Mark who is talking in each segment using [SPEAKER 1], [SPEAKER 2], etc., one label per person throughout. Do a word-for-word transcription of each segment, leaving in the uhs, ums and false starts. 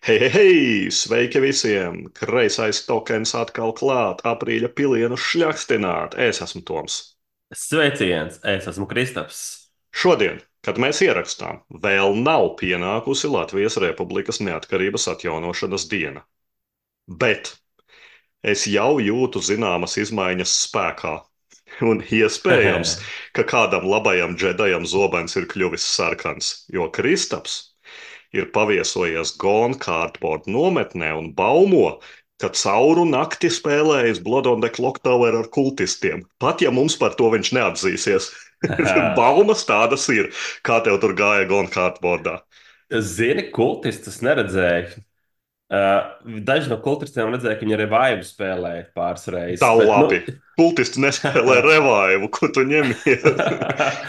[SPEAKER 1] Hei, hei, hei! Sveiki visiem! Kreisais tokens atkal klāt, aprīļa pilienu šļakstināt. Es esmu Toms.
[SPEAKER 2] Sveiciens! Es esmu Kristaps.
[SPEAKER 1] Šodien, kad mēs ierakstām, vēl nav pienākusi Latvijas Republikas neatkarības atjaunošanas diena. Bet es jau jūtu zināmas izmaiņas spēkā. Un iespējams, ka kādam labajam džedajam zobens ir kļuvis sarkans, jo Kristaps ir paviesojies Gone Cardboard nometnē un baumo, ka cauru nakti spēlējis Blood on the Clock Tower ar kultistiem. Pat ja mums par to viņš neatzīsies. Baumas tādas ir. Kā tev tur gāja Gone Cardboardā?
[SPEAKER 2] Zini, kultistus neredzēju. Uh, daži no kultistiem redzēja, ka viņi revive spēlēja pāris
[SPEAKER 1] Tā
[SPEAKER 2] reizes. Bet, nu,
[SPEAKER 1] labi. Kultisti nespēlē revaivu, ko tu ņemies.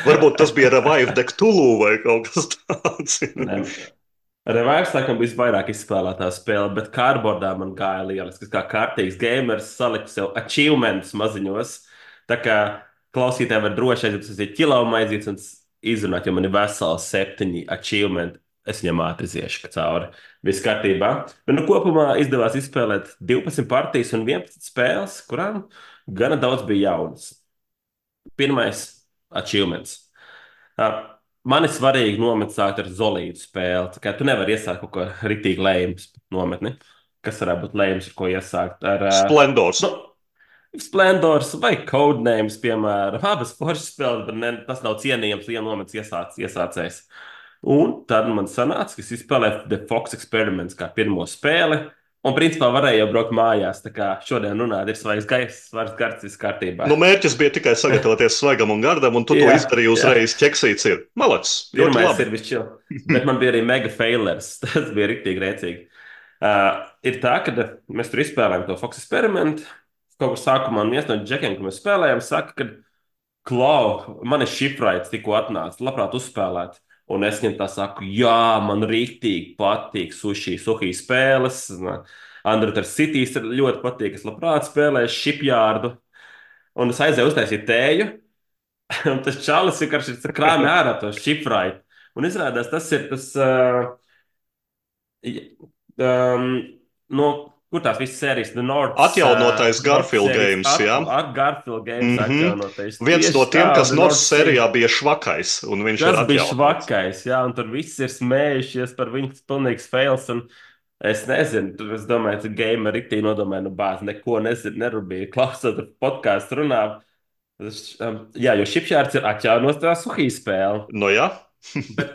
[SPEAKER 1] Varbūt tas bija Revive de Cthulhu vai kaut kas tāds.
[SPEAKER 2] ne, revive laikam bija vairāk izspēlētā spēle, bet cardboardā man gāja lieliski. Kā kārtīgs gamers saliku sev achievements maziņos. Tā kā klausītāji var droši aiziet uz ķilaumu aiziet un izrunāt, jo man ir veseli septiņi achievementi. Es viņam ātri iziešu cauri. Viss kārtībā. Bet nu, kopumā izdevās izspēlēt divpadsmit partijas un vienpadsmit spēles, kurām gana daudz bija jaunas. Pirmais achievements. Uh, Man ir svarīgi nomet sākt ar solīdu spēli. Tā kā tu nevari iesākt kaut ko ritīgi lējumus nometni. Kas varētu būt lējums, ar ko iesākt? Ar uh,
[SPEAKER 1] Splendors.
[SPEAKER 2] nu, Splendors vai Codenames, piemēram. Abas foršas spēles, bet ne, tas nav cienījams, ja nomets iesāc, iesācējs. Un tad man sanāca, ka es izspēlēju The Fox Experiments kā pirmo spēli. Un principā varēju jau braukt mājās. Tā kā šodien runāt, ir svaigs gaiss, svaigs gards, viss kārtībā.
[SPEAKER 1] Nu, mērķis bija tikai sagatavoties svaigam un gardam, un tu to
[SPEAKER 2] Jā,
[SPEAKER 1] izdarīji
[SPEAKER 2] jā.
[SPEAKER 1] uzreiz. Ķeksīts ir. Malacis. Ļoti
[SPEAKER 2] Pirmais
[SPEAKER 1] labi.
[SPEAKER 2] ir višķil. Bet man bija arī mega failers. Tas bija rīktīgi rēcīgi. Uh, ir tā, ka mēs tur izspēlējām to Fox eksperimentu. Kaut kur sākumā un viens no džekiem, ko mēs spēlējām, saka, ka klau, man ir šifrēts, tikko atnācis, labprāt uzspēlēt. Un es viņam tā saku, jā, man rīktīgi patīk sushi, sushi spēles. Underwater Cities ir ļoti patīk. Es labprāt spēlēju shipyardu. Un es aizēju uztaisīt tēju. Un tas čalis vienkārši ir krāpjas ārā to šifrēt. Un izrādās, tas ir tas, uh, um, no kur tās visas sērijas, The North, uh,
[SPEAKER 1] Atjaunotais
[SPEAKER 2] North
[SPEAKER 1] Garfield
[SPEAKER 2] sērijas,
[SPEAKER 1] games,
[SPEAKER 2] at,
[SPEAKER 1] jā.
[SPEAKER 2] at Garfield games
[SPEAKER 1] Mm -hmm.
[SPEAKER 2] atjaunotais.
[SPEAKER 1] Viens no
[SPEAKER 2] Tieši
[SPEAKER 1] tiem,
[SPEAKER 2] tā,
[SPEAKER 1] kas
[SPEAKER 2] The
[SPEAKER 1] North
[SPEAKER 2] North series.
[SPEAKER 1] sērijā bija švakais, un viņš ir
[SPEAKER 2] Tas bija
[SPEAKER 1] atjaunots.
[SPEAKER 2] švakais, jā, un tur viss ir smējušies par viņu pilnīgs fails. Un es nezinu, tur es domāju, ka gameri rīktī nodomāja, nu bāz, neko nezinu, nerūpīgi klausot podkāstu runā. Tas, um, jā, jo šipšārds ir atjaunots tā suhī spēle.
[SPEAKER 1] Nu, jā.
[SPEAKER 2] Bet,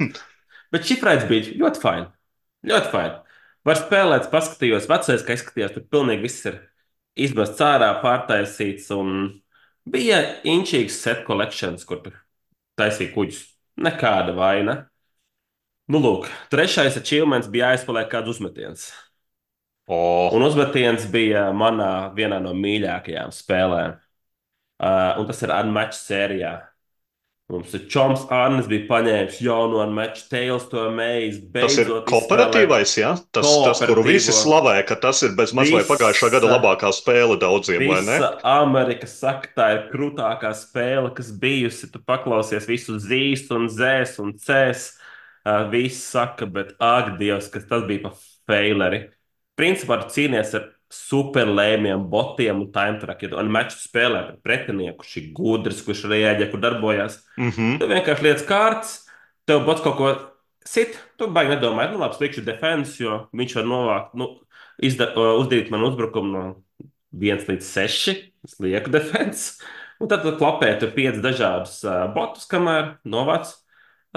[SPEAKER 2] bet šifrēts bija ļoti fini. Ļoti fini. Var spēlēt, paskatījos, vecais, kā izskatījās, tur pilnīgi viss ir izmests ārā, pārtaisīts. Un bija inčīgs set collections, kur tur taisīja kuģus. Nekāda vaina. Nu, lūk, trešais achievements bija jāizpaliek kāds uzmetiens. Un
[SPEAKER 1] O,
[SPEAKER 2] uzmetiens bija manā vienā no mīļākajām spēlēm. Uh, un tas ir Unmatched sērijā. Mums ir Čoms Arnis bija paņēmis jaunu Unmatched Tales to Maze,
[SPEAKER 1] tas ir
[SPEAKER 2] beidzot izspēlēt
[SPEAKER 1] kooperatīvais, jā? Tas, tas, kuru visi
[SPEAKER 2] kooperatīvo.
[SPEAKER 1] slavē, ka tas ir bez maz vai pagājušā gada
[SPEAKER 2] Visa,
[SPEAKER 1] labākā spēle daudziem, vai ne?
[SPEAKER 2] visa Amerika saka, tā ir krūtākā spēle, kas bijusi. Tu paklausies visu zīs un zēs un cēs. Uh, visi saka, bet ak, Dievs, kas tas bija pa faileri. Principā tu cīnies ar superlēmiem, botiem un time trackiem. Un meču spēlē pret pretinieku, kurš ir gudrs, kurš reaģē, kur darbojas.
[SPEAKER 1] Mhm.
[SPEAKER 2] Tu vienkārši lietas kārtas, tev bots kaut ko sit, tu baigi nedomāji, nu labi, slikšu defense, jo viņš var novākt, nu, izda, uh, uzdarīt man uzbrukumu no viens līdz seši, es lieku defense. Un tad tu klapē tur pieci dažādus uh, botus, kamēr novāc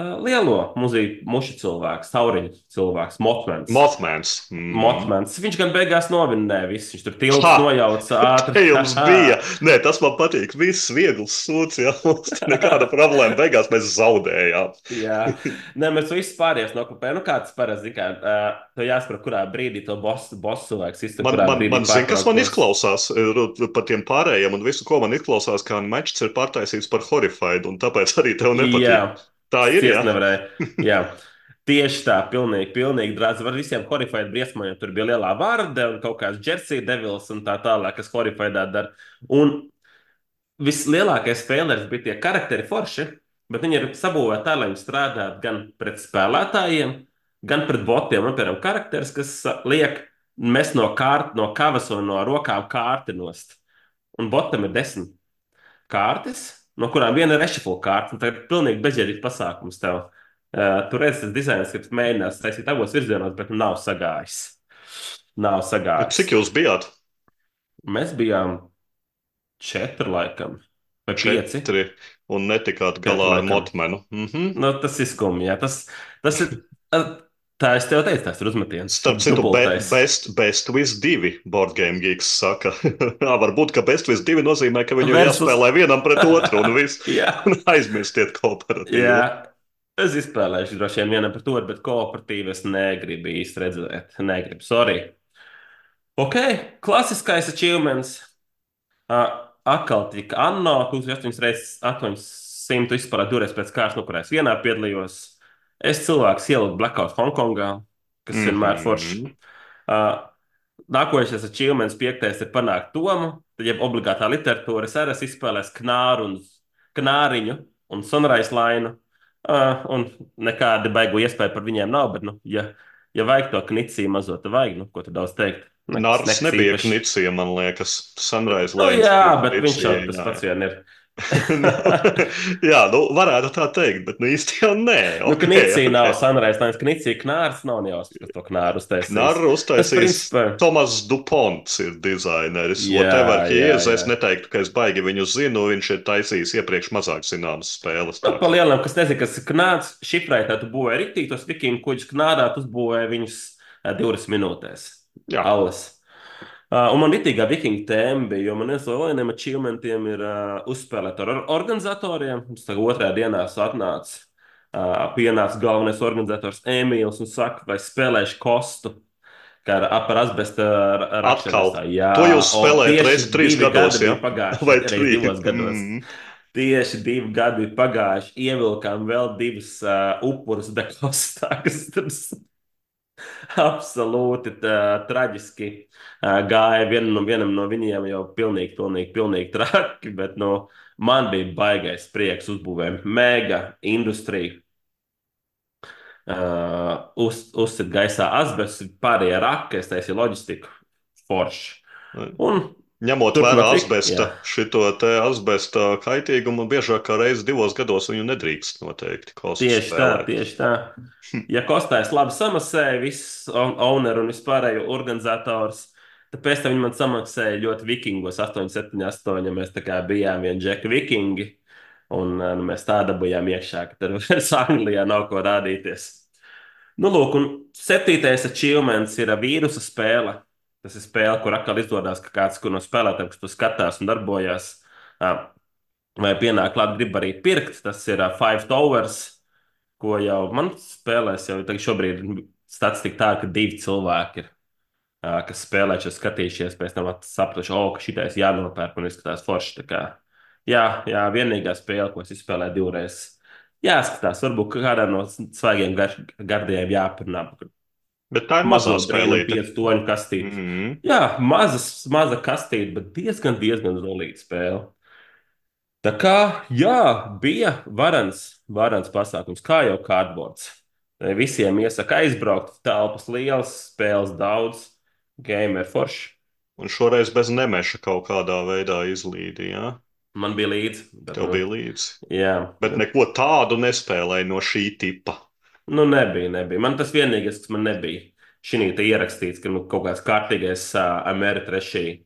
[SPEAKER 2] uh, lielo muzīku, mušu cilvēku, tauriņu cilvēks, Motmans.
[SPEAKER 1] Mothmans. Mhm.
[SPEAKER 2] Motmans. Viņš gan beigās novinnēja visu. Viņš tur tilts
[SPEAKER 1] Ha!
[SPEAKER 2] nojauca ātri.
[SPEAKER 1] Te jums bija. Nē, tas man patīk. Viss viegls sūds, jā. Mums te nekāda problēma. Beigās mēs zaudējām.
[SPEAKER 2] Jā, nē, mēs visi pārējās nokopējām. Nu, kāds parasti, kā, uh, tev jāsaprot, kurā brīdī to bosu, bosu cilvēks iztur,
[SPEAKER 1] Man,
[SPEAKER 2] kurā
[SPEAKER 1] man,
[SPEAKER 2] brīdī
[SPEAKER 1] man zina, kas man
[SPEAKER 2] pārtrauktos.
[SPEAKER 1] izklausās eh, par tiem pārējiem, un visu, ko man izklausās, kā matčs ir pārtaisīts par horrified, un tāpēc arī tev
[SPEAKER 2] Jā,
[SPEAKER 1] nepatīk. Tā ir, jā.
[SPEAKER 2] ciest nevarēja. Jā. Tieši tā, pilnīgi, pilnīgi drāz. Var visiem horrifēt briesmām, jo tur bija lielā vārde un kaut kāds Jersey Devils un tā tālāk, kas horrifēdā dara. Un vislielākais spēlētājs bija tie karakteri forši, bet viņi ir sabūvēti tā, lai viņi strādātu gan pret spēlētājiem, gan pret botiem, un, piemēram, karakteris, kas uh, liek mest no, kārt, no kavas un no rokām kārti nost. Un botam ir desmit kārtas, no kurām viena ir rešifla kārta. Tā ir pilnīgi bezjēdzīgs pasākums tev. Uh, tur redz, tas dizains, ka mēģinās taisīt abos virzienos, bet nu nav sagājis. Nav sagājis.
[SPEAKER 1] Cik jūs bijāt?
[SPEAKER 2] Mēs bijām četri, laikam, vai pieci.
[SPEAKER 1] Četri, un netikāt
[SPEAKER 2] Pieci,
[SPEAKER 1] galā ar
[SPEAKER 2] laikam.
[SPEAKER 1] Motmenu. Mhm.
[SPEAKER 2] Nu, tas ir skumji. Jā. Tas, tas ir. Tā es tev teicu, tas ir uzmetiens.
[SPEAKER 1] Starp citu, be,
[SPEAKER 2] Dubultais.
[SPEAKER 1] best, best with divi board game geeks saka. Jā, varbūt, ka best with divi nozīmē, ka viņu
[SPEAKER 2] Versus-
[SPEAKER 1] jāspēlē vienam pret otru un viss.
[SPEAKER 2] Jā,
[SPEAKER 1] Un aizmirstiet kooperatīvu.
[SPEAKER 2] jā. Es izspēlēšu droši vien vienam pret otru, bet kooperatīvi es negribu īsti redzēt. Negribu, sorry. Ok, klasiskais achievements. Uh, atkal tika Anno, astoņas reizes astoņsimt izspēlēt divreiz pēc kārtas, no kurās vienā piedalījos. Es cilvēks ieliku Blackout Hongkongā, kas
[SPEAKER 1] Mhm.
[SPEAKER 2] vienmēr forši. Uh, nākošais achievements, piektais, ir panākt Tomu. Tad, ja obligātā literatūra, es arī esmu izspēlējis Knāru un Knāriņu un Sunrise Line. Uh, un nekāda baigu iespēja par viņiem nav, bet, nu, ja, ja vajag to knicī mazo, tad vajag, nu, ko tu daudz teikt. Nekas-
[SPEAKER 1] Nārs
[SPEAKER 2] nekas
[SPEAKER 1] nebija
[SPEAKER 2] īpašs.
[SPEAKER 1] Knicija, man liekas. Sunrise
[SPEAKER 2] Nu,
[SPEAKER 1] Lane.
[SPEAKER 2] jā, bet viņš jau tas pats vien ir.
[SPEAKER 1] Jā, nu, varētu tā teikt, bet nu īsti jau nē.
[SPEAKER 2] Nu,
[SPEAKER 1] Ok,
[SPEAKER 2] Knicija
[SPEAKER 1] ok.
[SPEAKER 2] nav Sunrise Line, Knicija Knārs nav nejausmas, kas to Knāru uztaisīs.
[SPEAKER 1] Knarru
[SPEAKER 2] Tas,
[SPEAKER 1] uztaisījis
[SPEAKER 2] principā,
[SPEAKER 1] Tomas Duponts ir dizaineris.
[SPEAKER 2] Jā,
[SPEAKER 1] Whatever he
[SPEAKER 2] jā,
[SPEAKER 1] is, es
[SPEAKER 2] jā.
[SPEAKER 1] neteiktu, ka es baigi viņu zinu. Viņš ir taisījis iepriekš mazāk zināmas spēles.
[SPEAKER 2] Nu,
[SPEAKER 1] tā
[SPEAKER 2] pa
[SPEAKER 1] kā-
[SPEAKER 2] lielam, kas nezina, kas ir Knārs, šifrētā tu būvēji riktīgi, tos vikingu kuģus Knārā, tu uzbūvēji viņus ā, divas minūtēs.
[SPEAKER 1] Jā.
[SPEAKER 2] Allas. Uh, un man ritīgā vikinga tēma bija, jo man viens no lielajiem achievementiem ir uh, uzspēlēt ar or organizatoriem. Mums tagad otrajā dienā atnāca, uh, pienāca galvenais organizators Emīls un saka, vai spēlēšu kostu, kā ar par asbesta
[SPEAKER 1] Atkal.
[SPEAKER 2] rakšanas. Jā,
[SPEAKER 1] To jūs
[SPEAKER 2] un
[SPEAKER 1] spēlējat
[SPEAKER 2] tieši
[SPEAKER 1] reizi trīs
[SPEAKER 2] divi
[SPEAKER 1] gados,
[SPEAKER 2] gadi
[SPEAKER 1] ja?
[SPEAKER 2] bija pagājuši.
[SPEAKER 1] Vai
[SPEAKER 2] Reiz
[SPEAKER 1] trīs?
[SPEAKER 2] divos gados.
[SPEAKER 1] Mm.
[SPEAKER 2] Tieši divi gadi bija pagājuši. Ievilkām vēl divus uh, upurus dekostā, kas tur absolūti tā, traģiski uh, gāja. Vienam no, vienam no viņiem jau pilnīgi, pilnīgi, pilnīgi traki, bet nu, man bija baigais prieks uzbūvēt mega industriju. Uh, uz, uzsit gaisā asbestu, pārējie raki, es taisīju loģistiku, forši. Un
[SPEAKER 1] Ņemot
[SPEAKER 2] Turpināt
[SPEAKER 1] vērā
[SPEAKER 2] tik-
[SPEAKER 1] asbesta,
[SPEAKER 2] jā.
[SPEAKER 1] šito te asbesta kaitīgumu, biežāk kā reizi divos gados viņu nedrīkst noteikti kostu
[SPEAKER 2] tieši tā,
[SPEAKER 1] spēlēt.
[SPEAKER 2] tieši tā. Ja kostājs labi samaksāja, viss on- owner un vispārējo organizators, tad pēc tam viņi man samaksāja ļoti vikingos, astoņi, septiņi, astoņi. Mēs tā kā bijām vien džeki vikingi, un uh, nu, mēs tā dabūjām iekšā, ka tur vairs Anglijā nav ko rādīties. Nu, lūk, un septītais achievements ir vīrusa spēle. Tas ir spēle, kur atkal izdodas, ka kāds kur no spēlētājiem, kas to skatās un darbojās, uh, vai pienāk klāt, grib arī pirkt. Tas ir uh, Five Towers, ko jau man spēlēs, jau tagad šobrīd statistika tā, ka divi cilvēki ir, ā, kas spēlē, šo skatījušies, pēc tam sapratuši, o, ka šitais jānopērk un izskatās forši. Tā kā, jā, jā, vienīgā spēle, ko es izspēlēju divreiz. Jāskatās, varbūt kādā no svaigiem gar, gardiem jāparunā.
[SPEAKER 1] Bet tā ir
[SPEAKER 2] Mazo
[SPEAKER 1] mazā
[SPEAKER 2] brīnumu
[SPEAKER 1] spēlīte.
[SPEAKER 2] piecu toņu kastīti.
[SPEAKER 1] Mhm.
[SPEAKER 2] Jā, mazas, maza kastīte, bet diezgan, diezgan zolīta spēle. Tā kā, jā, bija varans, varans pasākums, kā jau cardboards. Visiem iesaka aizbraukt, telpas lielas, spēles daudz, gamer forši.
[SPEAKER 1] Un šoreiz bez nemeša kaut kādā veidā izlīdi, jā?
[SPEAKER 2] Man bija līdzi. Bet,
[SPEAKER 1] Tev
[SPEAKER 2] nu,
[SPEAKER 1] bija līdzi.
[SPEAKER 2] Jā,
[SPEAKER 1] Bet neko tādu nespēlēja no šī tipa.
[SPEAKER 2] nu nebija, nebija. Man tas vienīgais, kas man nebija. Šī te ierakstīts, ka nu, kaut kāds kārtīgais uh, Ameritrešī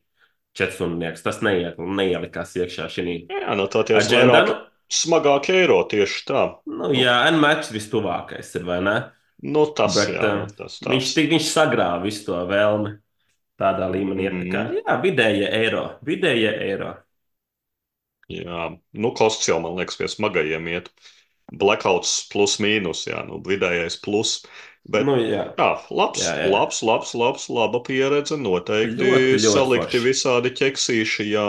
[SPEAKER 2] četrstundnieks, tas neiet, neielikās iekšā šī.
[SPEAKER 1] Jā, no tā tie
[SPEAKER 2] Aģenda,
[SPEAKER 1] vairāk smagāk eiro tieši tā.
[SPEAKER 2] Nu, jā, N-match vistuvākais ir, vai ne?
[SPEAKER 1] Nu, tas,
[SPEAKER 2] Bet,
[SPEAKER 1] jā,
[SPEAKER 2] uh,
[SPEAKER 1] tas
[SPEAKER 2] Viņš,
[SPEAKER 1] tāds.
[SPEAKER 2] tik- viņš sagrāva visu to vēlmi. Tādā līmenī ir tā kā, jā, vidējie eiro, vidējie eiro.
[SPEAKER 1] Jā, nu, kosts jau, man liekas, pie smagajiem iet. Blackouts plus mīnus, jā, nu, vidējais plus. Bet,
[SPEAKER 2] Nu, jā.
[SPEAKER 1] jā, labs,
[SPEAKER 2] Jā, jā.
[SPEAKER 1] labs, labs, labs, laba pieredze. Noteikti
[SPEAKER 2] Ļoti, ļoti
[SPEAKER 1] salikti
[SPEAKER 2] forši.
[SPEAKER 1] visādi ķeksīši, jā.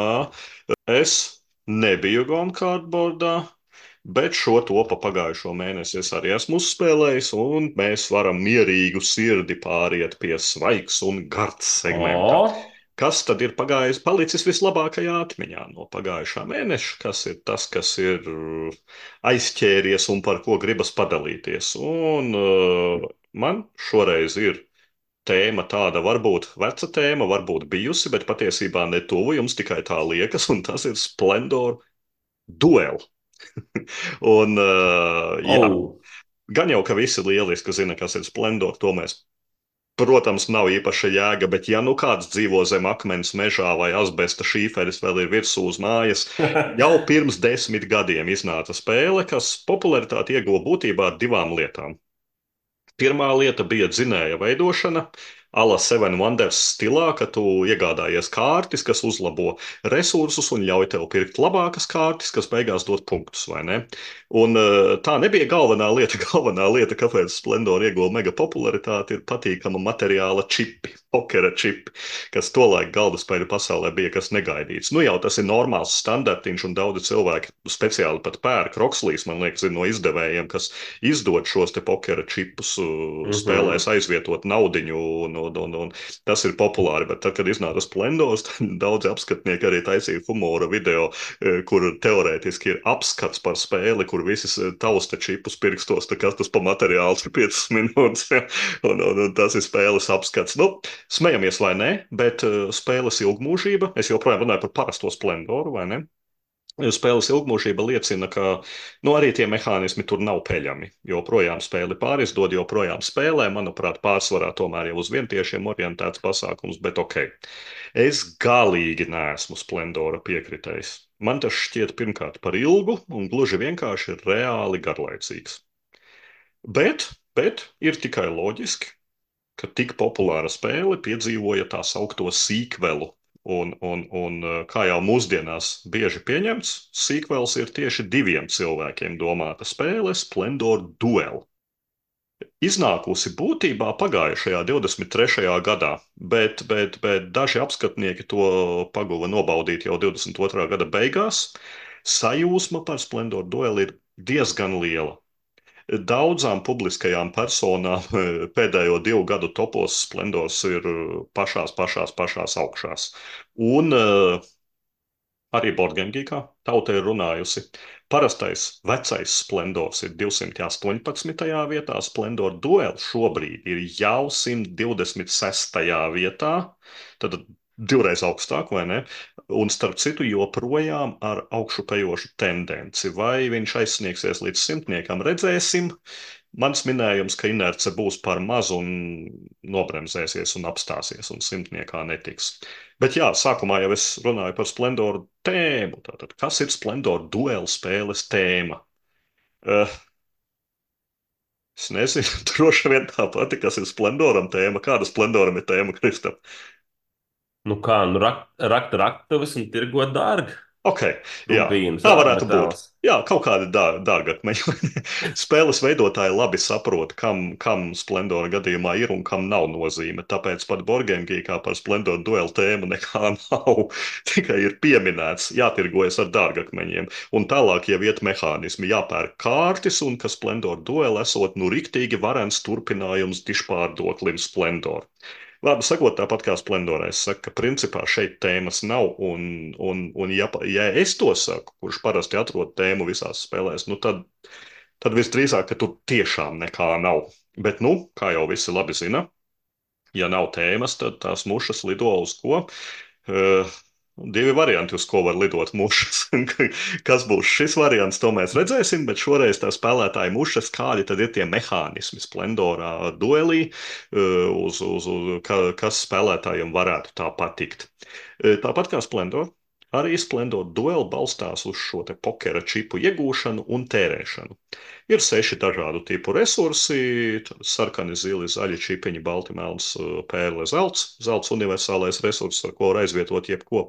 [SPEAKER 1] Es nebiju Gone Cardboardā, bet šo to pa pagājušo mēnesi es arī esmu uzspēlējis, un mēs varam mierīgu sirdi pāriet pie svaigs un gards segmenta.
[SPEAKER 2] O,
[SPEAKER 1] Kas tad ir pagājis, palicis vislabākajā atmiņā no pagājušā mēneša? Kas ir tas, kas ir uh, aizķēries un par ko gribas padalīties? Un uh, Man šoreiz ir tēma tāda, varbūt veca tēma, varbūt bijusi, bet patiesībā ne tuvu jums tikai tā liekas, un tas ir Splendor Duel. Un, uh, jā,
[SPEAKER 2] Oh.
[SPEAKER 1] gan jau, ka visi lieliski zina, kas ir Splendor, to mēs, protams, nav īpaša jēga, bet ja nu kāds dzīvo zem akmens mežā vai asbesta šīferis vēl ir virsū uz mājas, jau pirms desmit gadiem iznāca spēle, kas popularitāti ieguva būtībā ar divām lietām. Pirmā lieta bija dzinēja veidošana, ala Seven Wonders stilā, ka tu iegādājies kārtis, kas uzlabo resursus un ļauj tev pirkt labākas kārtis, kas beigās dod punktus, vai ne? Un eh, tā nebija galvenā lieta. Galvenā lieta, kāpēc Splendor ieguva mega popularitāti, ir patīkama materiāla čipi, pokera čipi, kas tolaik galdaspēļu pasaulē bija kas negaidīts. Nu jau tas ir normāls standartiņš, un daudzi cilvēki speciāli pat pērk. Rokslīs, man liekas, ir no izdevējiem, kas izdod šos te pokera čipus, spēlēs
[SPEAKER 2] Mhm.
[SPEAKER 1] aizvietot naudiņu, un, un, un, un tas ir populāri. Bet tad, kad iznāca Splendors, tad daudzi apskatnieki arī taisīja humora video, eh, kur teorētiski ir apskats par spēli, kur visi tausta čipus pirkstos, tā kas tas pa materiāls ir piecas minūtes, ja? un, un, un tas ir spēles apskats. Nu, smejamies vai nē, bet uh, spēles ilgmūžība, es joprojām runāju par parasto Splendoru, vai ne? Spēles ilgmūžība liecina, ka nu, arī tie mehānismi tur nav peļami. Joprojām spēli pārizdod, joprojām spēlē, manuprāt, pārsvarā tomēr jau uz vientiešiem orientēts pasākums, bet ok. Es galīgi neesmu Splendora piekritējs. Man tas šķiet pirmkārt par ilgu un gluži vienkārši reāli garlaicīgs. Bet, bet ir tikai loģiski, ka tik populāra spēle piedzīvoja tā saukto sīkvelu. Un, un, un kā jau mūsdienās bieži pieņemts, sīkvels ir tieši diviem cilvēkiem domāta spēle Splendor Duel. Iznākusi būtībā pagājušajā divdesmit trešajā gadā, bet, bet, bet daži apskatnieki to paguva nobaudīt jau divdesmit otrā gada beigās. Sajūsma par Splendor Duel ir diezgan liela. Daudzām publiskajām personām pēdējo divu gadu topos Splendors ir pašās, pašās, pašās augšās. Un uh, arī Borgenģīkā tauta ir runājusi. Parastais vecais Splendors ir divsimt astoņpadsmitajā vietā, Splendor Duel šobrīd ir jau simt divdesmit sestajā vietā, tad divreiz augstāk, vai ne? Un starp citu joprojām ar augšupejošu tendenci. Vai viņš aizsniegsies līdz simtniekam, redzēsim. Mans minējums, ka inerce būs par mazu un nobremzēsies un apstāsies un simtniekā netiks. Bet jā, sākumā jau es runāju par Splendoru tēmu. Tātad, kas ir Splendor duelu spēles tēma? Uh, es nezinu, droši vien tā pati, kas ir Splendoram tēma. Kāda Splendoram ir tēma, Kristap?
[SPEAKER 2] Nu kā, nu rakt, rakt raktuves un tirgot dārgi.
[SPEAKER 1] Ok, jā,
[SPEAKER 2] Rubīns,
[SPEAKER 1] tā
[SPEAKER 2] ā,
[SPEAKER 1] varētu būt.
[SPEAKER 2] metāls.
[SPEAKER 1] Jā, kaut kādi dā, dārgakmeņi. Spēles veidotāji labi saprot, kam, kam Splendora gadījumā ir un kam nav nozīme. Tāpēc pat Borgenģīkā par Splendora duelu tēmu nekā nav. Tikai ir pieminēts, jātirgojas ar dārgakmeņiem. Un tālāk jau iet mehānismi, jāpērk kārtis, un ka Splendora duela esot nu riktīgi varens turpinājums dišpārdoklim Splendor. Vārdu sakot, tāpat kā Splendorā, es saku, ka principā šeit tēmas nav, un, un, un ja, ja es to saku, kurš parasti atrod tēmu visās spēlēs, nu tad, tad visdrīzāk, ka tur tiešām nekā nav. Bet, nu, kā jau visi labi zina, ja nav tēmas, tad tās mušas lido uz ko? Uh, Divi varianti, uz ko var lidot mušas. Kas būs šis variants, to mēs redzēsim, bet šoreiz tā spēlētāja mušas, kādi tad ir tie mehānismi Splendorā duelī, uz, uz, uz, ka, kas spēlētājiem varētu tā patikt. Tāpat kā Splendor, arī Splendor duel balstās uz šo te pokera čipu iegūšanu un tērēšanu. Ir seši dažādu tipu resursi - sarkani, zili, zaļi, čipiņi, balti, melns, pērle, zelts. Zelts universālais resurss, ar ko var aizvietot jebko.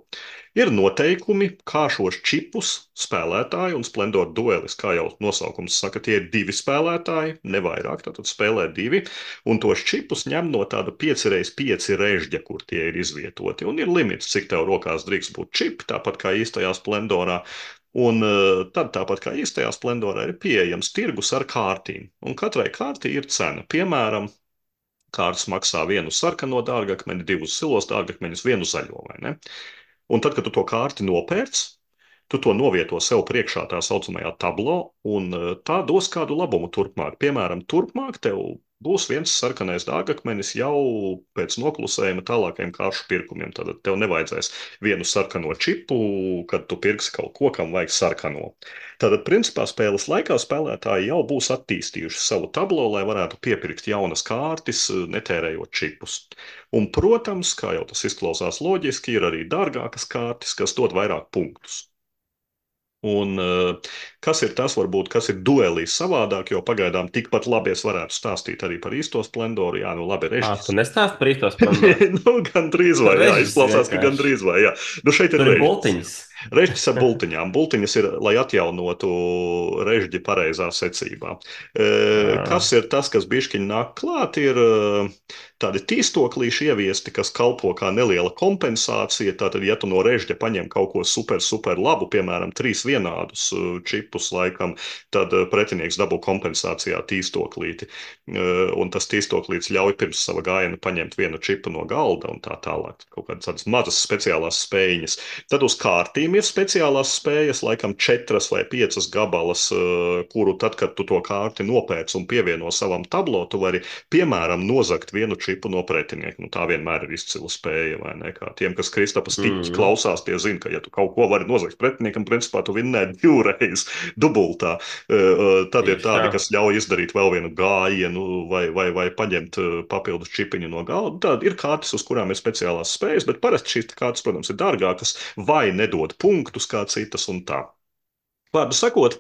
[SPEAKER 1] Ir noteikumi, kā šos čipus spēlētāji un Splendor duelis, kā jau nosaukums saka, tie ir divi spēlētāji, ne vairāk, tātad spēlē divi, un tos čipus ņem no tāda pieci reiz pieci režģa, kur tie ir izvietoti. Un ir limits, cik tev rokās drīkst būt čipi, tāpat kā īstajā Splendorā. Un uh, tad, tāpat kā īstajā Splendorā, ir pieejams tirgus ar kārtīm. Un katrai kārtī ir cena. Piemēram, kārtas maksā vienu sarkano dārgakmeni, divus zilos dārgakmeņus, vienu zaļo, vai ne? Un tad, kad tu to kārti nopērc, tu to novieto sev priekšā tā saucamajā tablo, un uh, tā dos kādu labumu turpmāk. Piemēram, turpmāk tev būs viens sarkanais dārgakmenis jau pēc noklusējuma tālākajiem kāršu pirkumiem. Tad tev nevajadzēs vienu sarkano čipu, kad tu pirksi kaut ko, kam vajag sarkano. Tātad, principā, spēles laikā spēlētāji jau būs attīstījuši savu tablo, lai varētu piepirkt jaunas kārtas, netērējot čipus. Un, protams, kā jau tas izklausās loģiski, ir arī dārgākas kārtas, kas dod vairāk punktus. Un uh, kas ir tas, varbūt, kas ir duelīs savādāk, jo pagaidām tikpat labi es varētu stāstīt arī par īsto splendoru. Jā, nu labi,
[SPEAKER 2] Ā, tu
[SPEAKER 1] režģis.
[SPEAKER 2] nestāst par īsto splendoru.
[SPEAKER 1] Nu, gan drīz vai, jā,
[SPEAKER 2] Režģis
[SPEAKER 1] izklausās, ka gan
[SPEAKER 2] vienkārši.
[SPEAKER 1] drīz vai, jā. Nu, šeit ir
[SPEAKER 2] Tur ir
[SPEAKER 1] režģis.
[SPEAKER 2] bultiņas.
[SPEAKER 1] Režģis ar bultiņām. Bultiņas ir, lai atjaunotu režģi pareizā secībā. E,
[SPEAKER 2] Ā.
[SPEAKER 1] kas ir tas, kas bišķiņ nāk klāt, ir e, tādi tīstoklīši ieviesti, kas kalpo kā neliela kompensācija. Tātad, ja tu no režģa paņem kaut ko super, super labu, piemēram, trīs vienādus e, čipus laikam, tad e, pretinieks dabū kompensācijā tīstoklīti. E, un tas tīstoklīts ļauj pirms sava gājiena paņemt vienu čipu no galda un tā tālāk. Kaut kādas tādas mazas speciālās spējiņas. Tad uz kārtīm ir speciālās spējas, laikam četras vai piecas gabalas, eh, kuru tad, kad tu to kārti nopērci un pievieno savam tablo, tu vari, piemēram, nozagt vienu čipu no pretinieka. Nu, tā vienmēr ir izcila spēja, vai ne? Kā tiem, kas Kristapas tiķi
[SPEAKER 2] Mm.
[SPEAKER 1] klausās, tie zina, ka ja tu kaut ko vari nozagt pretiniekam, principā tu vinnē divreiz dubultā. Eh, eh, Tad ir
[SPEAKER 2] Tieši
[SPEAKER 1] tādi,
[SPEAKER 2] tā.
[SPEAKER 1] kas ļauj izdarīt vēl vienu gājienu vai, vai, vai paņemt eh, papildus čipiņu no galda. Tad ir kārtas, uz kurām ir speciālās spējas, bet parasti šīs kārtas, protams, ir dārgākas vai nedod punktus kā citas un tā. Vārdu sakot,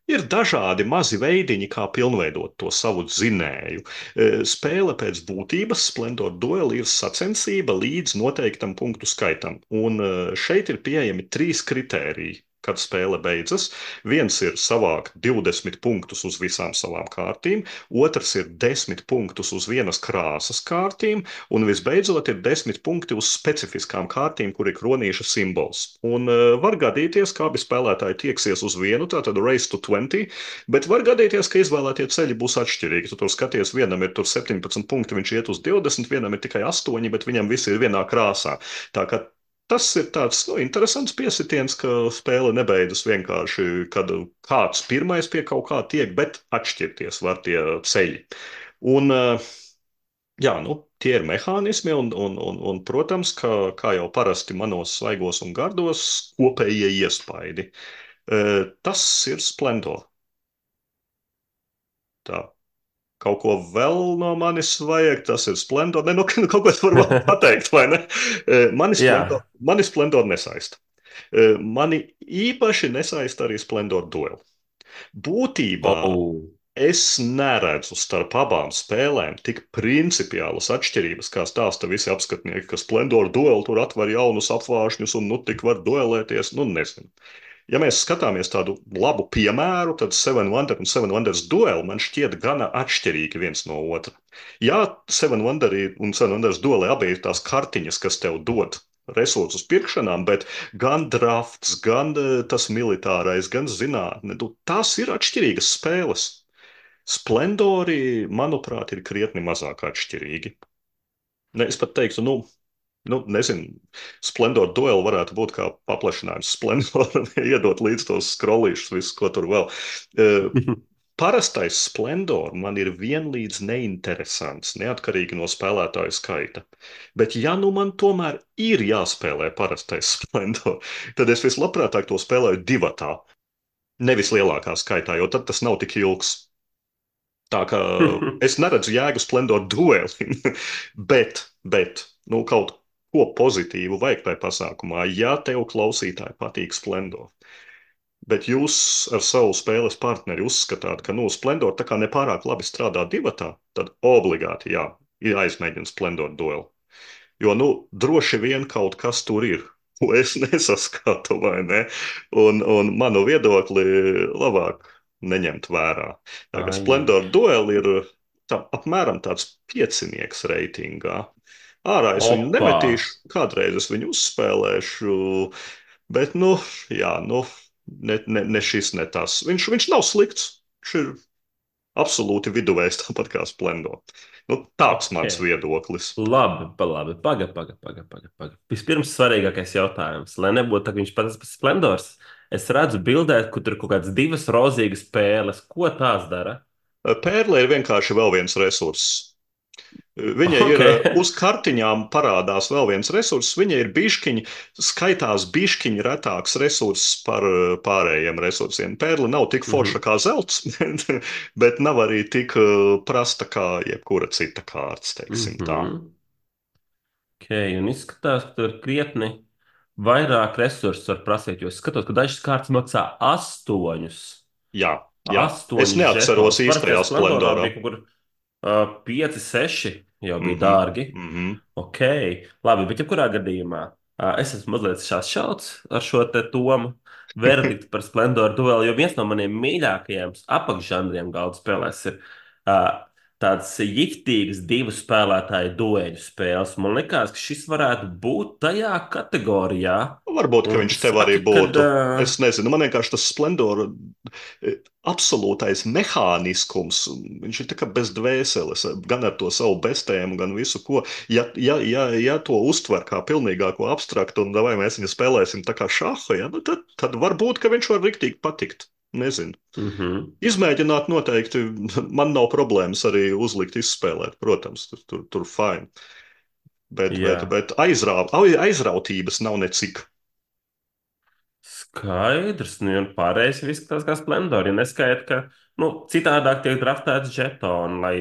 [SPEAKER 1] ir dažādi mazi veidiņi, kā pilnveidot to savu dzinēju. E, Spēle pēc būtības, Splendor Duel, ir sacensība līdz noteiktam punktu skaitam. Un e, šeit ir pieejami trīs kritēriji, kad spēle beidzas. Viens ir savākt divdesmit punktus uz visām savām kārtīm, otrs ir desmit punktus uz vienas krāsas kārtīm, un visbeidzot ir desmit punkti uz specifiskām kārtīm, kur ir kronīša simbols. Un uh, var gadīties, ka abi spēlētāji tieksies uz vienu, tātad race to twenty, bet var gadīties, ka izvēlētie ceļi būs atšķirīgi. Tu tur skaties, vienam ir tur septiņpadsmit punkti, viņš iet uz divdesmit, vienam ir tikai astoņi, bet viņam visi ir vienā krāsā. Tā kā tas ir tāds nu, interesants piesitiens, ka spēle nebeidzas vienkārši, kad kāds pirmais pie kaut kā tiek, bet atšķirties var tie ceļi. Un, uh, jā, nu, tie ir mehānismi, un, un, un, un protams, ka, kā jau parasti manos svaigos un gardos, kopējie iespaidi. Uh, tas ir Splendor. Tā. Kaut ko vēl no manis vajag, tas ir Splendor. Ne, nu, nu, kaut ko es varu vēl pateikt, vai ne? Uh, Mani Splendor,
[SPEAKER 2] Jā.
[SPEAKER 1] mani Splendor nesaista. Uh, Mani īpaši nesaista arī Splendor Duel. Būtībā
[SPEAKER 2] Oh.
[SPEAKER 1] es neredzu starp abām spēlēm tik principiālas atšķirības, kā stāsta visi apskatnieki, ka Splendor Duel tur atver jaunus apvāršņus un nu tik var duelēties. Nu, nezinu. Ja mēs skatāmies tādu labu piemēru, tad Seven Wonders un Seven Wonders Duel man šķiet gana atšķirīgi viens no otra. Jā, Seven Wonders un Seven Wonders Duel abi ir tās kartiņas, kas tev dod resursus pirkšanām, bet gan drafts, gan eh, tas militārais, gan zinātne, nu, tās ir atšķirīgas spēles. Splendori, manuprāt, ir krietni mazāk atšķirīgi. Ne, es pat teiktu, nu, nu nezinu, Splendor Duel varētu būt kā paplašinājums Splendoram, iedot līdz tos scrollīšus, visu, ko tur vēl. Uh, Parastais Splendor man ir vienlīdz neinteresants, neatkarīgi no spēlētāju skaita. Bet ja nu man tomēr ir jāspēlē parastais Splendor, tad es vislabprātāk to spēlēju divatā, nevis lielākā skaitā, jo tad tas nav tik ilgs. Tā kā es neredzu jēgu Splendor duelim, bet, bet, nu, kaut ko pozitīvu vajag tajā pasākumā, ja tev klausītāji patīk Splendor. Bet jūs ar savu spēles partneri uzskatāt, ka, nu, Splendor tā kā nepārāk labi strādā divatā, tad obligāti, jā, ir jāizmēģina Splendor dueli. Jo, nu, droši vien kaut kas tur ir, ko es nesaskatu, vai ne? Un, un manu viedokli labāk neņemt vērā. Tā kā
[SPEAKER 2] Ai.
[SPEAKER 1] Splendor Duel ir tā, apmēram tāds piecinieks reitingā. Ārā es viņu
[SPEAKER 2] Opa.
[SPEAKER 1] nemetīšu, kādreiz es viņu uzspēlēšu, bet, nu, jā, nu, ne, ne, ne šis, ne tas. Viņš, viņš nav slikts, viņš ir absolūti viduvējs, tāpat kā Splendor. Nu, tāds
[SPEAKER 2] Ok.
[SPEAKER 1] mans viedoklis.
[SPEAKER 2] Labi, pa labi. Paga, paga, paga, paga, paga. Vispirms svarīgākais jautājums. Lai nebūtu tā, ka viņš pats pēc Splendors, es redzu bildē, kur tur ir kaut kādas divas rozīgas pēles. Ko tās dara?
[SPEAKER 1] Pērle ir vienkārši vēl viens resurss. Viņa
[SPEAKER 2] Ok.
[SPEAKER 1] ir eh, uz kartiņām parādās vēl viens resurss. Viņa ir bišķiņa, skaitās bišķiņa retāks resurss par eh, pārējiem resursiem. Pērle nav tik forša
[SPEAKER 2] Mhm.
[SPEAKER 1] kā zelts, bet, bet nav arī tik eh, prasta kā jebkura cita kārts, teiksim tā.
[SPEAKER 2] Mhm. Ok, un izskatās, ka tur ir krietni vairāk resursu var prasīt, jo es skatos, ka dažas kārtas maksā astoņus.
[SPEAKER 1] Jā, jā. Es
[SPEAKER 2] Astoņus
[SPEAKER 1] neatceros
[SPEAKER 2] žetonus. Parasti
[SPEAKER 1] īstajā
[SPEAKER 2] Splendorā
[SPEAKER 1] splendorā.
[SPEAKER 2] bija kaut kur uh, pieci, seši jau bija
[SPEAKER 1] Mhm,
[SPEAKER 2] dārgi.
[SPEAKER 1] mhm.
[SPEAKER 2] Ok, labi, bet jebkurā gadījumā uh, es esmu mazliet šāds ar šo te tomu verdiktu par Splendoru dueli, jo viens no maniem mīļākajiem apakšžanriem galda spēlēs ir uh, tāds jiktīgs divu spēlētāju dueļu spēles. Man liekas, ka šis varētu būt tajā kategorijā.
[SPEAKER 1] Varbūt, ka
[SPEAKER 2] Un tu
[SPEAKER 1] viņš tev arī
[SPEAKER 2] saki, ka
[SPEAKER 1] būtu.
[SPEAKER 2] uh,
[SPEAKER 1] Es nezinu, man vienkārši tas splendora eh, absolūtais mehāniskums, viņš ir tā kā bez dvēseles, gan ar to savu bestējumu, gan visu ko. Ja, ja, ja, ja to uztver kā pilnīgāko abstraktu, un vai mēs viņu spēlēsim tā kā šahu, ja, nu tad, tad varbūt, ka viņš var riktīgi patikt. Nezinu.
[SPEAKER 2] mhm,
[SPEAKER 1] Izmēģināt noteikti, man nav problēmas arī uzlikt, izspēlēt, protams, tur, tur, tur fine. Bet, bet,
[SPEAKER 2] jā.
[SPEAKER 1] bet aizrā, aizrautības nav necik.
[SPEAKER 2] Skaidrs, nu, un pārējais izskatās kā splendori. Ja neskaidrs, ka nu, citādāk tiek draftēts žetoni, lai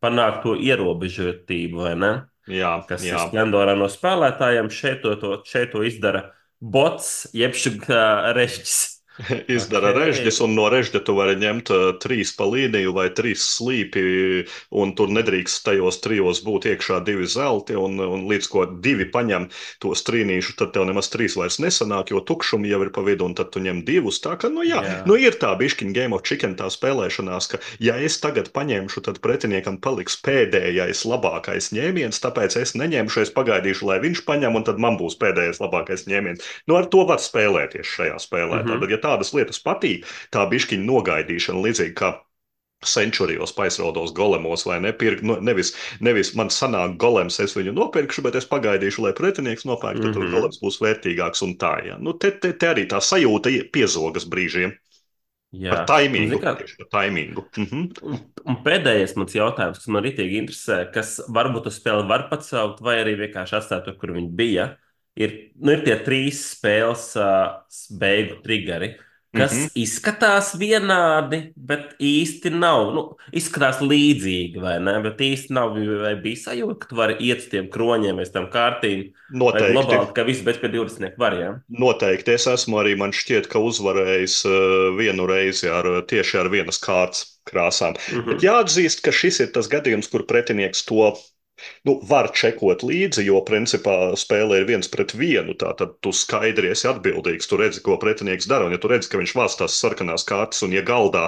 [SPEAKER 2] panāktu to ierobežotību, vai ne?
[SPEAKER 1] Jā,
[SPEAKER 2] Kas ir
[SPEAKER 1] jā.
[SPEAKER 2] splendorā no spēlētājiem. Šeit to, to, šeit to izdara bots, jeb šā režģis. Ok,
[SPEAKER 1] Izdara režģis, un no režģa tu vari ņemt uh, trīs pa līniju vai trīs slīpi, un tur nedrīkst tajos trijos būt iekšā divi zelti, un, un līdz ko divi paņem tos trīnīšu, tad tev nemaz trīs vairs nesanāk, jo tukšumi jau ir pa vidu, un tad tu ņem divus. Tā ka, nu jā,
[SPEAKER 2] jā.
[SPEAKER 1] nu ir tā bišķiņa Game of Chicken tā spēlēšanās, ka ja es tagad paņemšu, tad pretiniekam paliks pēdējais labākais ņēmiens, tāpēc es neņemšu, es pagaidīšu, lai viņš paņem, un tad man būs pēdējais labākais ņēmiens. Nu, ar to var spēlēties šajā spēlē. Tātad,
[SPEAKER 2] Mhm,
[SPEAKER 1] ja tādas lietas patīk, tā bišķiņa nogaidīšana, līdzīgi kā centurijos, paisraudos golemos, vai nepirkt, nu, nevis, nevis man sanāk golems, es viņu nopirkšu, bet es pagaidīšu, lai pretinieks nopērk, tad tur
[SPEAKER 2] mhm,
[SPEAKER 1] golems būs vērtīgāks un tā, ja. Nu, te, te, te arī tā sajūta piezogas brīžiem par
[SPEAKER 2] jā. Un, zini
[SPEAKER 1] taimingu,
[SPEAKER 2] kā,
[SPEAKER 1] tieši par taimingu. Mhm.
[SPEAKER 2] un, un pēdējais mans jautājums, kas man ritīgi interesē, kas varbūt uz spēli var pacelt, vai arī vienkārši atstāt tur, kur viņi bija, ir, nu, ir tie trīs spēles uh, beigu triggeri, kas
[SPEAKER 1] Mhm.
[SPEAKER 2] izskatās vienādi, bet īsti nav. Nu, izskatās līdzīgi, vai ne? Bet īsti nav. Vai bija sajūta, ka tu vari iet uz tiem kroņiem, vai uz tām kārtīm, vai
[SPEAKER 1] Noteikti.
[SPEAKER 2] globāli, ka viss bez pie divdesmit var, ja?
[SPEAKER 1] Noteikti es esmu arī, man šķiet, ka uzvarējis uh, vienu reizi ar, tieši ar vienas kārtas krāsām. Bet
[SPEAKER 2] Mhm.
[SPEAKER 1] jāatzīst, ka šis ir tas gadījums, kur pretinieks to nu, var čekot līdzi, jo principā spēlē ir viens pret vienu. Tātad tu skaidri esi atbildīgs, tu redzi, ko pretinieks dara. Un ja tu redzi, ka viņš vāc tās sarkanās kārtas, un ja galdā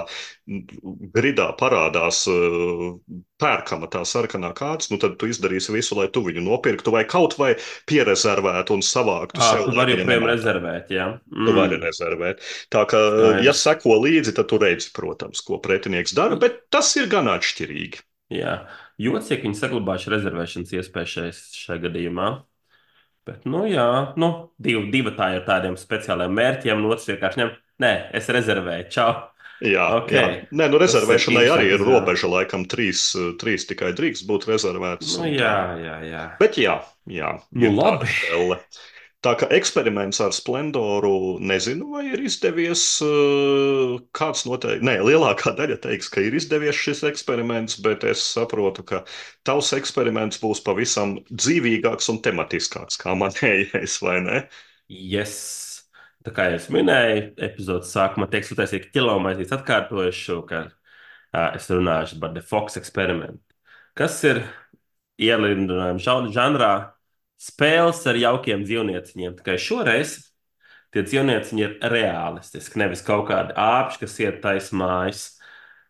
[SPEAKER 1] gridā parādās uh, pērkama tā sarkanā kārtas, nu tad tu izdarīsi visu, lai tu viņu nopirktu vai kaut vai pierezervētu un savāktu
[SPEAKER 2] Ah,
[SPEAKER 1] sev,
[SPEAKER 2] tu
[SPEAKER 1] lai
[SPEAKER 2] vari
[SPEAKER 1] viņa
[SPEAKER 2] joprojām
[SPEAKER 1] nemētā.
[SPEAKER 2] rezervēt, jā.
[SPEAKER 1] Tu vari
[SPEAKER 2] Mm,
[SPEAKER 1] rezervēt. Tā kā, ja
[SPEAKER 2] skaidrs.
[SPEAKER 1] seko līdzi, tad tu redzi, protams, ko pretinieks dara,
[SPEAKER 2] I-
[SPEAKER 1] bet tas ir gan atšķirīgi.
[SPEAKER 2] Jā, jocīgi viņi saglabājuši rezervēšanas iespēju šai, šai gadījumā. Bet, nu, jā, nu, divi, divi tā ir tādiem speciāliem mērķiem, un otrs vienkārši ņem, nē, es rezervēju, čau.
[SPEAKER 1] Jā,
[SPEAKER 2] Ok,
[SPEAKER 1] jā. Nē, nu
[SPEAKER 2] tas ir
[SPEAKER 1] rezervēšanai arī
[SPEAKER 2] interesanti
[SPEAKER 1] ir
[SPEAKER 2] izvēle.
[SPEAKER 1] robeža, laikam trīs, trīs tikai drīkst būt rezervētas
[SPEAKER 2] Nu,
[SPEAKER 1] un
[SPEAKER 2] jā,
[SPEAKER 1] tā.
[SPEAKER 2] jā, jā.
[SPEAKER 1] Bet jā, jā,
[SPEAKER 2] Nu,
[SPEAKER 1] ir tāda
[SPEAKER 2] labi.
[SPEAKER 1] spēle. Tā kā eksperiments ar Splendoru, nezinu, vai ir izdevies. eh, Kāds noteikti, nē, lielākā daļa teiks, ka ir izdevies šis eksperiments, bet es saprotu, ka tavs eksperiments būs pavisam dzīvīgāks un tematiskāks kā manējais, vai ne?
[SPEAKER 2] Yes. Tā kā jau es minēju, epizodes sākumā tiek sutaisīta ķilomaizītes atkārtojuši, ka ā, es runāšu par The Fox eksperimentu. Kas ir ielindojums žanrā spēles ar jaukiem dzīvnieciņiem. Tikai šoreiz tie dzīvnieciņi ir realistiski, nevis kaut kādi āpši, kas iet taisnās mājas.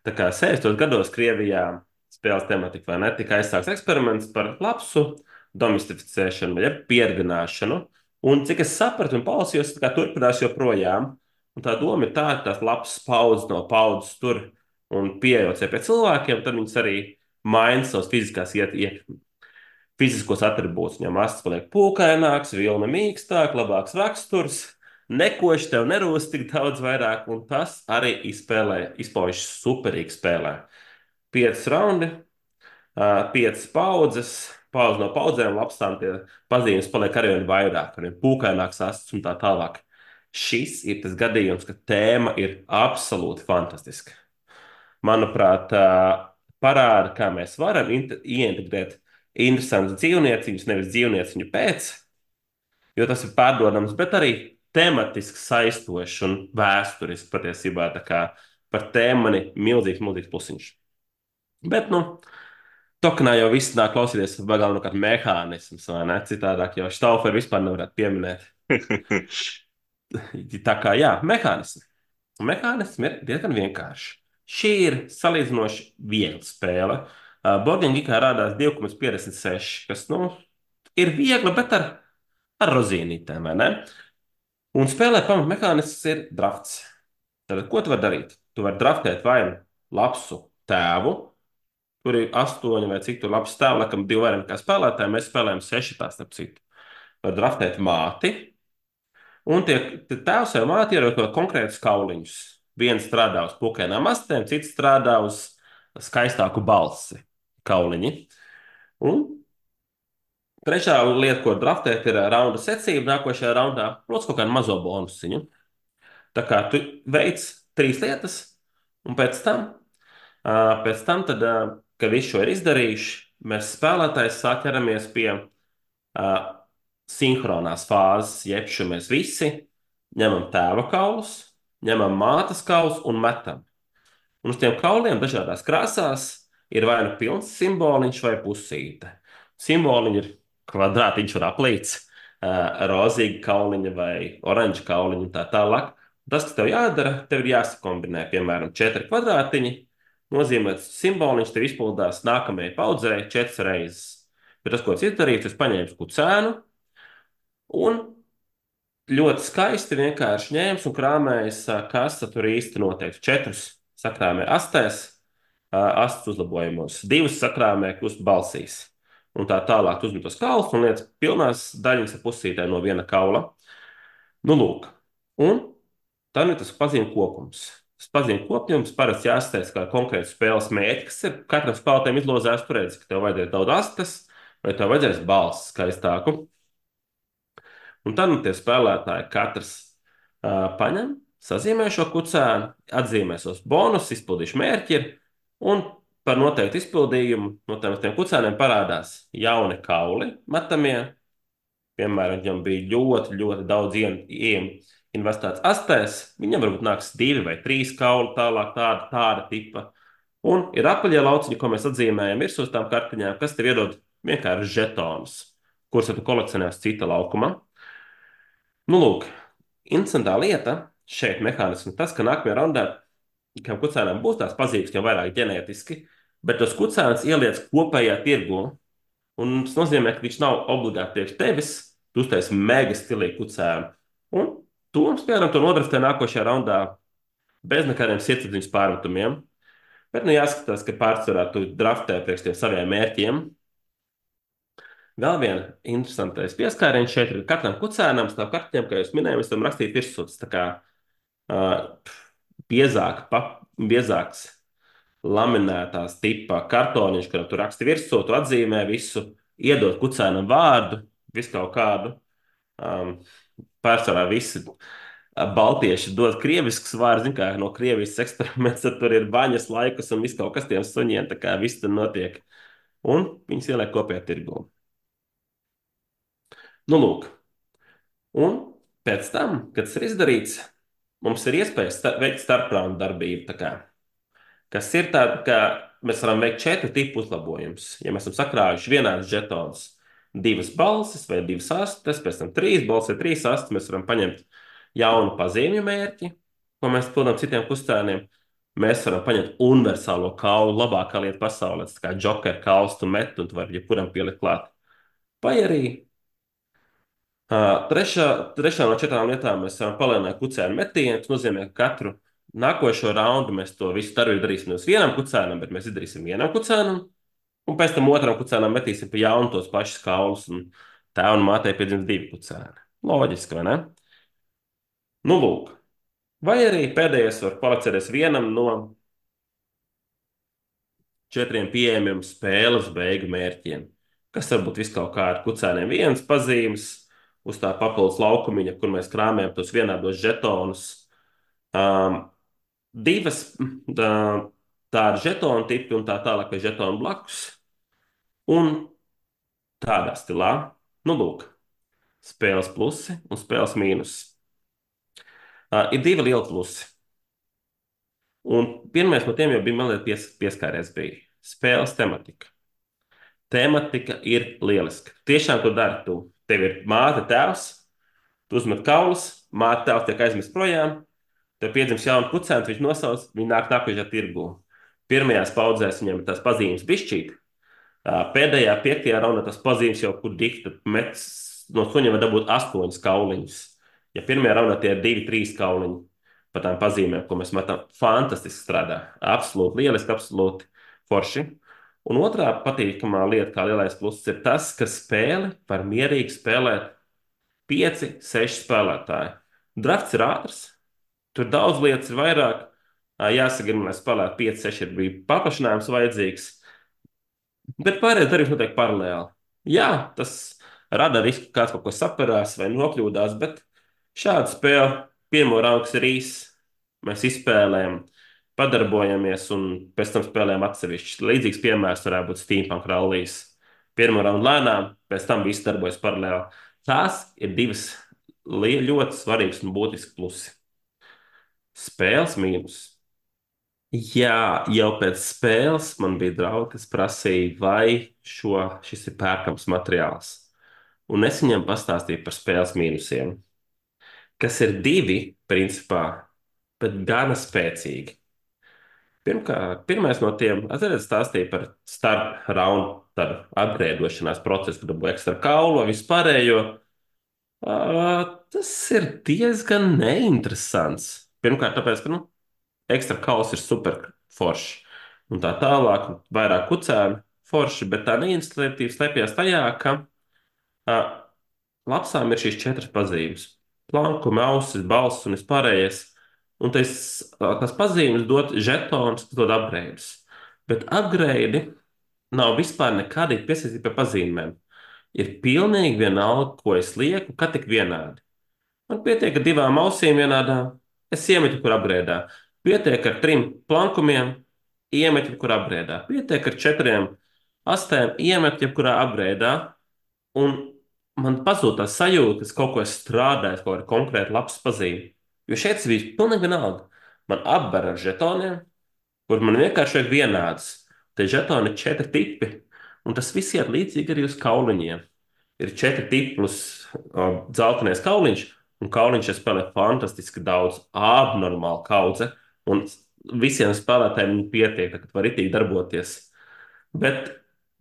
[SPEAKER 2] Tā kā sešdesmitos gados Krievijā spēles tematika vai ne, tika aizsākts eksperiments par lapsu domestificēšanu vai ar pieredzināšanu. Un cik es sapratu un palasījos, tā kā turpinās joprojām. Un tā doma ir tāda, ka tās lapas paudzes no paudzes tur un pieejot pie cilvēkiem, tad viņas arī maina savas fiziskās iet, iet, fiziskos atribūtus. Viņam asins paliek pūkaināks, vilna mīkstāk, labāks raksturs, nekoši tev nerūst tik daudz vairāk, un tas arī izspēlē, izpaužas superīgi spēlē. pieci raundi, uh, piecas paudzes, paudze no paudzēm, lapsām tie pazīmes paliek arvien vairāk, arvien pūkaināks asts un tā tālāk. Šis ir tas gadījums, ka tēma ir absolūti fantastiska. Manuprāt, uh, parāda, kā mēs varam int- ieintegrēt interesantus dzīvnieciņus, nevis dzīvnieciņu pēc, jo tas ir pārdodams, bet arī tematiski saistošs un vēsturisks patiesībā. Tā kā par tēmu man ir milzīgs, milzīgs plusiņš. Bet, nu, Tokenā jau viss nāk klausīties galvenokārt mehānisms, vai ne? Citādāk jau Štauferu vispār nevarētu pieminēt. Tā kā, jā, mehānisms. Mehānisms ir diezgan vienkāršs. Šī ir salīdzinoši viegla spēle. Uh, Boarding Geekā rādās divi komats piecdesmit seši, kas, nu, ir viegla, bet ar, ar rozīnītēm, vai ne? Un spēlē pamatmehānisms ir drafts. Tad, ko tu vari darīt? Tu vari draftēt vai nu lapsu tēvu, tur ir astoņi vai cik tur labs tēvi, laikam divi vairāk kā spēlētāji, mēs spēlējam seši tā starp citu. Var draftēt māti, un tie tie tēvs vai māte ierokot konkrētus kauliņus. Viens strādā uz pukainām astēm, cits strādā uz skaistāku balsi kauliņi. Un trešā lieta, ko draftēt, ir raunda secība nākošajā raundā, protams, kaut kādu mazo bonusiņu. Tā kā tu veic trīs lietas, un pēc tam, ā, pēc tam tad, ā, kad visu šo ir izdarījuši, mēs spēlētājs sāk ķeramies pie ā, sinhronās fāzes, jeb šo mēs visi ņemam tēva kaulus, ņemam mātes kaulus un metam. Un uz tiem kauliem dažādās krāsās ir vai nu pilns simboliņš vai pusīte. Simboliņi ir kvadrātiņš un aplīts, ā, rozīga kauliņa vai oranža kauliņa un tā tālāk. Tas, kas tev jādara, tev ir jāsakombinē, piemēram, četri kvadrātiņi, nozīmēts simboliņš tev izpildās nākamajai paudzei četras reizes. Bet tas, ko es izdarīju, es paņēmu kucēnu un ļoti skaisti vienkārši ņēmis un krāmējis, ā, kas tur īsti noteikti. Četrus sakrāmē astēs, ā, astes uzlabojumos, divas sakrāmē krustu balsīs. Un tā tālāk tu uzmet tos kaulus un liec pilnās daļiņas ar pusītē no viena kaula. Nu, lūk. Un tad ir tas pazīme kopums. Tas pazīme kopums parasti jāsastāsta kā konkrēts spēles mērķis, kas ir katram spēlētājam izlozēts. Tur redz, ka tev vajadzēs daudz astes, vai tev vajadzēs balss skaistāku. Un tad nu, tie spēlētāji katrs uh, paņem, sazīmē šo kucēnu, atzīmē savus bonus, izpildīšu mērķi ir, un par noteiktu izpildījumu no tiem, tiem kucēniem parādās jauni kauli metamie. Piemēram, viņam bija ļoti, ļoti daudz investēts astēs, viņam varbūt nāks divi vai trīs kauli tālāk, tāda, tāda tipa. Un ir apaļie lauciņi, ko mēs atzīmējam virsū tām kartiņām, kas tev iedod vienkārši žetonus, kurus tu kolekcionē uz cita laukuma. Nu, lūk, interesantā lieta šeit mehānismi tas, ka nākamajā raundā, kam kucēnām būs tās pazīmes, jau vairāk ģenētiski, bet tos kucēnus ieliec kopējā tirgu. Un tas nozīmē, ka viņš nav obligāti priekš tevis, tu uztaisi mega stilīgu kucēnu. Un tu, piemēram, to nodraftē nākošajā raundā bez nekādiem sirdsapziņas pārmetumiem. Bet, nu, jāskatās, ka pārsvarā tu draftē priekš tiem saviem mērķiem. Vēl viena interesantais pieskāriens šeit ir katram kucēnam, stāv kartiņām, kā jūs minējāt, mēs varam rakstīt virsū. Tā kā uh, biezāk, pa, biezāks laminētās tipa kartoniņš, kuram tu raksti virsū, tu atzīmē visu, iedod kucēnam vārdu, visu kaut kādu. Um, pārsvarā visi baltieši dod krievisks vārds, zin kā no Krievijas eksperiments, tad tur ir baņas laikus un viss kaut kas tiem suņiem, tā kā viss tur notiek. Un viņus ieliek kopējā tirgū. Nu, lūk. Un pēc tam, kad tas ir izdarīts, mums ir iespējas sta veikt starpraundu darbību. Tā kā, kas ir tāda, ka mēs varam veikt četru tipu uzlabojumus. Ja mēs esam sakrājuši vienādas žetonus, divas balsis vai divas astes, pēc tam trīs balsis vai trīs astes, mēs varam paņemt jaunu pazīmju mērķi, ko mēs pildām citiem kustēniem. Mēs varam paņemt universālo kaulu, labākā lieta pasaulē, tā kā Joker kauls tu met, un tu vari jebkuram pielikt klāt. Vai arī Uh, trešā, trešā no četrām lietām mēs varam palielināt kucēnu metienu. Tas nozīmē, ka katru nākošo raundu mēs to visu darbību darīsim nevis vienam kucēnam, bet mēs izdarīsim vienam kucēnam, un pēc tam otram kucēnam metīsim pa jaunu tos pašus kaulus, un tēvam un mātei piedzims divi kucēni. Loģiski, vai ne? Nu, lūk. Vai arī pēdējais var palicēties vienam no četriem pieejamiem spēles beigu mērķiem, kas var būt viskaut kā ar kucēniem viens pazīmes, uz tā papildus laukumiņa, kur mēs krāmējam tos vienādos žetonus. Um, divas tā, tāda žetonu tipi un tā tālāk, vai žetonu blakus. Un tādā stilā, nu, lūk, spēles plusi un spēles mīnusi. Uh, ir divi lieli plusi. Un pirmais no tiem jau bija, man liekas, pies, pieskāries bija spēles tematika. Tematika ir lieliska. Tiešām, ko dari tu? Tev ir māte, tēvs, tu uzmet kaulus, māte, tēvs tiek aizmest projām, tev piedzimst jauna kucēna, viņš nosauc, viņi nāk nākošajā tirgū. Pirmajās paudzēs viņiem ir tās pazīmes bišķīt. Pēdējā, piektajā raundā tas pazīmes jau, kur dikta mets, no suņiem var dabūt astoņas kauliņas. Ja pirmajā raundā tie ir divi, trīs kauliņi par tām pazīmēm, ko mēs metam, fantastiski strādā. Absolūti lieliski, absolūti forši. Un otrā patīkamā lieta, kā lielais pluss, ir tas, ka spēli var mierīgi spēlēt pieci, seši spēlētāji. Drafts ir ātrs, tur daudz lietas ir vairāk. Jāsagrib, lai spēlētu pieci, seši ir bija paplašinājums vajadzīgs. Bet pārējais darbs notiek paralēli. Jā, tas rada risku, ka kāds kaut ko saperās vai nokļūdās, bet šāda spēle, pirmo raundu ir īss, mēs izspēlējam, padarbojamies un pēc tam spēlējam atsevišķi. Līdzīgs piemērs varētu būt Steampunk Rallies. Pirmo raundu lēnām, pēc tam viss darbojas paralēli. Tās ir divas ļoti svarīgas un būtiskas plusi. Spēles mīnus. Jā, jau pēc spēles man bija draugi, kas prasīja, vai šo, šis ir pērkams materiāls. Un es viņam pastāstīju par spēles mīnusiem, kas ir divi, principā, bet gana spēcīgi. Pirmkārt, pirmais no tiem, atcerieties, stāstīja par starp raundu upgrēdošanās procesu, kad dabūja ekstra kaulu, vispārējo. Uh, tas ir diezgan neinteresants. Pirmkārt, tāpēc, ka, nu, ekstra kauls ir super forši. Un tā tālāk, vairāk kucēnu forši, bet tā neinstitūtīva slēpjas tajā, ka uh, lapsām ir šīs četras pazīmes. Plankumi, ausis, balss un vispārējais. Un tas, tas pazīmes dod žetonus, kas dod upgrades. Bet upgrade nav vispār nekādīgi piesaistīti pie pazīmēm. Ir pilnīgi vienalga, ko es lieku, ka tik vienādi. Man pietiek ar divām ausīm vienādā, es iemetu, kur upgrēdā. Pietiek ar trim plankumiem, iemetu, kur upgrēdā. Pietiek ar četriem astēm, iemetu, kurā upgrēdā. Un man pazūd tā sajūta, ka es kaut ko esmu strādājis, kaut kāda konkrēta labs pazīme. Jo šeit tas bija pilnīgi vienalga. Man apber ar žetoniem, kur man vienkārši vajag vienāds. Tie žetoni ir četri tipi, un tas viss iet līdzīgi arī uz kauliņiem. Ir četri tipi plus uh, dzeltenais kauliņš, un kauliņš ir spēlē fantastiski daudz, abnormāli kaudze, un visiem spēlētājiem pietiek, ka var itīgi darboties. Bet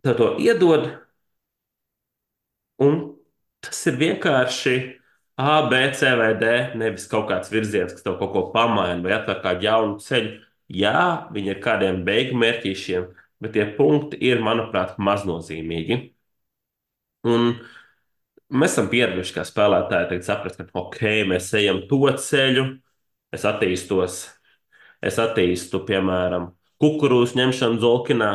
[SPEAKER 2] tev to iedod, un tas ir vienkārši A, B, C vai D, nevis kaut kāds virziens, kas tev kaut ko pamaina vai atver kādu jaunu ceļu. Jā, viņi ir kādiem beigu mērķīšiem, bet tie punkti ir, manuprāt, maznozīmīgi. Un mēs esam pieraduši kā spēlētāji tagad saprast, ka ok, mēs ejam to ceļu, es attīstos, es attīstu, piemēram, kukurūzu ņemšanu Zolkinā,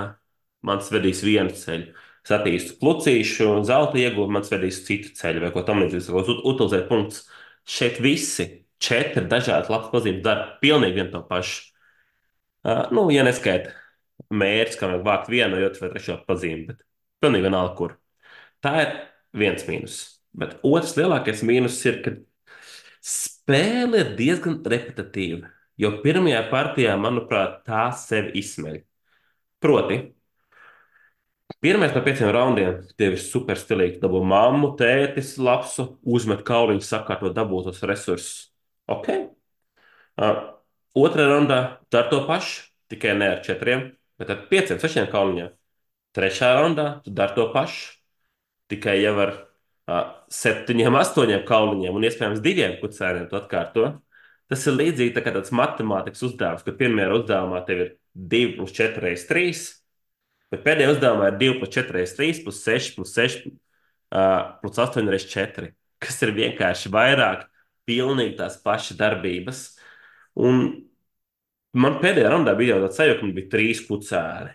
[SPEAKER 2] mans vedīs vienu ceļu. Es attīstu klucīšu, zelta ieguvu, mans vedīs citu ceļu, vai ko tam līdzīgs, ko utilizēt punktus. Šeit visi četri dažādi labs pazīmes dara pilnīgi vienu to pašu. Uh, nu, ja neskaita mērķis, kā vajag vākt vienu, vai otru vai trešo pazīmi, bet pilnīgi vienalga, kur. Tā ir viens mīnus. Bet otrs lielākais mīnus ir, ka spēle ir diezgan repetitīva, jo pirmajā partijā, manuprāt, tā sevi izsmeļ. Proti, pirmais no pieciem raundiem tev ir super stilīgi. Dabū mammu, tētis, lapsu, uzmet kauliņu, sakārto dabūtos resursus. Ok. Uh, otrā raundā dar to pašu, tikai ne ar četriem, bet ar pieciem, sešiem kauliņiem. Trešā raundā tu dar to pašu, tikai jau ar uh, septiņiem, astoņiem kauliņiem un iespējams diviem kucēniem tu atkārto. Tas ir līdzīgi tā kā tāds matemātikas uzdevums, kad pirmajā uzdevumā tev ir divi plus četri reiz trīs, bet pēdējā uzdevumā ir divi plus četri reiz trīs plus seši plus seši uh, plus astoņi reiz četri, kas ir vienkārši vairāk pilnīgi tās pašas darbības. Un man pēdējā raundā bija jau tāds sajūta, ka man bija trīs kucēni.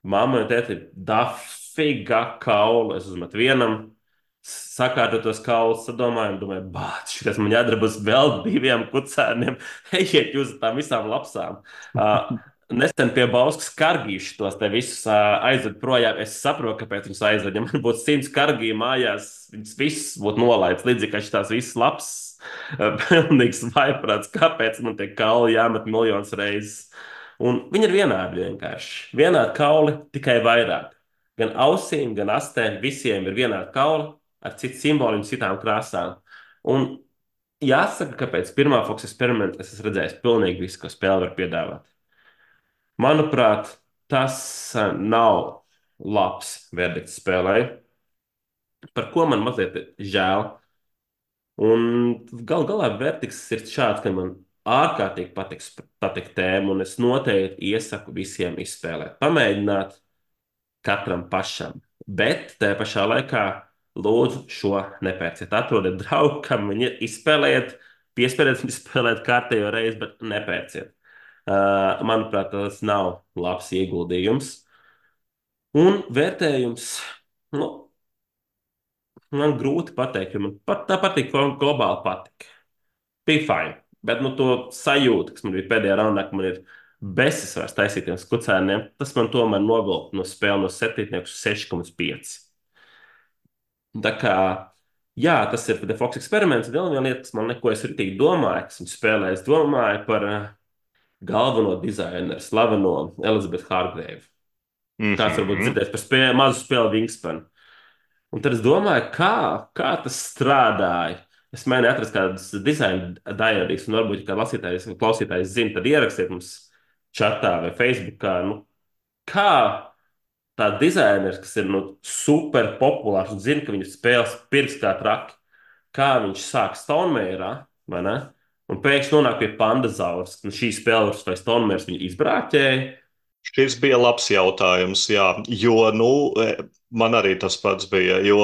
[SPEAKER 2] Mamma un tēti ir dafīga kaula. Es uzmetu vienam, sakārtot tos kaulus, sadomāju, un domāju, bāc, šitas man jādara būs vēl diviem kucēniem. Ejiet jūs uz tām visām lapsām. Uh, Nesen pie Bauskas kargīšu tos te visus uh, aizved projām. Es saprotu, kāpēc viņus aizved. Ja man būtu simts kargīju mājās, viņas visas būtu nolaists, līdzīgi kā šīs visas lapas. Uh, pilnīgs vaiprāts, kāpēc man tie kauli jāmet miljonus reizes. Un viņi ir vienādi vienkārši. Vienādi kauli, tikai vairāk. Gan ausīm, gan astēm, visiem ir vienādi kauli ar citu simbolu un citām krāsām. Un jāsaka, ka pēc pirmā Fox eksperimenta es esmu redzējis pilnīgi visu, ko spēle var piedāvāt. Manuprāt, tas eh, nav labs verdikts spēlē, par ko man mazliet žēl. Un gal galā verdikts ir šāds, ka man ārkārtīgi patiks, patīk tēma, un es noteikti iesaku visiem izspēlēt. Pamēģināt katram pašam. Bet tajā pašā laikā lūdzu šo nepērciet. Atrodiet draugu, kam viņi ir, izspēlējiet, piespiediet viņu spēlēt kārtējo reizi, bet nepērciet. Uh, manuprāt, tas nav labs ieguldījums. Un vērtējums, nu, man grūti pateikt, jo man pat tā patīk, globāli patīk. Bija fajn. Bet nu, to sajūtu, kas man bija pēdējā raundā, ka man ir besis vairs taisītiem skucēniem, tas man tomēr novilka no spēles no septiņnieku uz seši komats pieci. Tā kā, jā, tas ir The Fox eksperiments. Vēl viena lieta, kas man neko es ritīgi domāju, kas viņu spēlē, es domāju par uh, galveno dizaineru, slaveno Elizabeth Hargrave. Kāds varbūt
[SPEAKER 1] Mhm.
[SPEAKER 2] dzirdēs par spēli, mazu spēli Wingspan. Un tad es domāju, kā, kā tas strādāja. Es mēģināju atrast kādus dizaina diārijas, un varbūt, kā lasītājs vai klausītājs zina, tad ierakstiet mums chatā vai Facebookā, nu, kā tā dizaineris, kas ir nu, super populārs un zina, ka viņu spēles pirks kā traki, kā viņš sāk Stonemeierā, vai ne? Un pēkšņi nonāk pie Pandazaurs. Nu, šī spēle vai Stonemaiers viņu izbrāķēja.
[SPEAKER 1] Šis bija labs jautājums, jā, jo, nu, e, man arī tas pats bija, jo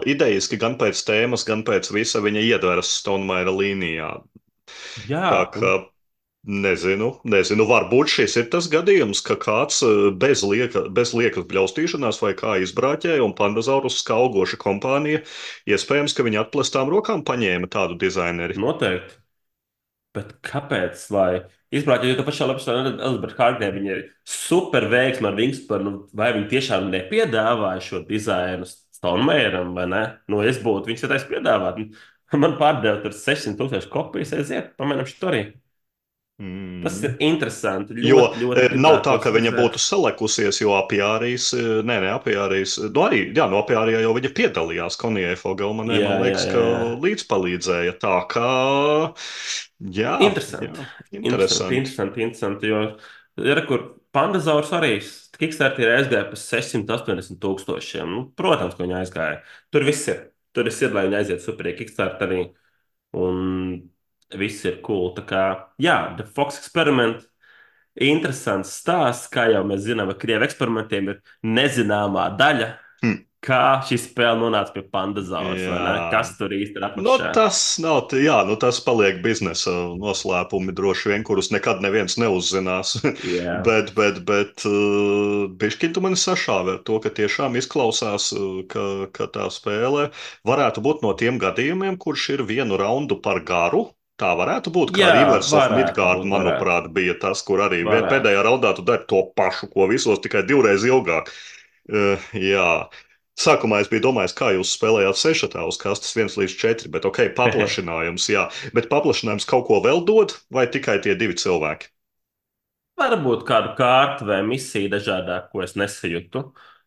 [SPEAKER 1] idejiski gan pēc tēmas, gan pēc visa viņa iedveras Stonemeira līnijā.
[SPEAKER 2] Jā,
[SPEAKER 1] Tā
[SPEAKER 2] un
[SPEAKER 1] kā nezinu, nezinu, varbūt šis ir tas gadījums, ka kāds e, bez, lieka, bez liekas bļaustīšanās vai kā izbrāķēja un Pandazaurus skaugoša kompānija, iespējams, ka viņi atplestām rokām paņēma tādu dizaineri.
[SPEAKER 2] noteikti. Bet kāpēc? Lai izbraukt, jo tā pašā lapā Elizabete Hārgē viņa ir super veiksma ar Wingspan, vai viņi tiešām nepiedāvāja šo dizainu Stonemeieram, vai ne? Nu, es būtu viņus taisa piedāvāt. Man pārdeva tur sešsimt tūkstoši kopijas, aiziet, pamēģinām šo arī. Tas ir
[SPEAKER 1] Mm.
[SPEAKER 2] interesanti.
[SPEAKER 1] Jo
[SPEAKER 2] Ļoti,
[SPEAKER 1] e,
[SPEAKER 2] ļoti
[SPEAKER 1] nav tā,
[SPEAKER 2] gribētos
[SPEAKER 1] ka viņa
[SPEAKER 2] redzēt.
[SPEAKER 1] būtu salekusies, jo apjārīs, e, nē, nē, apjārīs, nu arī, jā, no apjārijā jau viņa piedalījās Konijai Fogelmanē,
[SPEAKER 2] Jā,
[SPEAKER 1] man
[SPEAKER 2] jā,
[SPEAKER 1] liekas,
[SPEAKER 2] jā,
[SPEAKER 1] ka
[SPEAKER 2] jā.
[SPEAKER 1] līdzpalīdzēja. Tā kā, jā,
[SPEAKER 2] Interesanti.
[SPEAKER 1] jā,
[SPEAKER 2] Interesanti,
[SPEAKER 1] interesanti.
[SPEAKER 2] interesanti, interesanti. Jo ir, kur Pandazaurs arī Kickstarter ir aizgāja par sešsimt astoņdesmit tūkstošiem. Nu, protams, ka viņi aizgāja. Tur viss ir. Tur viss ir, lai viņi aiziet superīgi Kickstarterī. Un viss ir cool. Tā kā, jā, The Fox Experiment. Interesants stāsts, kā jau mēs zinām, ar krievu eksperimentiem ir nezināmā daļa,
[SPEAKER 1] Hm.
[SPEAKER 2] kā šī spēle nonāca pie Pandazaurs, vai ne?
[SPEAKER 1] Jā.
[SPEAKER 2] Kas tur īsti ir
[SPEAKER 1] No,
[SPEAKER 2] apakšā?
[SPEAKER 1] tas nav, t- jā, nu tas paliek biznesa noslēpumi droši vien, kurus nekad neviens neuzzinās.
[SPEAKER 2] Jā,
[SPEAKER 1] bet, bet, bet, uh, bišķiņ tu mani sašāvi ar to, ka tiešām izklausās, uh, ka, ka tā spēle varētu būt no tiem gadījumiem, kurš ir vienu raundu par garu. Tā varētu būt, kā
[SPEAKER 2] jā,
[SPEAKER 1] Rivers of
[SPEAKER 2] varētu
[SPEAKER 1] Midgard,
[SPEAKER 2] būt, varētu.
[SPEAKER 1] manuprāt, bija tas, kur arī vien-
[SPEAKER 2] Varētu.
[SPEAKER 1] pēdējā raundā tu dari to pašu, ko visos, tikai divreiz ilgāk. Uh, jā. Sākumā es biju domājis, kā jūs spēlējāt sešatā uz kastes viens līdz četri, bet ok, paplašinājums, jā. Bet paplašinājums kaut ko vēl dod, vai tikai tie divi cilvēki?
[SPEAKER 2] Varbūt kādu kārtu vai misiju dažādāk, ko es nesajūtu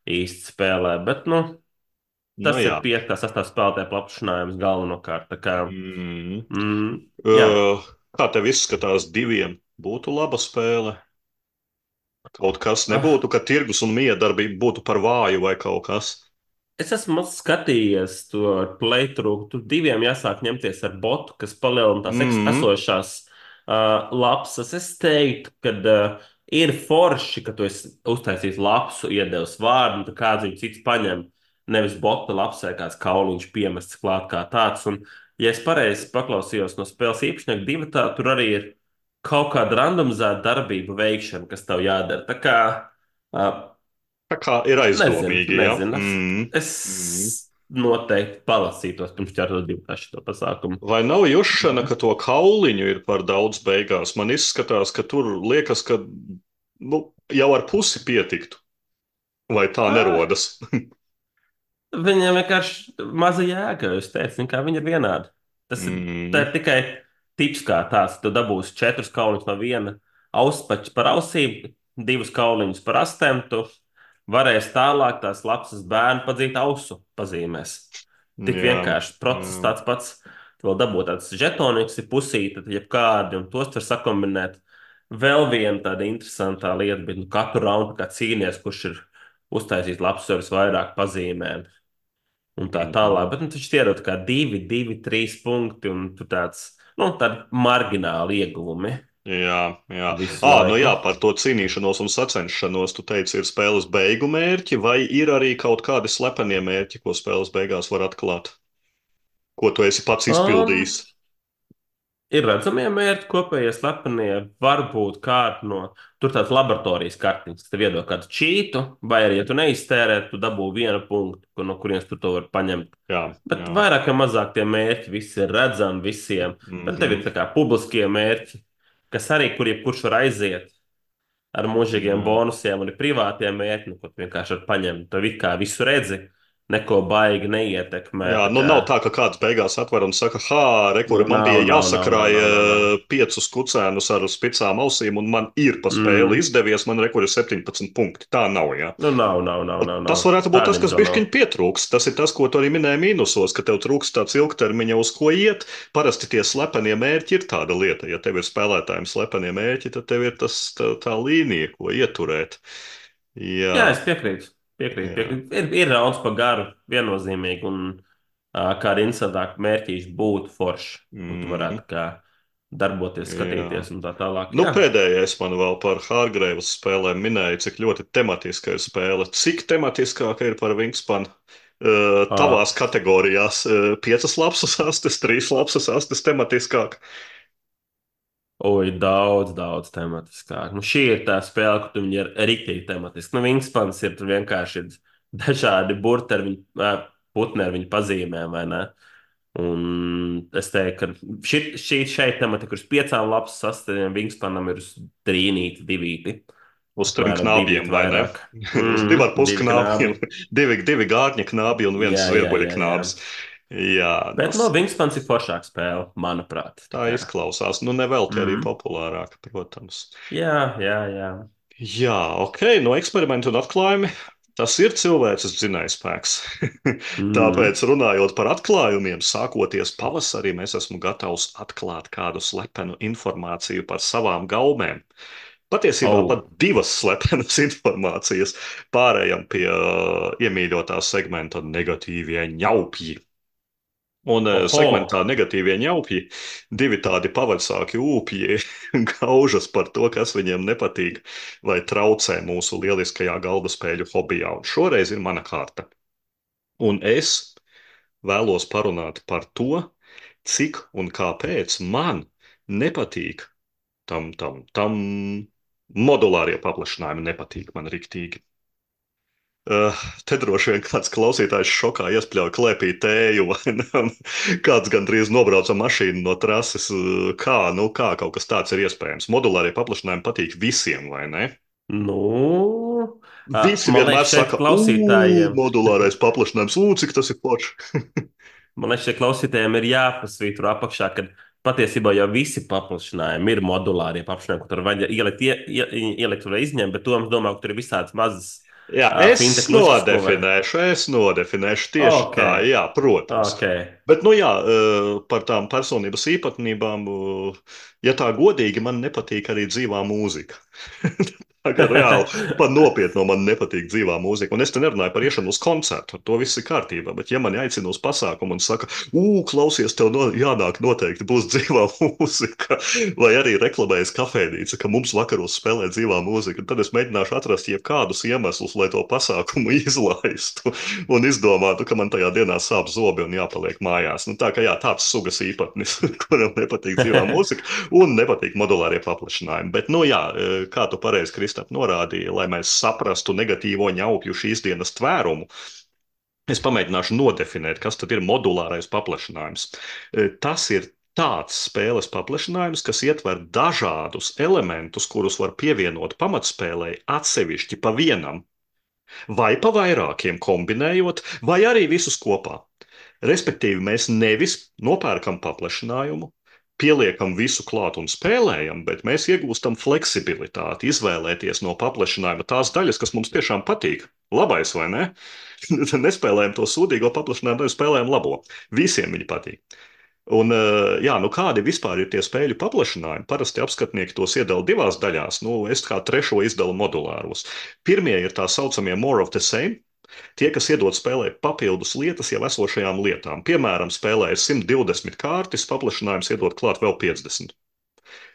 [SPEAKER 2] īsti spēlē, bet nu,
[SPEAKER 1] Nu
[SPEAKER 2] tas ir
[SPEAKER 1] jā.
[SPEAKER 2] piektā, sastā spēlētāja paplašinājums galvenokārt. Tā kā,
[SPEAKER 1] Mm.
[SPEAKER 2] mm, jā.
[SPEAKER 1] Uh, kā tev izskatās diviem? Būtu laba spēle? Kaut kas
[SPEAKER 2] Ah,
[SPEAKER 1] nebūtu, ka tirgus un miedarbība būtu par vāju vai kaut kas?
[SPEAKER 2] es esmu maz skatījies to playthrough. Tur diviem jāsāk ņemties ar botu, kas palielina tās eks-
[SPEAKER 1] Mm.
[SPEAKER 2] esošās uh, lapsas. Es teiktu, ka uh, ir forši, ka tu esi uztaisījis lapsu, iedevis vārdu, un tad kāds viņu cits paņem. Nevis bota lapsē kāds kauliņš piemests klāt kā tāds. Un, ja es pareizi paklausījos no spēles īpašnieka divatā, tur arī ir kaut kāda randomizēta darbība veikšana, kas tev jādara. Tā kā uh,
[SPEAKER 1] Tā kā ir
[SPEAKER 2] Nezinu,
[SPEAKER 1] aizdomīgi, ja?
[SPEAKER 2] nezinu.
[SPEAKER 1] Mm.
[SPEAKER 2] Es
[SPEAKER 1] Mm.
[SPEAKER 2] noteikti palasītos pirms ķertos divu šo pasākumu.
[SPEAKER 1] Vai nav jušana, ka to kauliņu ir par daudz beigās? Man izskatās, ka tur liekas, ka nu, jau ar pusi pietiktu. Vai tā
[SPEAKER 2] Ah,
[SPEAKER 1] nerodas?
[SPEAKER 2] viņam vienkārši maza jēga, jūs teicat, kā viņi ir vienādi. Tas ir, tā
[SPEAKER 1] Mm.
[SPEAKER 2] ir tikai tips kā tāds. Tu dabūsi četrus kauliņus no viena auspača par ausīm, divus kauliņus par astēm. Tu varēsi tālāk tās lapsas bērnu padzīt ausu pazīmēs. Tik
[SPEAKER 1] Jā,
[SPEAKER 2] vienkārši process
[SPEAKER 1] jā.
[SPEAKER 2] tāds pats. Tu vēl dabū tāds žetoniks, ir pusīte, tad jebkādi, un tos var sakombinēt. Vēl viena tāda interesanta lieta, bet nu, katru raundu kā cīnīties, kurš ir uztaisījis labs vairāk pazīmēm un tā tālāk.
[SPEAKER 1] Mhm.
[SPEAKER 2] Bet nu, taču tie ir kā divi, divi, trīs punkti un tur tāds, nu, tādi margināli ieguvumi
[SPEAKER 1] Jā, jā.
[SPEAKER 2] visu
[SPEAKER 1] À, nu jā,
[SPEAKER 2] laiku.
[SPEAKER 1] par to cīnīšanos un sacenšanos tu teici, ir spēles beigu mērķi, vai ir arī kaut kādi slepenie mērķi, ko spēles beigās var atklāt, ko tu esi pats
[SPEAKER 2] Um,
[SPEAKER 1] izpildījis?
[SPEAKER 2] Ir redzamie mērķi, kopējie slepenie, varbūt kāda no tur tādas laboratorijas kartiņas, kas tev iedod kādu čītu, vai arī, ja tu neiztērē, tu dabū vienu punktu, kur- no kurienes tu to vari paņemt.
[SPEAKER 1] Jā,
[SPEAKER 2] Bet
[SPEAKER 1] jā.
[SPEAKER 2] vairāk vai mazāk tie mērķi visi ir redzami visiem. Bet tev ir
[SPEAKER 1] Mhm.
[SPEAKER 2] tā kā publiskie mērķi, kas arī kur jebkurš var aiziet ar mūžīgiem
[SPEAKER 1] Jā.
[SPEAKER 2] bonusiem, un ir privātie mērķi, nu, ko tu vienkārši var paņemt. Tu it kā visu redzi, neko baigi neietekmē.
[SPEAKER 1] Jā,
[SPEAKER 2] Tā
[SPEAKER 1] nu
[SPEAKER 2] kā,
[SPEAKER 1] nav tā, ka kāds beigās atver un saka, ah,
[SPEAKER 2] nu,
[SPEAKER 1] rekur, man bija
[SPEAKER 2] nav, nav, nav, nav,
[SPEAKER 1] jāsakrāja
[SPEAKER 2] nav, nav. nav.
[SPEAKER 1] piecus kucēnus ar spicām ausīm, un man ir pa spēli
[SPEAKER 2] Mm.
[SPEAKER 1] izdevies, man rekur ir septiņpadsmit punkti. Tā nav, jā.
[SPEAKER 2] Nu, nav, nav, nav,
[SPEAKER 1] Un
[SPEAKER 2] nav,
[SPEAKER 1] tas
[SPEAKER 2] nav.
[SPEAKER 1] varētu būt
[SPEAKER 2] Tāda
[SPEAKER 1] tas, kas
[SPEAKER 2] info nav.
[SPEAKER 1] bišķiņ pietrūks. Tas ir tas, ko tu arī minēji mīnusos, ka tev trūks tāds ilgtermiņa, uz ko iet. Parasti tie slepenie mērķi ir tāda lieta. Ja tev ir spēlētājiem slepenie mērķi, tad tev ir tas, tā, tā līnija, ko ieturēt.
[SPEAKER 2] Jā,
[SPEAKER 1] Jā,
[SPEAKER 2] es piekrītu. Piekrītu,
[SPEAKER 1] jā.
[SPEAKER 2] piekrītu. Ir, ir rauns pa garu, viennozīmīgi, un uh, kāda interesantāka mērķīša būtu forši, kur tu
[SPEAKER 1] Mhm,
[SPEAKER 2] varētu kā darboties,
[SPEAKER 1] jā.
[SPEAKER 2] skatīties un tā tālāk.
[SPEAKER 1] Nu,
[SPEAKER 2] Jā,
[SPEAKER 1] pēdējais man vēl par Hārgreivas spēlēm minēja, cik ļoti tematiska ir spēle. Cik tematiskāka ir par Wingspan? Uh, tavās
[SPEAKER 2] uh,
[SPEAKER 1] kategorijās uh, piecas lapsas astes, trīs lapsas astes tematiskāk.
[SPEAKER 2] oi, daudz, daudz tematiskāk. Nu, šī ir tā spēle, kur tu viņi ir rīktīgi tematiski. Nu, Wingspans ir tur vienkārši ir dažādi burti ar viņu, uh, putni ar viņu pazīmēm, vai ne? Un es teiktu, ka šī, šī šeit tematika ir uz piecām lapas sastāviem, Wingspanam ir uz trīnīti, divīti.
[SPEAKER 1] Uz trim
[SPEAKER 2] Apmēram
[SPEAKER 1] knābjiem,
[SPEAKER 2] divīti
[SPEAKER 1] vai ne?
[SPEAKER 2] vairāk.
[SPEAKER 1] Uz divu ar
[SPEAKER 2] Mm,
[SPEAKER 1] pus
[SPEAKER 2] divi
[SPEAKER 1] knābjiem.
[SPEAKER 2] knābi.
[SPEAKER 1] Divi, divi gārņa knābi un viens
[SPEAKER 2] Jā, jā,
[SPEAKER 1] zvirbuļa
[SPEAKER 2] jā, jā.
[SPEAKER 1] knābs. Jā,
[SPEAKER 2] Bet
[SPEAKER 1] tas
[SPEAKER 2] no Wingspans ir foršāka spēle, manuprāt. Tā
[SPEAKER 1] tā
[SPEAKER 2] kā.
[SPEAKER 1] izklausās. Nu, nevelti arī
[SPEAKER 2] Mm.
[SPEAKER 1] populārāka, protams.
[SPEAKER 2] Jā, jā, jā.
[SPEAKER 1] Jā, ok, no eksperimenta un atklājumi. Tas ir cilvēces dzinējspēks.
[SPEAKER 2] Mm.
[SPEAKER 1] Tāpēc, runājot par atklājumiem, sākoties pavasarī, es esmu gatavs atklāt kādu slepenu informāciju par savām gaumēm. Patiesībā pat
[SPEAKER 2] Oh,
[SPEAKER 1] divas slepenas informācijas. Pārējām pie uh, iemīļotā segmenta negatīvie ņaupji. Un uh, segmentā
[SPEAKER 2] oho.
[SPEAKER 1] negatīvie ņaupji, divi tādi pavacsāki ūpji gaužas par to, kas viņiem nepatīk vai traucē mūsu lieliskajā galda spēļu hobijā. Un šoreiz ir mana kārta. Un es vēlos parunāt par to, cik un kāpēc man nepatīk tam, tam, tam modulārie paplašinājumi nepatīk man riktīgi. Uh, te droši vien kāds klausītājs šokā iespļauj klēpī tēju, vai ne? Un kāds gandrīz nobrauca mašīnu no trases. Uh, Kā, nu, kā kaut kas tāds ir iespējams? Modulārie paplašinājumi patīk visiem, vai ne?
[SPEAKER 2] Nu, ā,
[SPEAKER 1] Visi
[SPEAKER 2] man
[SPEAKER 1] vienmēr
[SPEAKER 2] liekas, šeit
[SPEAKER 1] saka, ugh,
[SPEAKER 2] klausītājiem.
[SPEAKER 1] modulārais paplašinājums, ugh, cik tas ir forši.
[SPEAKER 2] Man liekas, šeit klausītājiem ir jāpasvītro apakšā, ka patiesībā jau visi paplašinājumi ir modulārie paplašinājumi, kur tur vajag ielikt, ie, ie, ielikt vai izņemt, bet to es domāju, ka tur ir visādas mazas
[SPEAKER 1] Jā,
[SPEAKER 2] uh,
[SPEAKER 1] es
[SPEAKER 2] fintechnuškas, ko var.
[SPEAKER 1] nodefinēšu, es nodefinēšu tieši
[SPEAKER 2] Ok,
[SPEAKER 1] tā, jā, protams.
[SPEAKER 2] ok.
[SPEAKER 1] Bet, nu jā, eh, par tām personības īpatnībām, eh, ja tā godīgi, man nepatīk arī dzīvā mūzika. Tā kā reāli pat nopietni man nepatīk dzīvā mūzika. Un es te nerunāju par iešanu uz koncertu, ar to viss ir kārtībā. Bet, ja man aicina uz pasākumu un saka, ugh, klausies, tev no, jānāk noteikti būs dzīvā mūzika, vai arī reklamējas kafejnīca, ka mums vakaros spēlē dzīvā mūzika, tad es mēģināšu atrast jebkādus iemeslus, lai to pasākumu izlaistu un izdomātu, ka man tajā dienā sāp zobi un jāpaliek mājās. Nu, tā kā jā, tāds sugas īpatnis, kuram nepatīk dzīvā mūzika un nepatīk modulārie paplašinājumi. Bet, nu jā, kā tu pareizi, Kristap norādīja, lai mēs saprastu negatīvo ņaupju šīs dienas tvērumu. Es pamēģināšu nodefinēt, kas tad ir modulārais paplašinājums. Tas ir tāds spēles paplašinājums, kas ietver dažādus elementus, kurus var pievienot pamatspēlei atsevišķi pa vienam, vai pa vairākiem kombinējot, vai arī visus kopā. Respektīvi, mēs nevis nopērkam paplašinājumu, pieliekam visu klāt un spēlējam, bet mēs iegūstam fleksibilitāti, izvēlēties no paplašinājuma tās daļas, kas mums tiešām patīk. Labais, vai ne? Nespēlējam to sūdīgo paplašinājumu, nevis spēlējam labo. Visiem viņi patīk. Un, jā, nu kādi vispār ir tie spēļu paplašinājumi? Parasti apskatnieki tos iedala divās daļās. Nu, es kā trešo izdalu modulāros. Pirmie ir tā saucamie more of the same. Tie, kas iedod spēlē papildus lietas jau esošajām lietām. Piemēram, spēlē ir simt divdesmit kārtas, paplašinājums iedod klāt vēl piecdesmit.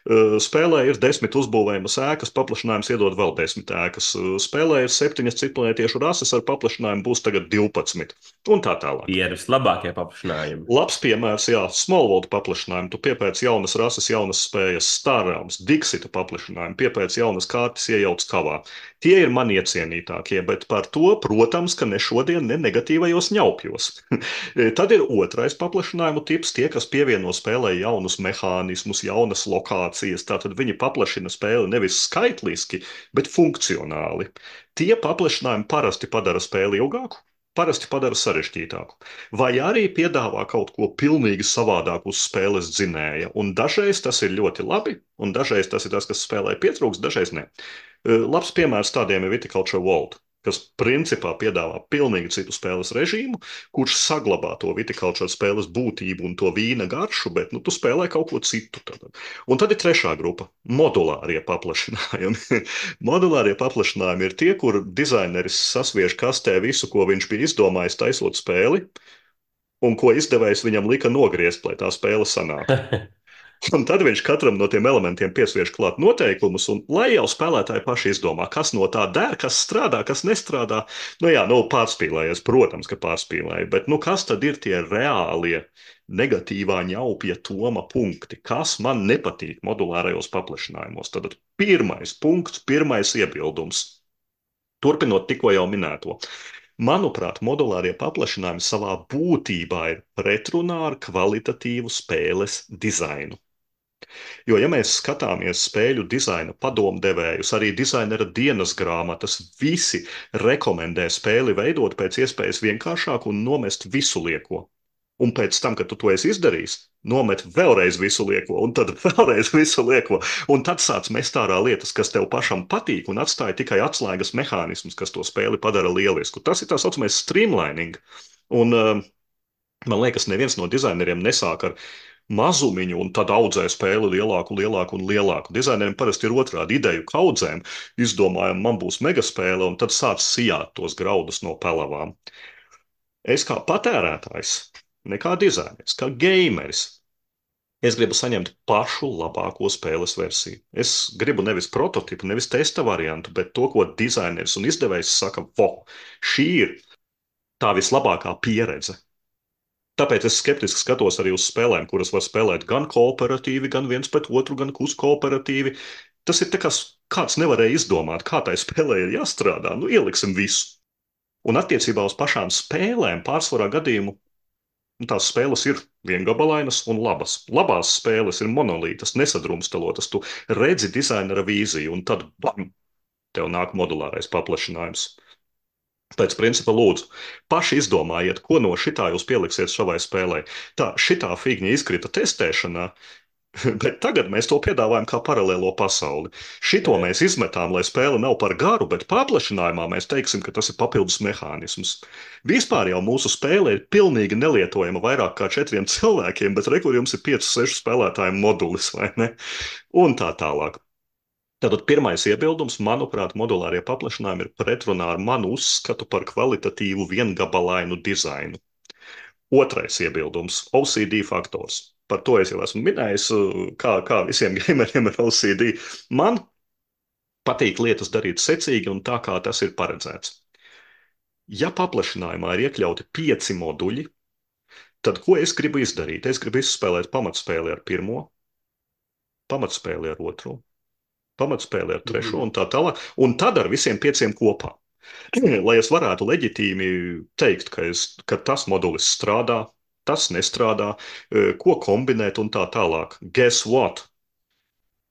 [SPEAKER 1] Spēlē ir desmit uzbūvējamas ēkas, paplašinājums iedod vēl desmit ēkas. Spēlē ir septiņas citplanētiešu rases, ar paplašinājumu būs tagad divpadsmit. Un tā tālāk.
[SPEAKER 2] Tie ir vislabākie paplašinājumi.
[SPEAKER 1] Labs piemērs, jā, Smallworld paplašinājumu. Tu piepēc jaunas rases, jaunas spējas, Star Realms, Dixita paplašinājumu, piepēc jaunas kārtas, iejauc kavā. Tie ir man iecienītākie, bet par to, protams, ka ne šodien, ne negatīvajos ņaupjos. Tad ir otrais paplašinājumu tips, tie, kas pievieno spēlē jaunus mehānismus, jaunas lokācijas, tātad viņi paplašina spēli nevis skaitliski, bet funkcionāli. Tie paplašinājumi parasti padara spēli ilgāku, parasti padara sarežģītāku, vai arī piedāvā kaut ko pilnīgi savādāku uz spēles dzinēja. Un dažreiz tas ir ļoti labi, un dažreiz tas ir tas, kas spēlē pietrūks, dažreiz ne. Labs piemērs tādiem ir Viticulture World, kas principā piedāvā pilnīgi citu spēles režīmu, kurš saglabā to viticulture spēles būtību un to vīna garšu, bet nu, tu spēlē kaut ko citu. Tad. Un tad ir trešā grupa - modulārie paplašinājumi. Modulārie paplašinājumi ir tie, kur dizaineris sasviež kastē visu, ko viņš bija izdomājis taisot spēli, un ko izdevējs viņam lika nogriezt, lai tā spēle sanāktu. Un tad viņš katram no tiem elementiem piesviež klāt noteikumus, un lai jau spēlētāji paši izdomā, kas no tā der, kas strādā, kas nestrādā. Nu jā, nu pārspīlējies, protams, ka pārspīlēji, bet nu kas tad ir tie reālie negatīvā ņaupja toma punkti? Kas man nepatīk modulārajos paplašinājumos? Tad pirmais punkts, pirmais iebildums. Turpinot tikko jau minēto. Manuprāt, modulārie paplašinājumi savā būtībā ir pretrunā ar kvalitatīvu spēles dizainu. Jo, ja mēs skatāmies spēļu dizaina padomdevējus, arī dizainera dienas grāmatas, visi rekomendē spēli veidot pēc iespējas vienkāršāku un nomest visu lieko. Un pēc tam, kad tu to esi izdarījis, nomet vēlreiz visu lieko, un tad vēlreiz visu lieko, un tad sāc mest ārā lietas, kas tev pašam patīk, un atstāja tikai atslēgas mehānismus, kas to spēli padara lielisku. Tas ir tā saucamais streamlining. Un uh, man liekas, neviens no dizaineriem nesāk ar mazumiņu un tad audzē spēli lielāku, lielāku un lielāku. Dizaineriem parasti ir otrādi ideju kaudzēm. Izdomājam, man būs megaspēle, un tad sāc sijāt tos graudus no pelavām. Es kā patērētājs, ne kā dizainers, kā gameris, es gribu saņemt pašu labāko spēles versiju. Es gribu nevis prototipu, nevis testa variantu, bet to, ko dizainers un izdevējs saka, vo, šī ir tā vislabākā pieredze. Tāpēc es skeptiski skatos arī uz spēlēm, kuras var spēlēt gan kooperatīvi, gan viens pret otru, gan kooperatīvi. Tas ir tā kā kāds nevarēja izdomāt, kā tai spēlē ir jāstrādā. Nu, ieliksim visu. Un attiecībā uz pašām spēlēm pārsvarā gadījumu tās spēles ir viengabalainas un labas. Labās spēles ir monolītas, nesadrumstalotas. Tu redzi dizainera vīziju, un tad bam, tev nāk modulārais paplašinājums. Pēc principa lūdzu, paši izdomājiet, ko no šitā jūs pieliksiet savai spēlē. Tā, šitā figņa izkrita testēšanā, bet tagad mēs to piedāvājam kā paralēlo pasauli. Šito mēs izmetām, lai spēle nav par garu, bet paplašinājumā mēs teiksim, ka tas ir papildus mehānisms. Vispār jau mūsu spēle ir pilnīgi nelietojama vairāk kā četriem cilvēkiem, bet re, kur jums ir pieci, seši spēlētāju modulis, vai ne? Un tā tālāk. Tātad pirmais iebildums, manuprāt, modulārie paplašinājumi ir pretrunā ar manu uzskatu par kvalitatīvu viengabalainu dizainu. Otrais iebildums – O C D faktors. Par to es jau esmu minējis, kā, kā visiem gameriem ir O C D. Man patīk lietas darīt secīgi un tā, kā tas ir paredzēts. Ja paplašinājumā ir iekļauti pieci moduļi, tad ko es gribu izdarīt? Es gribu izspēlēt pamatspēli ar pirmo, pamatspēli ar otro, pamatspēli ar trešo
[SPEAKER 2] Mhm.
[SPEAKER 1] un tā tālāk, un tad ar visiem pieciem kopā. Lai es varētu leģitīmi teikt, ka, es, ka tas modulis strādā, tas nestrādā, eh, ko kombinēt un tā tālāk. Guess what?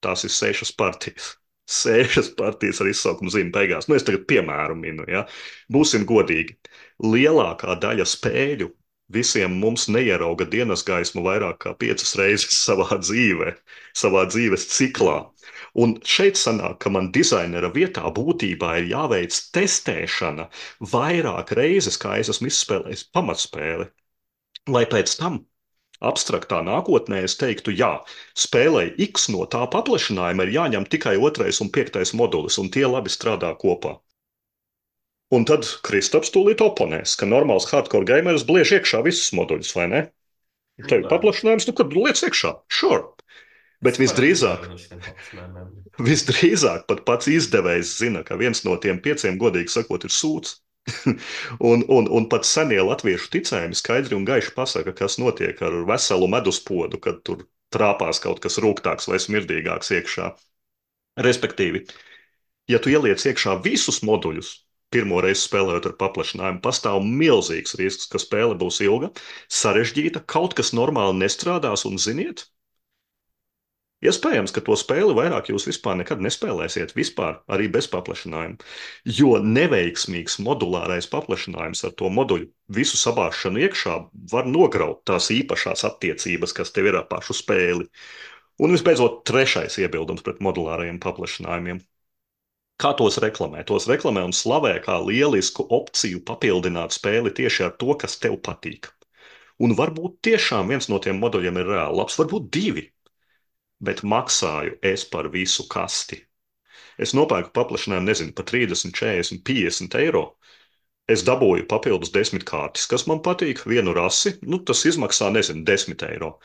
[SPEAKER 1] Tās ir sešas partijas. Sešas partijas ar izsaukumu zīmi beigās. Nu, es tagad piemēru minu, ja. Būsim godīgi. Lielākā daļa spēļu visiem mums neierauga dienas gaismu vairāk kā piecas reizes savā dzīvē, savā dzīves ciklā.
[SPEAKER 2] Mm.
[SPEAKER 1] Un šeit sanāk, ka man dizainera vietā būtībā ir jāveic testēšana vairāk reizes, kā es esmu izspēlējis pamatspēli, lai pēc tam abstraktā nākotnē es teiktu, jā, spēlei X no tā paplašinājuma ir jāņem tikai otrais un piektais modulis, un tie labi strādā kopā. Un tad Kristaps tūlīt oponēs, ka normāls hardcore gameris bliež iekšā visus moduļus, vai ne? Tev ir
[SPEAKER 2] Nē,
[SPEAKER 1] paplašinājums, nu kad liec iekšā, sure.
[SPEAKER 2] es
[SPEAKER 1] Bet
[SPEAKER 2] parasti
[SPEAKER 1] visdrīzāk,
[SPEAKER 2] izvēlos šiem paplašinājumiem.
[SPEAKER 1] visdrīzāk pat pats izdevējs zina, ka viens no tiem pieciem, godīgi sakot, ir sūds. un, un, un pat senie latviešu ticējumi skaidri un gaiši pasaka, kas notiek ar veselu meduspodu, kad tur trāpās kaut kas rūgtāks vai smirdīgāks iekšā. Respektīvi, ja tu ieliec iekšā visus moduļus, pirmo reizi spēlējot ar paplašinājumu, pastāv milzīgs risks, ka spēle būs ilga, sarežģīta, kaut kas normāli nestrādās, un ziniet, iespējams, ka to spēli vairāk jūs vispār nekad nespēlēsiet, vispār arī bez paplašinājuma. Jo neveiksmīgs modulārais paplašinājums ar to moduļu visu sabāšanu iekšā var nograut tās īpašās attiecības, kas tev ir ar pašu spēli. Un visbeidzot, trešais iebildums pret modulārajiem paplašinājumiem. Kā tos reklamē? Tos reklamē un slavē kā lielisku opciju papildināt spēli tieši ar to, kas tev patīk. Un varbūt tiešām viens no tiem moduļiem ir reāli labs, varbūt divi, bet maksāju es par visu kasti. Es nopērku paplašinājumu, nezinu, par trīsdesmit, četrdesmit, piecdesmit eiro. Es dabūju papildus desmit kārtas, kas man patīk, vienu rasi, nu tas izmaksā, nezinu, desmit eiro.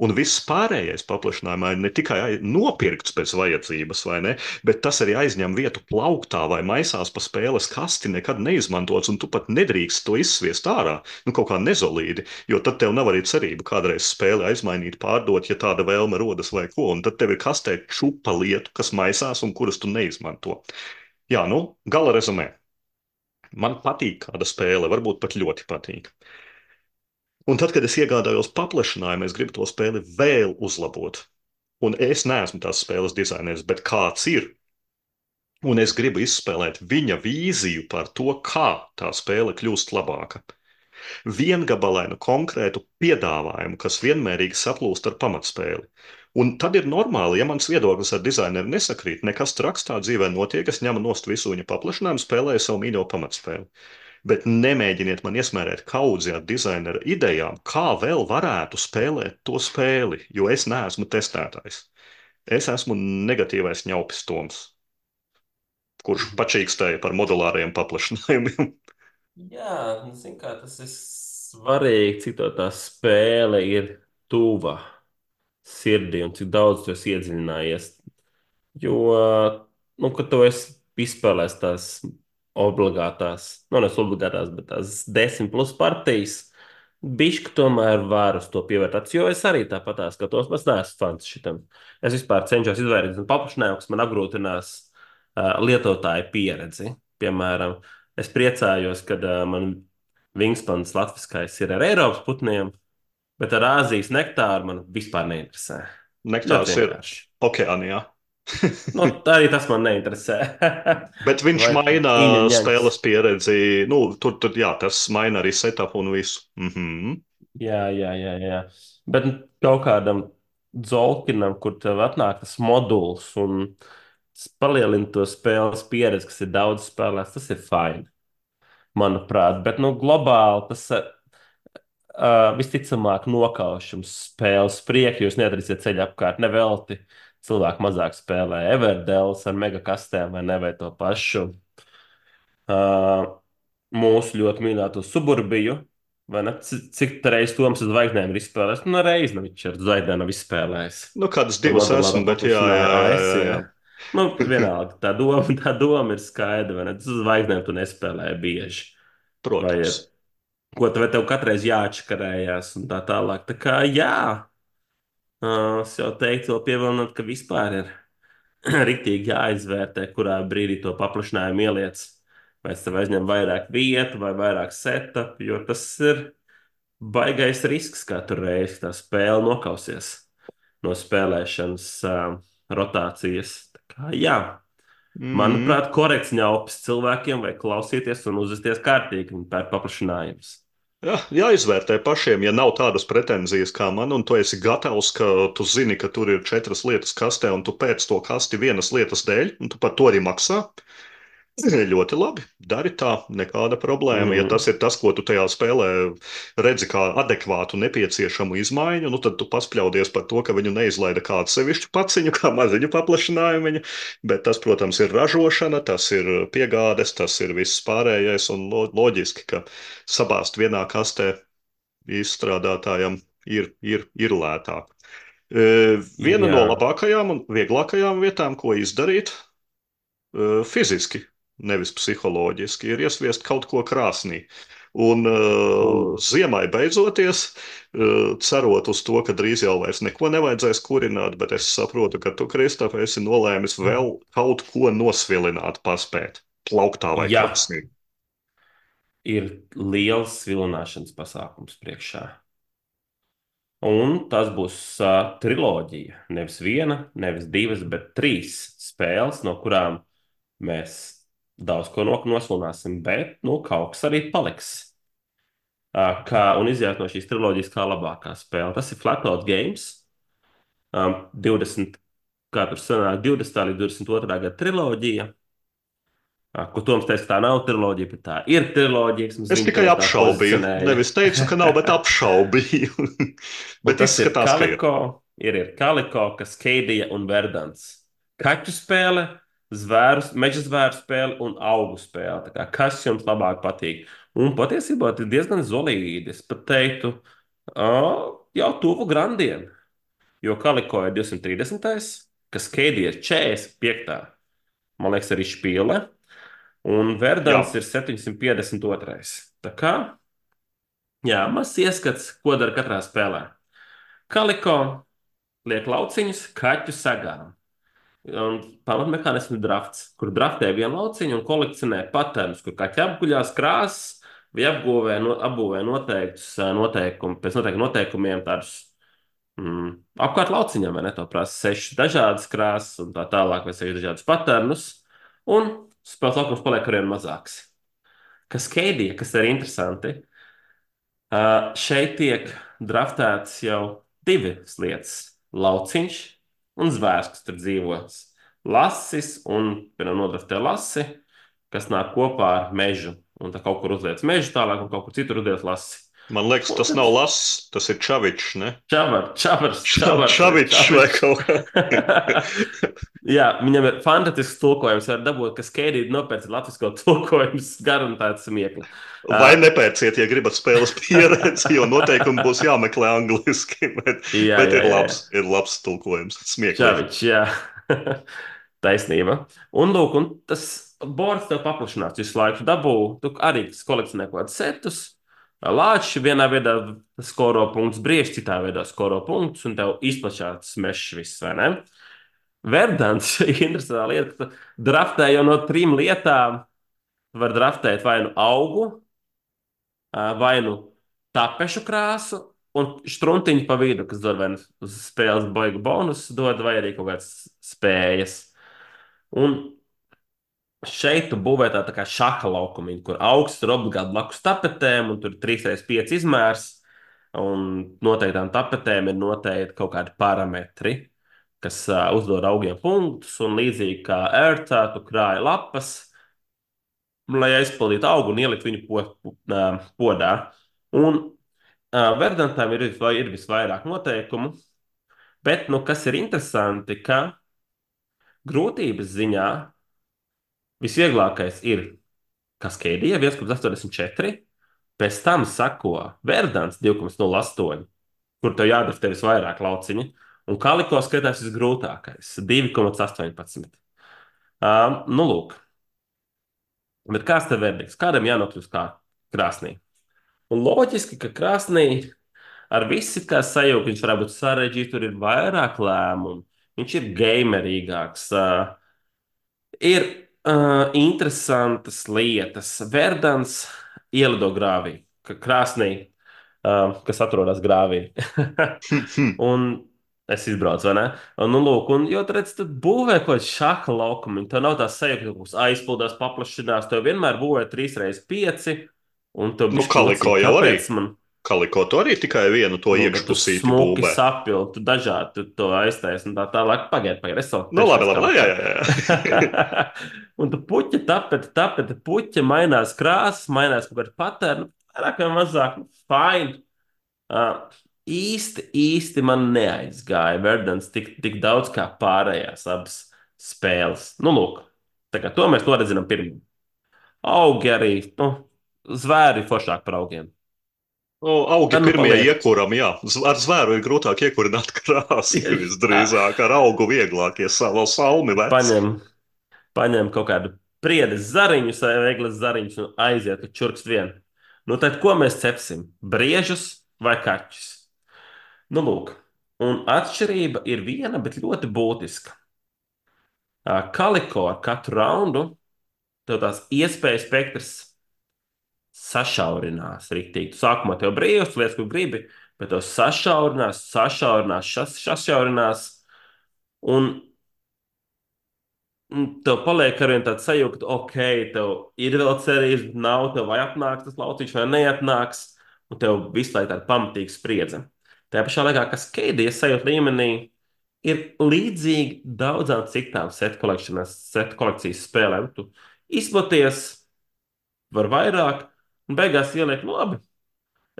[SPEAKER 1] Un viss pārējais paplašinājumā ir ne tikai nopirkts pēc vajadzības, vai ne, bet tas arī aizņem vietu plauktā vai maisās pa spēles kasti, nekad neizmantots, un tu pat nedrīkst to izsviest ārā, nu kaut kā nezolīdi, jo tad tev nav arī cerība kādreiz spēli aizmainīt, pārdot, ja tāda vēlme rodas vai ko, un tad tev ir kastē čupa lietu, kas maisās un kuras tu neizmanto. Jā, nu, gala rezumē. Man patīk kāda spēle, varbūt pat ļoti patīk. Un tad, kad es iegādājos paplašinājumu, es gribu to spēli vēl uzlabot. Un es neesmu tās spēles dizainers, bet kāds ir. Un es gribu izspēlēt viņa vīziju par to, kā tā spēle kļūst labāka. Viengabalainu konkrētu piedāvājumu, kas vienmērīgi saplūst ar pamatspēli. Un tad ir normāli, ja mans viedoklis ar dizaineru nesakrīt, nekas traks tā dzīvē notiek, es ņemu nost visu viņa paplašinājumu, spēlēju savu mīļo pamatspēli. Bet nemēģiniet man iesmērēt kaudzi ar dizainera idejām, kā vēl varētu spēlēt to spēli, jo es neesmu testētājs. Es esmu negatīvais ņaupis Toms, kurš pačīkstēja par modulāriem paplašinājumiem.
[SPEAKER 2] Jā, nu, zin kā, tas ir svarīgi, cik to tā spēle ir tuva sirdī un cik daudz tu esi iedziļinājies. Jo, nu, kad tu esi izspēlējis tās obligātās, nu, nevis obligātās, bet tās desmit plus partijas, bišķi tomēr var uz to pievērst. Jo es arī tāpat skatos, es neesmu fans šitam. Es vispār cenšos izvairīties no paplašinājuma, kas man apgrūtinās uh, lietotāju pieredzi. Piemēram, es priecājos, kad uh, man Wingspans latviskais ir ar Eiropas putniem, bet ar Āzijas nektāru man vispār neinteresē. Ļoti
[SPEAKER 1] Nektārs ir
[SPEAKER 2] vienkārši.
[SPEAKER 1] okeānijā.
[SPEAKER 2] Nu, tā arī tas man neinteresē.
[SPEAKER 1] Bet viņš
[SPEAKER 2] Vai
[SPEAKER 1] maina
[SPEAKER 2] īņaņaņas.
[SPEAKER 1] spēles pieredzi. Nu, tur, tur, jā, tas maina arī setup un visu. Mhm.
[SPEAKER 2] Jā, jā, jā, jā. Bet nu, kaut kādam dzolkinam, kur tev atnāk tas moduls un tas palielina to spēles pieredzi, kas ir daudz spēlēts, tas ir fini, manuprāt. Bet, nu, globāli tas uh, visticamāk nokaušams spēles priekšu, jūs neatradīsiet ceļu apkārt nevelti. Cilvēki mazāk spēlē Everdēls ar megakastēm vai ne, vai to pašu uh, mūsu ļoti mīļoto suburbiju. Vai ne? C- Cik reizes Toms uz zvaigznēm ir izspēlējis? Nu, reizi nav viņš ar zvaigznēm nav izspēlējis.
[SPEAKER 1] Nu, kādas
[SPEAKER 2] To
[SPEAKER 1] divas
[SPEAKER 2] modulāro
[SPEAKER 1] esmu, bet jā, jā,
[SPEAKER 2] paplašinājumu
[SPEAKER 1] jā,
[SPEAKER 2] A S.
[SPEAKER 1] jā,
[SPEAKER 2] Jā.
[SPEAKER 1] jā.
[SPEAKER 2] Nu, vienalga, tā doma, tā doma ir skaidra. vai ne? Tu uz zvaigznēm tu nespēlēji bieži. Vai
[SPEAKER 1] Protams.
[SPEAKER 2] ar ko tev, tev katreiz jāatškarējās un tā tālāk. Tā kā jā, uh, es jau teiktu, vēl pievienot, ka vispār ir riktīgi jāizvērtē, kurā brīdī to paplašinājumu ieliec. Vai tas tev aizņem vairāk vietu vai vairāk setup, jo tas ir baigais risks katru reizi, ka tā spēle nokausies no spēlēšanas uh, rotācijas. Tā kā, jā,
[SPEAKER 1] Mm.
[SPEAKER 2] manuprāt, korekts ņaups cilvēkiem vajag klausīties un uzvesties kārtīgi, viņi pērk paplašinājumus.
[SPEAKER 1] Jā, jāizvērtē pašiem, ja nav tādas pretenzijas kā man, un tu esi gatavs, ka tu zini, ka tur ir četras lietas kastē, un tu pēc to kasti vienas lietas dēļ, un tu par to arī maksā. Ļoti labi. Dari tā, nekāda problēma. Ja tas
[SPEAKER 2] Mm.
[SPEAKER 1] ir tas, ko tu tajā spēlē redzi kā adekvātu, nepieciešamu izmaiņu, nu tad tu paspļaudies par to, ka viņu neizlaida kādu sevišķu paciņu, kā maziņu paplašinājumu. Bet tas, protams, ir ražošana, tas ir piegādes, tas ir viss pārējais, un lo loģiski, ka sabāzt vienā kastē izstrādātājam ir, ir, ir lētāk. E, Viena
[SPEAKER 2] Jā,
[SPEAKER 1] no labākajām un vieglākajām vietām, ko izdarīt, uh, fiziski, nevis psiholoģiski, ir iesviest kaut ko krāsnī. Un uh,
[SPEAKER 2] mm.
[SPEAKER 1] ziemai beidzoties, uh, cerot uz to, ka drīz jau vairs neko nevajadzēs kurināt, bet es saprotu, ka tu, Kristof, esi nolēmis vēl kaut ko nosvilināt, paspēt plauktā vai
[SPEAKER 2] Jā,
[SPEAKER 1] krāsnī.
[SPEAKER 2] ir liels vilināšanas pasākums priekšā. Un tas būs uh, triloģija. Nevis viena, nevis divas, bet trīs spēles, no kurām mēs daudz ko nok- noslunāsim, bet nu, kaut kas arī paliks. Uh, kā, un iziet no šīs triloģijas kā labākā spēle. Tas ir Flatout Games. Um, divdesmit, kā tur sanāk, divdesmitā līdz divdesmit otrā gada triloģija. Uh, ko Toms teica, ka tā nav triloģija, bet tā ir triloģija, kas
[SPEAKER 1] Es
[SPEAKER 2] viņu
[SPEAKER 1] tikai
[SPEAKER 2] to tā
[SPEAKER 1] apšaubīju.
[SPEAKER 2] pozicionēja.
[SPEAKER 1] Nevis teicu, ka nav, bet apšaubīju.
[SPEAKER 2] Un
[SPEAKER 1] Bet
[SPEAKER 2] tas ir
[SPEAKER 1] izskatās, ka ir.
[SPEAKER 2] Kaliko, ir, ir Kaliko, Kaskēdija un Verdants. Kaķu spēle, zvēru, meža zvēru spēle un augu spēle. Tā kā, kas jums labāk patīk? Un patiesībā tas ir diezgan zolīdi. Es pat teiktu, ā, jau tuvu grandiem. Jo Kaliko ir divsimt trīsdesmit, Kaskēdija ir četrdesmit pieci. Man liekas, arī špīle. Un
[SPEAKER 1] Jā,
[SPEAKER 2] Verdants ir septiņsimt piecdesmit divi. Tā kā, jā, mazs ieskats, ko dara katrā spēlē. Kaliko liek lauciņus kaķu sagām. Un pamatmehānisms ir drafts, kur draftē vienu lauciņu un kolekcionē patērnus, kur kaķi apguļās krāsas vai apgūvē, no, apbūvē noteiktus ā, noteikumu, pēc noteiktiem noteikumiem tādus mm, apkārt lauciņam, vai ne? To prasa sešas dažādas krāsas un tā tālāk, vai sešas dažādas patērnus, un spēles laukums paliek arvien mazāks. Kas keidija, kas ir interesanti, Uh, šeit tiek draftēts jau divas lietas - lauciņš un zvērs, kas tur dzīvos. Lasis un, piemēram, nodraftē lasi, kas nāk kopā ar mežu. Un tā kaut kur uzliec mežu tālāk, un kaut kur citur uzliec lasi.
[SPEAKER 1] man liekas,
[SPEAKER 2] Un
[SPEAKER 1] tas
[SPEAKER 2] tad
[SPEAKER 1] nav lass, tas ir čavičs, ne?
[SPEAKER 2] čavar, čavars,
[SPEAKER 1] Ča-
[SPEAKER 2] čavars vai
[SPEAKER 1] Čavičs vai
[SPEAKER 2] čavičs.
[SPEAKER 1] kaut kā.
[SPEAKER 2] Jā, viņam ir fantastisks tulkojums. Var dabūt, ka skaidri nopērts latvisko tulkojums garantēts smiekli.
[SPEAKER 1] Vai
[SPEAKER 2] Uh,
[SPEAKER 1] nepērciet, ja gribat spēles pieredzi, jo noteikumi būs jāmeklē angliski, bet,
[SPEAKER 2] jā,
[SPEAKER 1] bet
[SPEAKER 2] jā,
[SPEAKER 1] ir
[SPEAKER 2] jā.
[SPEAKER 1] labs, ir labs tulkojums, smieklīgi.
[SPEAKER 2] Čavičs, jā. Taisnība. Un, lūk, un tas bords tev paplašinās visu laiku. Dabū, tu arī kolekcionē kaut kādus setus. Lāčs vienā veidā skoro punktus, brieži citā veidā skoro punktus, un tev izplašās mešs viss, vai ne? Verdants ir interesanta lieta, ka tu draftē jau no trim lietām. Tu vari draftēt vai nu augu, ā, vai nu tapešu krāsu, un struntiņu pa vidu, kas dod vai nu uz spēles baigu bonusu, dod vai arī kaut kādas spējas. Un šeit tu būvē tā, tā kā šaha laukumiņu, kur augsts ir obligāti blakus tapetēm, un tur ir trīs reizes pieci izmērs, un noteiktām tapetēm ir noteikti kaut kādi parametri, kas uh, uzdod augiem punktus, un līdzīgi kā ērtā, tu krāji lapas, lai aizpildītu augu un ielikt viņu po, po, uh, podā. Un uh, Verdantam ir, vis- ir visvairāk noteikumu, bet, nu, kas ir interesanti, ka grūtības ziņā visvieglākais ir Kaskēdija viens komats astoņdesmit četri, pēc tam sako Verdants divi komats nulle astoņi, kur tev jādara tev visvairāk lauciņi, un Kaliko skaitās visgrūtākais - divi komats astoņpadsmit. Um, nu, lūk, bet kāds tev verdikts? Kādam jānokļūst kā krāsnī? Un loģiski, ka krāsnī ar visu kā sajūta, viņš varētu būt sarežģīts, tur ir vairāk lēmumu. viņš ir gamerīgāks. Uh, ir uh, interesantas lietas. Verdans ielido grāvī, ka krāsnī, uh, kas atrodas grāvī. Un es izbraucu, vai ne? Un, nu, lūk, un, jo tur redz, tu būvē kaut kādu šāda laukumu. Tev nav tā sajūta, ka kaut kas aizpildās, paplašinās. Tev vienmēr būvē trīs reizes pieci, un tev
[SPEAKER 1] Nu,
[SPEAKER 2] bišķi
[SPEAKER 1] kaliko
[SPEAKER 2] mocīgi.
[SPEAKER 1] jau arī.
[SPEAKER 2] Kāpēc man?
[SPEAKER 1] Kaliko to arī tikai vienu to
[SPEAKER 2] Nu, bet tu
[SPEAKER 1] iekšpusīti
[SPEAKER 2] smuki
[SPEAKER 1] būvē.
[SPEAKER 2] sapildi, tu dažādi tu to aiztaisi un tā tālāk. Pagaid, pagaid, es vēl
[SPEAKER 1] Nu, labi,
[SPEAKER 2] trešais
[SPEAKER 1] labi, labi, jā,
[SPEAKER 2] kalikā.
[SPEAKER 1] jā, jā.
[SPEAKER 2] Un tu puķi tapeti, tapeti, puķi mainās krāsas, mainās kaut kāda paterna, vairāk vai mazāk, nu, fine. Uh, īsti, īsti man neaizgāja Verdans tik, tik daudz kā pārējās abas spēles. Nu, lūk, tā kā to mēs to redzinām pirmie. Augi arī, nu, zvēri foršāk par augiem.
[SPEAKER 1] Nu, augi
[SPEAKER 2] Tad nu
[SPEAKER 1] pirmie
[SPEAKER 2] paliek
[SPEAKER 1] iekuram, jā. Z- Ar zvēru ir grūtāk iekurināt krāsu,
[SPEAKER 2] tieši tā.
[SPEAKER 1] visdrīzāk. Ar augu vieglāk, ja savu salmi vec.
[SPEAKER 2] Paņem, paņem kaut kādu priedes zariņu, vai eglis zariņus un aiziet uz čurkst vienu. Nu, tad ko mēs cepsim? Briežus vai kaķus? Nu, lūk, un atšķirība ir viena, bet ļoti būtiska. Ā, Kaliko ar katru raundu tev tās iespēju spektrs sašaurinās rīktīgi. Tu sākumā tev brīvs, lietas, ko gribi, bet tev sašaurinās, sašaurinās, šas, sašaurinās. Un un tev paliek ar vien tāds sajūta, ka, ok, tev ir vēl cerības, bet nav, tev vai atnāks tas lauciņš, vai neatnāks, un tev visu laiku tāda pamatīga spriedze. Tajā pašā laikā, kas Keidijas sajūta līmenī, ir līdzīgi daudzām citām set kolekcijas, set kolekcijas spēlēm. Tu izplaties, var vairāk, un beigās ieliek, nu labi,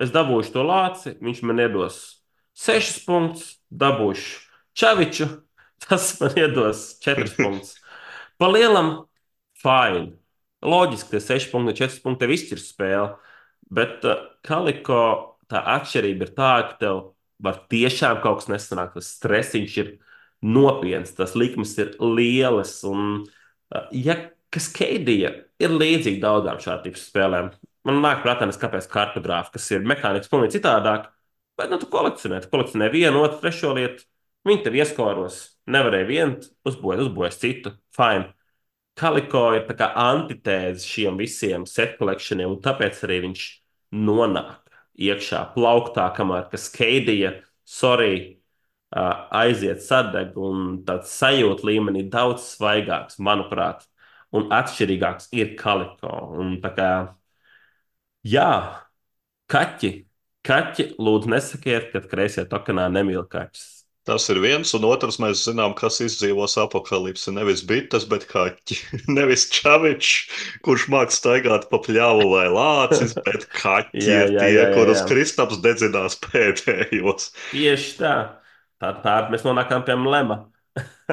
[SPEAKER 2] es dabūšu to lāci, viņš man iedos sešus punktus, dabūšu čaviču, tas man iedos četrus punktus. Pa lielam, fine. Loģiski, ka seši punkti no četriem punktiem tev izšķirs spēli, bet uh, Kaliko tā atšķirība ir tāda, ka tev var tiešām kaut kas nesanākt. Tas stresiņš ir nopietns, tas likmes ir lielas. Un, uh, ja kas Keidija ir līdzīga daudzām šādu tipu spēlēm, man nāk prātā, nes kāpēc kartogrāfa, kas ir mehāniski pilnīgi citādāk, bet nu, tu kolekcionē, tu kolekcionē vienu, otru, trešo lietu, viņi tev ieskoros, nevarēja vienu uzbūvēt, uzbūvēt citu, fine. Kaliko ir tā kā antitēze šiem visiem set collectioniem, un tāpēc arī viņš nonāk iekšā plauktā, kamēr kas Keidija, sorry, uh, aiziet sadeg, un tāds sajūta līmenī daudz svaigāks, manuprāt, un atšķirīgāks ir Kaliko. Un tā kā, jā, kaķi, kaķi, lūdzu nesakiet, ka kreisie tokenā nemīl kaķus.
[SPEAKER 1] Tas ir viens, un otrs mēs zinām, kas izdzīvos apakalipsi. Nevis bites, bet kaķi. Nevis čavičs, kurš māk staigāt pa pļāvu vai lācis, bet kaķi
[SPEAKER 2] Jā,
[SPEAKER 1] ir
[SPEAKER 2] jā,
[SPEAKER 1] tie,
[SPEAKER 2] jā, jā,
[SPEAKER 1] kurus
[SPEAKER 2] jā.
[SPEAKER 1] Kristaps dedzinās pēdējos.
[SPEAKER 2] Tieši tā. Tā, tā mēs nonākam pie lema.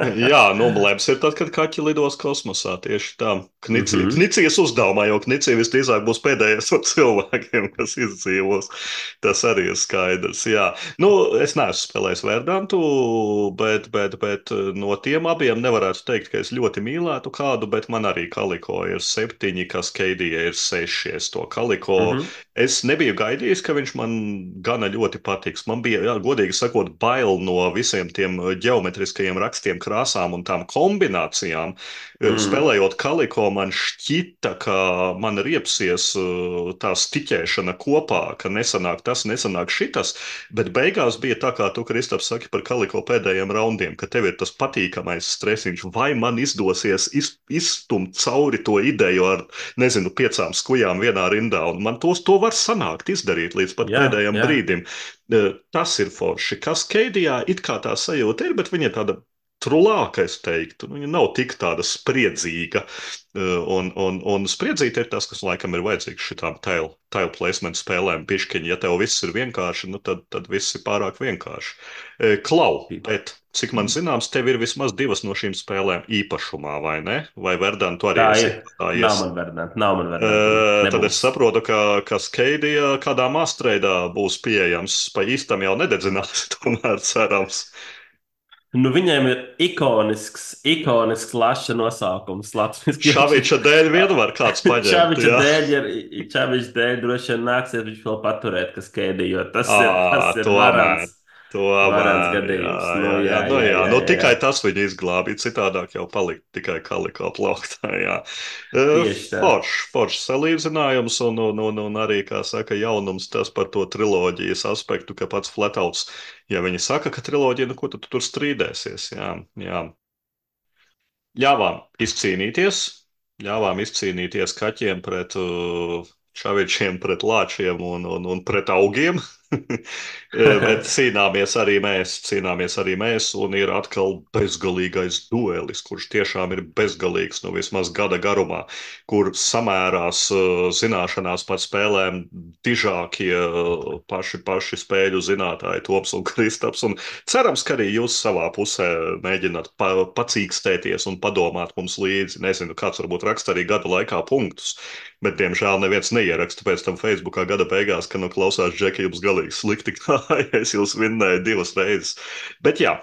[SPEAKER 1] Jā, noblēms ir tad, kad kaķi lidos kosmosā. Tieši tā. Knici,
[SPEAKER 2] Mhm.
[SPEAKER 1] Knicijas uzdevumā, jo Knicija visdrīzāk būs pēdējais no cilvēkiem, kas izdzīvos. Tas arī ir skaidrs. Jā, nu, es neesmu spēlējis Verdantu, bet, bet, bet no tiem abiem nevarētu teikt, ka es ļoti mīlētu kādu, bet man arī Kaliko ir septiņi, kas Keidija ir seši. Es to Kaliko.
[SPEAKER 2] Mhm.
[SPEAKER 1] Es nebiju gaidījis, ka viņš man gana ļoti patiks. Man bija, jā, godīgi sakot, bail no visiem tiem ģeometriskajiem rakstiem, krāsām un tām kombinācijām.
[SPEAKER 2] Mhm.
[SPEAKER 1] Spēlējot Kaliko, man šķita, ka man riepsies uh, tā stiķēšana kopā, ka nesanāk tas, nesanāk šitas, bet beigās bija tā, kā tu, Kristaps, saki par Kaliko pēdējiem raundiem, ka tev ir tas patīkamais stresiņš, vai man izdosies iz, izstumt cauri to ideju ar, nezinu, piecām skujām vienā rindā, un man tos to var sanākt izdarīt līdz pat
[SPEAKER 2] Jā,
[SPEAKER 1] pēdējiem
[SPEAKER 2] jā.
[SPEAKER 1] brīdim. Uh, Tas ir forši. Kas Keidijā it kā tā sajūta ir, bet viņa ir tāda trulāka, es teiktu. Nu, viņa nav tik tāda spriedzīga. Uh, Un, un, un spriedzīte ir tas, kas laikam ir vajadzīgs šitām tile, tile placement spēlēm. Pišķiņi, ja tev viss ir vienkārši, nu tad, tad viss ir pārāk vienkārši. Uh, Klau, bet cik man zināms, tev ir vismaz divas no šīm spēlēm īpašumā, vai ne? Vai Verdant, tu arī
[SPEAKER 2] Tā
[SPEAKER 1] esi
[SPEAKER 2] ir. Nav
[SPEAKER 1] iegādājies?
[SPEAKER 2] man verdant, nav man verdant. Un
[SPEAKER 1] Uh, Tad es
[SPEAKER 2] nebūs.
[SPEAKER 1] saprotu, ka, ka Skeidija kādā mastreidā būs pieejams. Pa īstam jau nededzinās, tomēr cerams.
[SPEAKER 2] Nu, viņiem ir ikonisks, ikonisks laša nosaukums. Latvijas
[SPEAKER 1] Šaviča dēļ vien var kāds paņemt,
[SPEAKER 2] Čaviča
[SPEAKER 1] jā.
[SPEAKER 2] dēļ, ir, Čaviča dēļ droši vien nāksies viņš vēl paturēt, kas Keidija, jo tas ir,
[SPEAKER 1] Ā,
[SPEAKER 2] tas ir varants.
[SPEAKER 1] tomēr.
[SPEAKER 2] Varants
[SPEAKER 1] Tomēr, jā,
[SPEAKER 2] gadījums. Nu,
[SPEAKER 1] jā, jā,
[SPEAKER 2] jā,
[SPEAKER 1] nu,
[SPEAKER 2] jā,
[SPEAKER 1] jā,
[SPEAKER 2] jā,
[SPEAKER 1] nu,
[SPEAKER 2] jā, jā.
[SPEAKER 1] tikai tas viņu izglābīja, citādāk jau palika tikai kalikā plauktā, jā. Uh,
[SPEAKER 2] Tieši tā.
[SPEAKER 1] Foršs, foršs salīdzinājums, un, un, un, un arī, kā saka, jaunums tas par to triloģijas aspektu, ka pats Flatouts, ja viņi saka, ka triloģija, nu, ko tad tu tur strīdēsies, jā, jā. Ļāvām izcīnīties, ļāvām izcīnīties kaķiem pret uh, čavičiem, pret lāčiem un, un, un pret augiem. Bet cīnāmies arī mēs, cīnāmies arī mēs, un ir atkal bezgalīgais duelis, kurš tiešām ir bezgalīgs, nu vismaz gada garumā, kur samērās uh, zināšanās par spēlēm dižākie uh, paši, paši spēļu zinātāji Toms un Kristaps, un cerams, ka arī jūs savā pusē mēģināt pa, pacīkstēties un padomāt mums līdzi. Nezinu, kāds varbūt raksta arī gada laikā punktus, bet, diemžēl, neviens neieraksta pēc tam Facebookā gada beigās, ka, nu, klausās, Džeki, jums galīgi slikti gāja, es jūs vinnēju divas reizes. Bet, jā.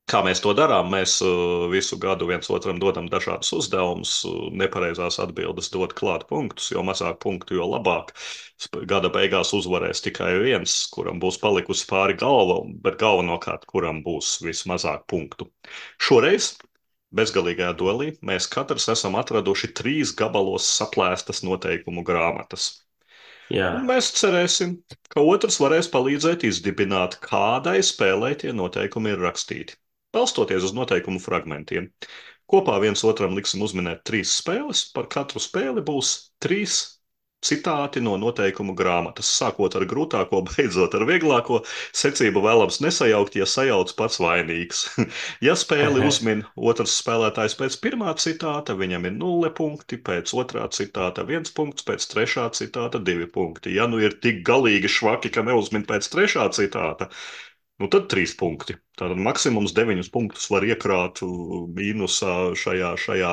[SPEAKER 1] Kā mēs to darām? Mēs uh, visu gadu viens otram dodam dažādus uzdevumus, uh, nepareizās atbildes dot klāt punktus, jo mazāk punktu, jo labāk. Sp- Gada beigās uzvarēs tikai viens, kuram būs palikusi pāri galva, bet galvenokārt, kuram būs vismazāk punktu. Šoreiz bezgalīgajā duelī mēs katrs esam atraduši trīs gabalos saplēstas noteikumu grāmatas.
[SPEAKER 2] Jā,
[SPEAKER 1] Un mēs cerēsim, ka otrs varēs palīdzēt izdibināt, kādai spēlē tie noteikumi ir rakstīti, balstoties uz noteikumu fragmentiem. Kopā viens otram liksim uzminēt trīs spēles, par katru spēli būs trīs citāti no noteikumu grāmatas, sākot ar grūtāko, beidzot ar vieglāko. Secību vēlams nesajaukt, ja sajauc pats vainīgs. Ja spēli uzmin otrs spēlētājs pēc pirmā citāta, viņam ir nulle punkti, pēc otrā citāta viens punkts, pēc trešā citāta divi punkti. Ja nu ir tik galīgi švaki, ka neuzmin pēc trešā citāta, nu tad trīs punkti. Tātad maksimums deviņus punktus var iekrāt uh, mīnusā šajā, šajā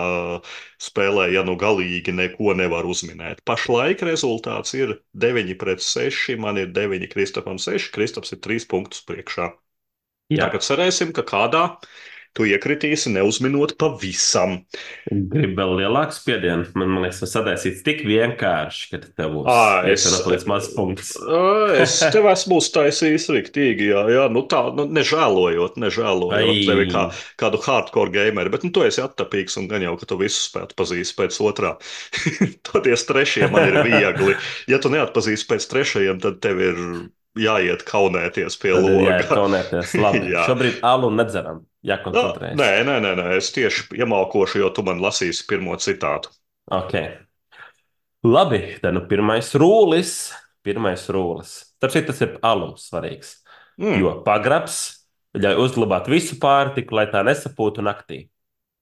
[SPEAKER 1] spēlē, ja nu galīgi neko nevar uzminēt. Pašlaik rezultāts ir deviņi pret seši, man ir deviņi, Kristapam seši, Kristaps ir trīs punktus priekšā.
[SPEAKER 2] jā.
[SPEAKER 1] Tagad cerēsim, ka kādā tu iekritīsi neuzminot pavisam.
[SPEAKER 2] Gribu vēl lielāku spiedienu. Man, man liekas, tas sadaisīts tik vienkārši, ka tev būs
[SPEAKER 1] Ā, es,
[SPEAKER 2] iespējams paliks mazs punkts.
[SPEAKER 1] ā, es tev esmu uztaisījis riktīgi, jā, jā, nu tā, nu, nežēlojot, nežēlojot tevi kā
[SPEAKER 2] Ai,
[SPEAKER 1] kādu hardcore gameri, bet, nu, tu esi attapīgs un gan jau, ka tu visu spētu pazīst pēc otrā. Toties trešie man ir viegli. Ja tu neatpazīsti pēc trešajiem, tad tev ir jāiet kaunēties pie
[SPEAKER 2] tad ir jāiet
[SPEAKER 1] loga.
[SPEAKER 2] kaunēties. Labi,
[SPEAKER 1] Jā.
[SPEAKER 2] šobrīd alu nedzeram.
[SPEAKER 1] Nā,
[SPEAKER 2] Jākoncentrējas.
[SPEAKER 1] nē, nē, nē, nē, es tieši iemalkošu, jo tu man lasīsi pirmo citātu.
[SPEAKER 2] Ok. Labi, tad nu pirmais rūlis. Pirmais rūlis. Tāpēc tas ir alums svarīgs.
[SPEAKER 1] Mm.
[SPEAKER 2] Jo pagrabs ļauj uzglabāt visu pārtiku, lai tā nesapūtu naktī.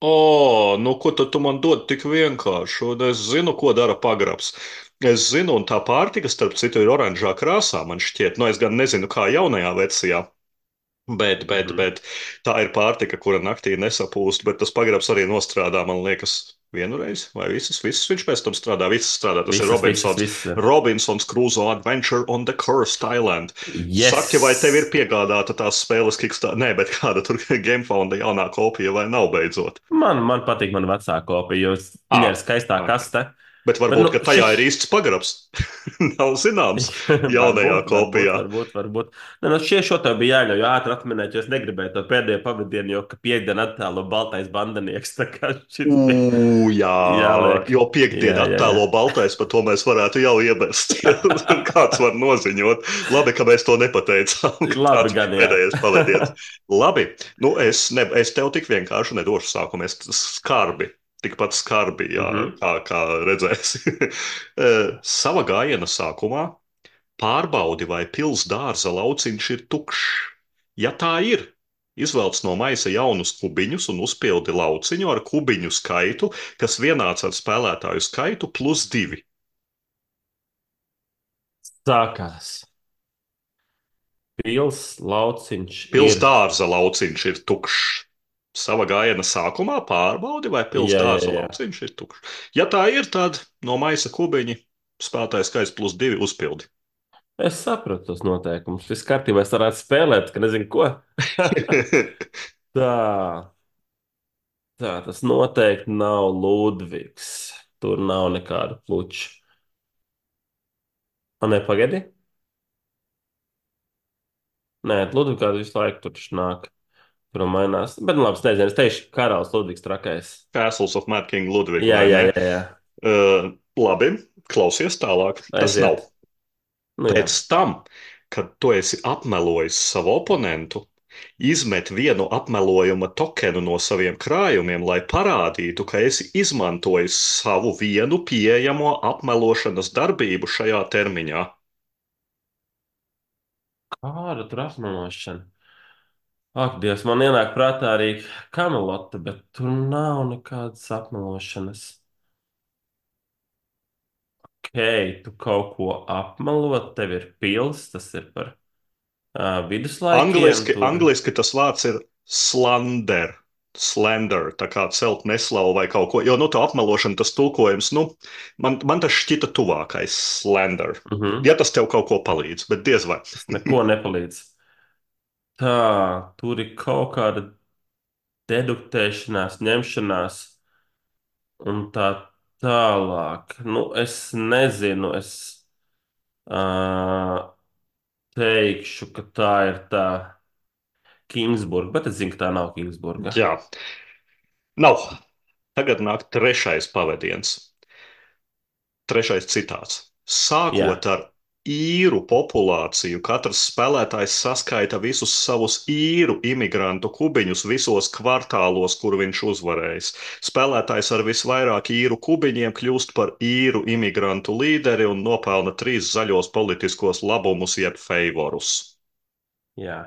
[SPEAKER 1] O, nu ko tad tu man dod tik vienkārši? Un es zinu, ko dara pagrabs. Es zinu, un tā pārtika, starp citu, ir oranžā krāsā, man šķiet. Nu, es gan nezinu, kā jaunajā versijā. Bet, bet,
[SPEAKER 2] Mhm.
[SPEAKER 1] bet tā ir pārtika, kura naktī nesapūst, bet tas pagrabs arī nostrādā, man liekas, vienu reizi, vai visas, visas viņš pēc tam strādā, visas strādā. Tas ir
[SPEAKER 2] Visas, visas,
[SPEAKER 1] Robinsons,
[SPEAKER 2] visas.
[SPEAKER 1] Robinsons Crusoe Adventure on the Cursed Island. Saki, vai tev ir
[SPEAKER 2] Yes!
[SPEAKER 1] piegādāta tās spēles Kickstarter? Nē, bet kāda tur GameFounda jaunā kopija vai nav beidzot?
[SPEAKER 2] Man, man patīk mana vecā kopija, jo viņai
[SPEAKER 1] Ah,
[SPEAKER 2] ir skaistā
[SPEAKER 1] ok.
[SPEAKER 2] kaste.
[SPEAKER 1] Bet
[SPEAKER 2] Bet,
[SPEAKER 1] varbūt,
[SPEAKER 2] nu,
[SPEAKER 1] ka tajā
[SPEAKER 2] šis...
[SPEAKER 1] ir īsts pagrabs. Nav zināms jaunajā
[SPEAKER 2] varbūt, varbūt,
[SPEAKER 1] kopijā.
[SPEAKER 2] varbūt, varbūt. Ne, nu, šie šo tev bija jāļauj ātri atminēt, jo es negribēju to pēdējo pavadienu, jo, ka piekdiena attēlo baltais bandanieks, tā kā šis bija
[SPEAKER 1] Ugh, jā,
[SPEAKER 2] jāliek.
[SPEAKER 1] jo
[SPEAKER 2] Jā,
[SPEAKER 1] piekdienā
[SPEAKER 2] jā, jā.
[SPEAKER 1] attēlo baltais, par to mēs varētu jau iebest. Kāds var noziņot? Labi, ka mēs to nepateicām. ka Tā
[SPEAKER 2] Labi
[SPEAKER 1] tikai
[SPEAKER 2] gan, jā.
[SPEAKER 1] pēdējais pavadiens. Labi, nu es, ne, es tev tik vienkārši nedošu sākumu. Es skarbi, tikpat skarbi, jā,
[SPEAKER 2] Mhm.
[SPEAKER 1] kā, kā redzēsi. Eh, Sava gājiena sākumā pārbaudi, vai pils dārza lauciņš ir tukšs. Ja tā ir, izvelc no maisa jaunus kubiņus un uzpildi lauciņu ar kubiņu skaitu, kas vienāds ar spēlētāju skaitu plus divi.
[SPEAKER 2] Sākās. Pils lauciņš
[SPEAKER 1] Pils
[SPEAKER 2] ir.
[SPEAKER 1] dārza lauciņš ir tukšs. Sava gājiena sākumā pārbaudi, vai pils
[SPEAKER 2] Jā, jā,
[SPEAKER 1] dārza
[SPEAKER 2] jā.
[SPEAKER 1] lauciņš ir tukšs. Ja tā ir, tad no maisa kubiņi spēlētāju skaits plus divi uzpildi.
[SPEAKER 2] Es sapratu tos noteikumus. Viss kārtībā, es varētu spēlēt, ka nezinu ko. Tā, tā, tas noteikti nav Ludvigs. Tur nav nekāda pluča. A, ne, pagaidi. Nē, Ludvigs visu laiku tur taču nāk. Tur mainās. Bet, nu, labi, es nezinu, es teikšu, karalis Ludvigs trakais.
[SPEAKER 1] Castles of Mad King Ludwig,
[SPEAKER 2] Jā,
[SPEAKER 1] vai
[SPEAKER 2] jā,
[SPEAKER 1] ne?
[SPEAKER 2] jā, jā.
[SPEAKER 1] Uh, labi, klausies tālāk. Tas nav.
[SPEAKER 2] Aiziet. Nu, jā.
[SPEAKER 1] Pēc tam, kad tu esi apmelojis savu oponentu, izmet vienu apmelojuma tokenu no saviem krājumiem, lai parādītu, ka esi izmantojis savu vienu pieejamo apmelošanas darbību šajā termiņā.
[SPEAKER 2] Kāda tur apmelošana? Ak, Dievs, man ienāk prātā arī kamelota, bet tur nav nekādas apmelošanas. Ok, tu kaut ko apmelot, tev ir pils, tas ir par uh, viduslaikiem.
[SPEAKER 1] Angliski,
[SPEAKER 2] Tur.
[SPEAKER 1] angliski tas vārds ir slander. Slender, tā kā celt neslavu vai kaut ko. Jo, nu, tā apmelošana, tas tulkojums, nu, man, man tas šķita tuvākais slender.
[SPEAKER 2] Mhm.
[SPEAKER 1] Ja tas tev kaut ko palīdz, bet diez vai.
[SPEAKER 2] Tas neko nepalīdz. Tā, tur ir kaut kāda deduktēšanās, ņemšanās un tā tālāk. Nu, es nezinu, es uh, teikšu, ka tā ir tā Kingsburga, bet es zinu, ka tā nav Kingsburga.
[SPEAKER 1] Jā, nav. Tagad nāk trešais pavadiens. Trešais citāts.
[SPEAKER 2] Jā,
[SPEAKER 1] Sākot ar īru populāciju, katrs spēlētājs saskaita visus savus īru imigrantu kubiņus visos kvartālos, kur viņš uzvarējis. Spēlētājs ar visvairāk īru kubiņiem kļūst par īru imigrantu līderi un nopelna trīs zaļos politiskos labumus jeb feivorus.
[SPEAKER 2] jā.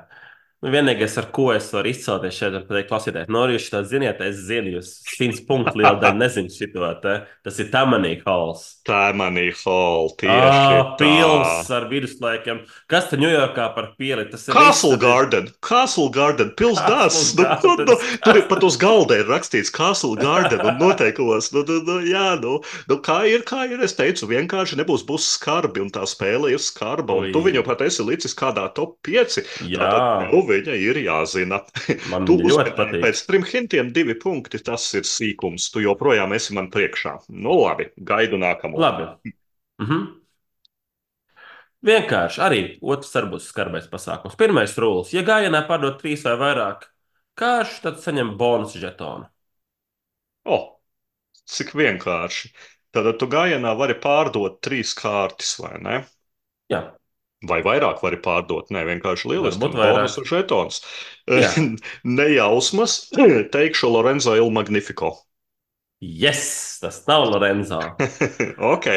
[SPEAKER 2] Nu, vienīgais, ar ko es varu izcelties šeit, ir pateikt, klausieties, no rīta tā ziniet, es zinu, jūs simts punktu liela daļa nezinu šito te. Tas ir Tamanī Halls.
[SPEAKER 1] Tā ir manī hall, tieši
[SPEAKER 2] Ah,
[SPEAKER 1] tā.
[SPEAKER 2] pils ar viduslaikiem. Kas tur Ņujorkā par pili? Tas ir viss.
[SPEAKER 1] Castle
[SPEAKER 2] Tur ir
[SPEAKER 1] Garden, Castle Garden,
[SPEAKER 2] Castle
[SPEAKER 1] pilsdārs. Nu, nu, nu,
[SPEAKER 2] Gardens.
[SPEAKER 1] tur ir pat uz galda ir rakstīts Castle Garden un noteikumos. Nu, nu, nu, jā, nu, nu, kā ir, kā ir, es teicu, vienkārši nebūs būs skarbi un tā spēle ir skarba un tu viņu
[SPEAKER 2] Ui,
[SPEAKER 1] pat esi licis kādā top pieci.
[SPEAKER 2] jā,
[SPEAKER 1] Tātad tev viņa ir jāzina.
[SPEAKER 2] man
[SPEAKER 1] Tu
[SPEAKER 2] viņa ļoti
[SPEAKER 1] uzminēji
[SPEAKER 2] patīk.
[SPEAKER 1] pēc trim hintiem divi punkti, tas ir sīkums. Tu joprojām esi man priekšā. Nu labi, gaidu nākamo.
[SPEAKER 2] Labi. Mhm. Vienkārši arī otrs var būt skarbais pasākums. Pirmais rūlis. Ja gājienā pārdod trīs vai vairāk kāršu, tad saņem bonusu žetonu.
[SPEAKER 1] O, cik vienkārši. Tad tu gājienā vari pārdot trīs kārtas, vai ne?
[SPEAKER 2] Jā,
[SPEAKER 1] Vai vairāk vari pārdot? Nē, vienkārši lieliski.
[SPEAKER 2] varbūt
[SPEAKER 1] Un
[SPEAKER 2] vairāk.
[SPEAKER 1] bonusu žetons.
[SPEAKER 2] Jā,
[SPEAKER 1] Nejausmas, teikšu Lorenzo Il Magnifico.
[SPEAKER 2] yes, tas nav Lorenzo.
[SPEAKER 1] Ok.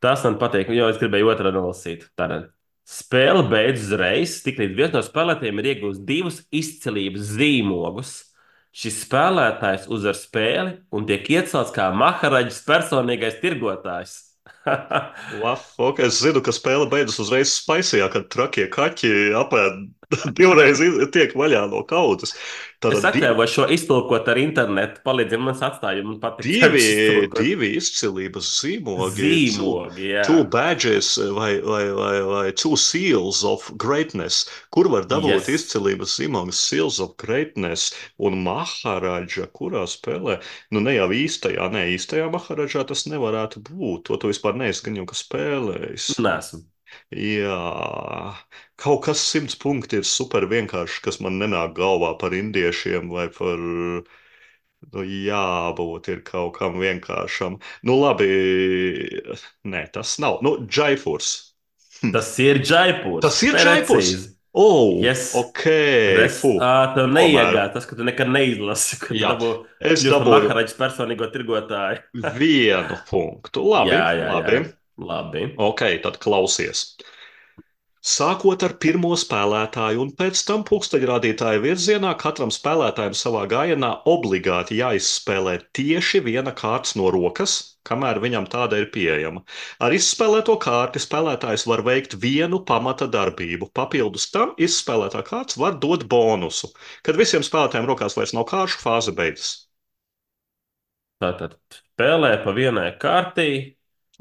[SPEAKER 2] Tas man patīk, jo es gribēju otru nolasīt. Tātad spēle beidzas uzreiz, tiklīdz viens no spēlētājiem ir iegūst divus izcilības zīmogus. Šis spēlētājs uzvar spēli un tiek iecelts kā Maharaģis personīgais tirgotājs.
[SPEAKER 1] Laf, ok, es zinu, ka spēle beidzas uzreiz spaisījā, kad trakie kaķi apēd divreiz iz- tiek vaļā no kaudzes.
[SPEAKER 2] Es
[SPEAKER 1] Tātad di
[SPEAKER 2] atļāvos šo iztulkot ar internetu. Palīdziet man atstāju, man patīk
[SPEAKER 1] divi,
[SPEAKER 2] iztulkot.
[SPEAKER 1] divi izcilības zīmogi, two,
[SPEAKER 2] Zīmogi, jā.
[SPEAKER 1] two badges vai, vai, vai, vai two seals of greatness. Kur var dabūt
[SPEAKER 2] Yes.
[SPEAKER 1] izcilības zīmogus seals of greatness un Maharaģa, kurā spēlē? Nu, ne jau īstajā, ne īstajā Maharaģā tas nevarētu būt. To tu vispār neesi gan jau ka spēlējis.
[SPEAKER 2] Nesmu.
[SPEAKER 1] Jā, kaut kas simts punkti ir super vienkārši, kas man nenāk galvā par indiešiem vai par, nu, jābūt ir kaut kam vienkāršam. Nu, labi, nē, tas nav. Nu, Džaifurs. Hm.
[SPEAKER 2] Tas ir Džaipurs.
[SPEAKER 1] Tas ir Džaifurs.
[SPEAKER 2] Precīzi.
[SPEAKER 1] Oh,
[SPEAKER 2] Yes.
[SPEAKER 1] ok,
[SPEAKER 2] Res,
[SPEAKER 1] fu.
[SPEAKER 2] ā, tev
[SPEAKER 1] Tomēr,
[SPEAKER 2] neiegāja tas, ka tu nekad neizlasi, ka tu
[SPEAKER 1] jā,
[SPEAKER 2] dabū
[SPEAKER 1] es
[SPEAKER 2] kļūst par
[SPEAKER 1] dabūju
[SPEAKER 2] Maharaģis personīgo tirgotāju.
[SPEAKER 1] vienu punktu. Labi,
[SPEAKER 2] Jā, jā, jā.
[SPEAKER 1] labi.
[SPEAKER 2] Labi.
[SPEAKER 1] Ok, tad klausies. Sākot ar pirmo spēlētāju un pēc tam pulksteņrādītāja virzienā, katram spēlētājam savā gājienā obligāti jāizspēlē tieši viena kārts no rokas, kamēr viņam tāda ir pieejama. Ar izspēlēto kārti spēlētājs var veikt vienu pamata darbību. Papildus tam izspēlētā kārts var dot bonusu. Kad visiem spēlētājiem rokās vairs nav kāršu, fāze beidzas.
[SPEAKER 2] Tātad spēlē pa vienai kārtī,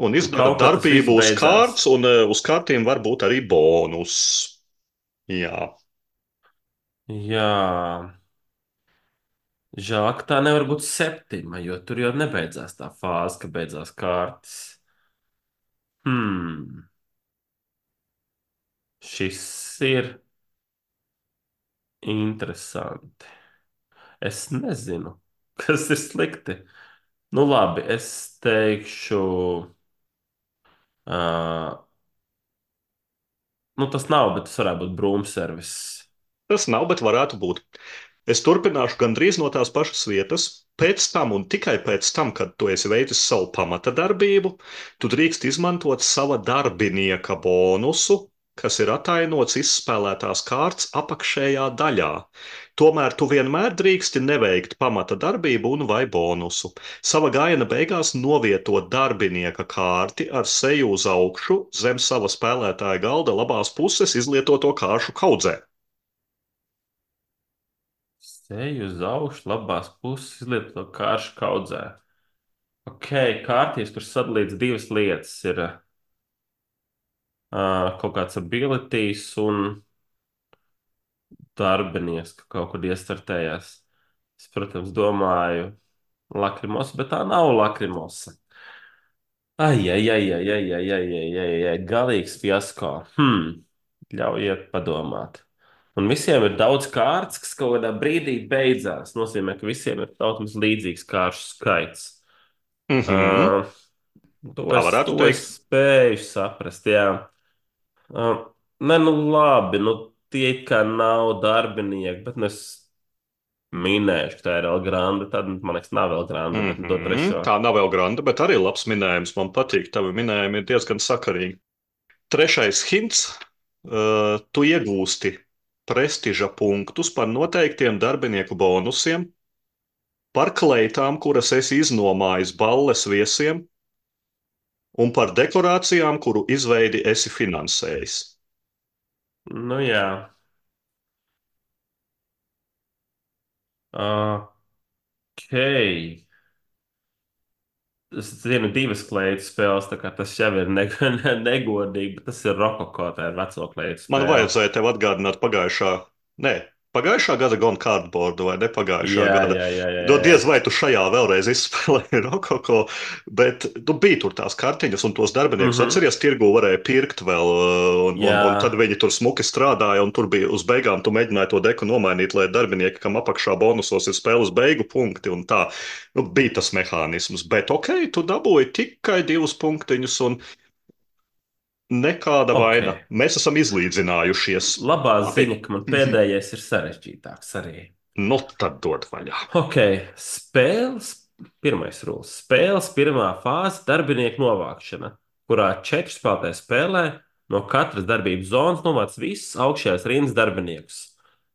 [SPEAKER 1] Un
[SPEAKER 2] un
[SPEAKER 1] izdara
[SPEAKER 2] kaut kā tas viss
[SPEAKER 1] darbību uz
[SPEAKER 2] beidzās.
[SPEAKER 1] kārts, un uh, uz kārtīm var būt arī bonus. Jā.
[SPEAKER 2] Jā. Žēl, ka tā nevar būt septima, jo tur jau nebeidzās tā fāze, ka beidzās kārtas. Hmm. Šis ir Interesanti. Es nezinu, kas ir slikti. Nu, labi, es teikšu, uh, nu, tas nav, bet tas varētu būt brūmservis.
[SPEAKER 1] Tas nav, bet varētu būt. Es turpināšu gandrīz no tās pašas vietas. Pēc tam, un tikai pēc tam, kad tu esi veicis savu pamata darbību, tu drīkst izmantot sava darbinieka bonusu, kas ir atainots izspēlētās kārtas apakšējā daļā. Tomēr tu vienmēr drīksti neveikt pamata darbību un vai bonusu. Sava gājiena beigās novietot darbinieka kārti ar seju uz augšu zem sava spēlētāja galda labās puses izlietoto kāršu kaudzē.
[SPEAKER 2] Seju uz augšu, labās puses, izlieto kāršu kaudzē. Ok, kārtīs, kur sadalīts divas lietas, ir uh, kaut kāds abilities un darbinieks, ka kaut kur iestartējās. Es, protams, domāju, lakrimosa, bet tā nav lakrimosa. Ai, ai, ai, ai, ai, ai, ai, ai, ai, ai, galīgs fiasko. Hmm, ļaujiet padomāt. Un visiem ir daudz kārtas, kas kaut kādā brīdī beidzās. Tas nozīmē, ka visiem ir tautams līdzīgs kāršu skaits.
[SPEAKER 1] Mhm.
[SPEAKER 2] Uh, to
[SPEAKER 1] Tā
[SPEAKER 2] es,
[SPEAKER 1] varētu
[SPEAKER 2] to es
[SPEAKER 1] teikt.
[SPEAKER 2] spēju saprast, jā. Uh, nē, nu labi, nu tie it kā nav darbinieki, bet nu es minēšu, ka tā ir El Grande. Tad man liekas, nav El Grande, bet nu to
[SPEAKER 1] Mhm.
[SPEAKER 2] trešo.
[SPEAKER 1] Tā nav vēl granda, bet arī labs minējums. Man patīk, tavi minējumi ir diezgan sakarīgi. Trešais hints. Uh, tu iegūsti prestiža punktus par noteiktiem darbinieku bonusiem, par kleitām, kuras esi iznomājis balles viesiem, un par dekorācijām, kuru izveidi esi finansējis.
[SPEAKER 2] Nu jā. Ok. Es zinu divas kleitu spēles, tā kā tas jau ir ne, ne, negodīgi, bet tas ir Rokoko, tā ir veco kleitu
[SPEAKER 1] Man
[SPEAKER 2] spēle.
[SPEAKER 1] vajadzēja tev atgādināt pagājušā, nē, pagājušā gada Gone Cardboard vai ne pagājušā
[SPEAKER 2] Jā,
[SPEAKER 1] gada.
[SPEAKER 2] jā, jā, jā,
[SPEAKER 1] Do
[SPEAKER 2] jā.
[SPEAKER 1] diez vai tu šajā vēlreiz izspēlēji Rokoko, bet tu biji tur tās kartiņas un tos darbiniekus
[SPEAKER 2] Mhm.
[SPEAKER 1] atceries, tirgu varēja pirkt vēl, uh, un, un, un tad
[SPEAKER 2] Jā,
[SPEAKER 1] viņi tur smuki strādāja, un tur bija uz beigām tu mēģināji to deku nomainīt, lai darbinieki, kam apakšā bonusos ir spēles beigu punkti un tā. Nu, bija tas mehānisms, bet ok, tu dabūji tikai divus punktiņus un nekāda
[SPEAKER 2] ok.
[SPEAKER 1] vaina. Mēs esam izlīdzinājušies.
[SPEAKER 2] Labā
[SPEAKER 1] Labi.
[SPEAKER 2] ziņa, ka man pēdējais ir sarežģītāks arī.
[SPEAKER 1] Nu, tad dod vaļā.
[SPEAKER 2] Ok, spēles, pirmais rūls. Spēles pirmā fāze - darbinieku novākšana, kurā četri spēlētāji spēlē no katras darbības zonas novāc visus augšējās rindas darbiniekus.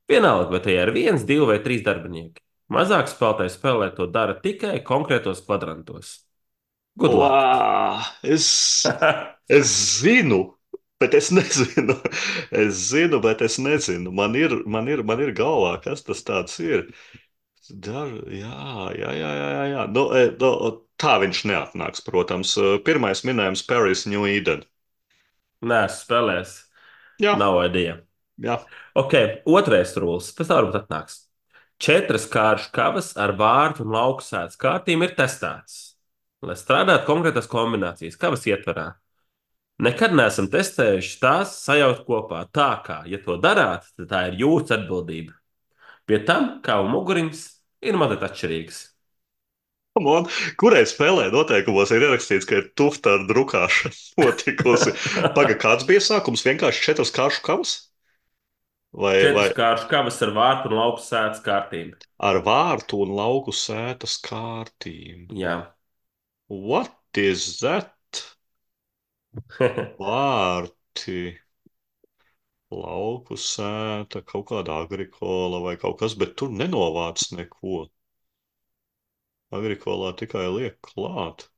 [SPEAKER 2] Vienalga, vai tie ir viens, divi vai trīs darbinieki. Mazāk spēlētāji spēlē to dara tikai konkrētos kvadrantos. Good luck!
[SPEAKER 1] Lā, es, es zinu, bet es nezinu. Es zinu, bet es nezinu. Man ir, man ir, man ir galvā, kas tas tāds ir. Dar, jā, jā, jā, jā, jā. jā. Nu, e, nu, tā viņš neatnāks, protams. Pirmais minējums - Paris, New Eden.
[SPEAKER 2] Nē, spēlēs.
[SPEAKER 1] Jā,
[SPEAKER 2] Nav idea.
[SPEAKER 1] jā.
[SPEAKER 2] Ok, otrais rūls. Tas tā varbūt atnāks. Četras kāršu kavas ar vārtu un lauku sēdes kārtīm ir testētas, lai strādātu konkrētas kombinācijas kavas ietverā. Nekad neesam testējuši tās sajaukt kopā tā, kā, ja to darāt, tad tā ir jūsu atbildība. Pie tam, kā un muguriņas, ir mazliet atšķirīgas.
[SPEAKER 1] Come on. Kurai spēlē noteikumos ir ierakstīts, ka ir tufta ar drukāšanu notikusi? Paga, kāds bija sākums? Vienkārši četras kāršu kavas? Vai, vai
[SPEAKER 2] Četras kāršu kavas ar vārtu un lauku sēdes kārtīm.
[SPEAKER 1] ar vārtu un lauku sētas kārtīm?
[SPEAKER 2] Jā.
[SPEAKER 1] What is that? Vārti, lauku sēta, kaut kāda agrikola vai kaut kas, bet tur nenovāc neko. Agrikolā tikai liek klāt.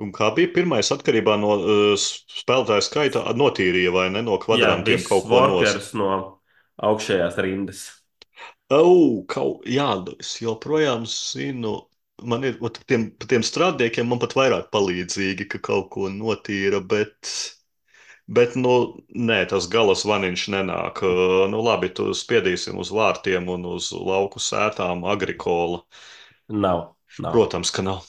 [SPEAKER 1] Un kā bija pirmais atkarībā no uh, spēlētāja skaita, notīrīja vai ne no
[SPEAKER 2] Jā,
[SPEAKER 1] kvadrantiem
[SPEAKER 2] viss
[SPEAKER 1] kaut ko nos?
[SPEAKER 2] workers no augšējās rindas.
[SPEAKER 1] Oh, kaut, jā, es joprojām zinu, man ir, ot, tiem, tiem strādniekiem man pat vairāk palīdzīgi, ka kaut ko notīra, bet, bet, nu, nē, tas gala zvaniņš nenāk. Uh, Nu, labi, tu spiedīsim uz vārtiem un uz lauku sētām agrikola.
[SPEAKER 2] Nav, nav.
[SPEAKER 1] Protams, ka nav.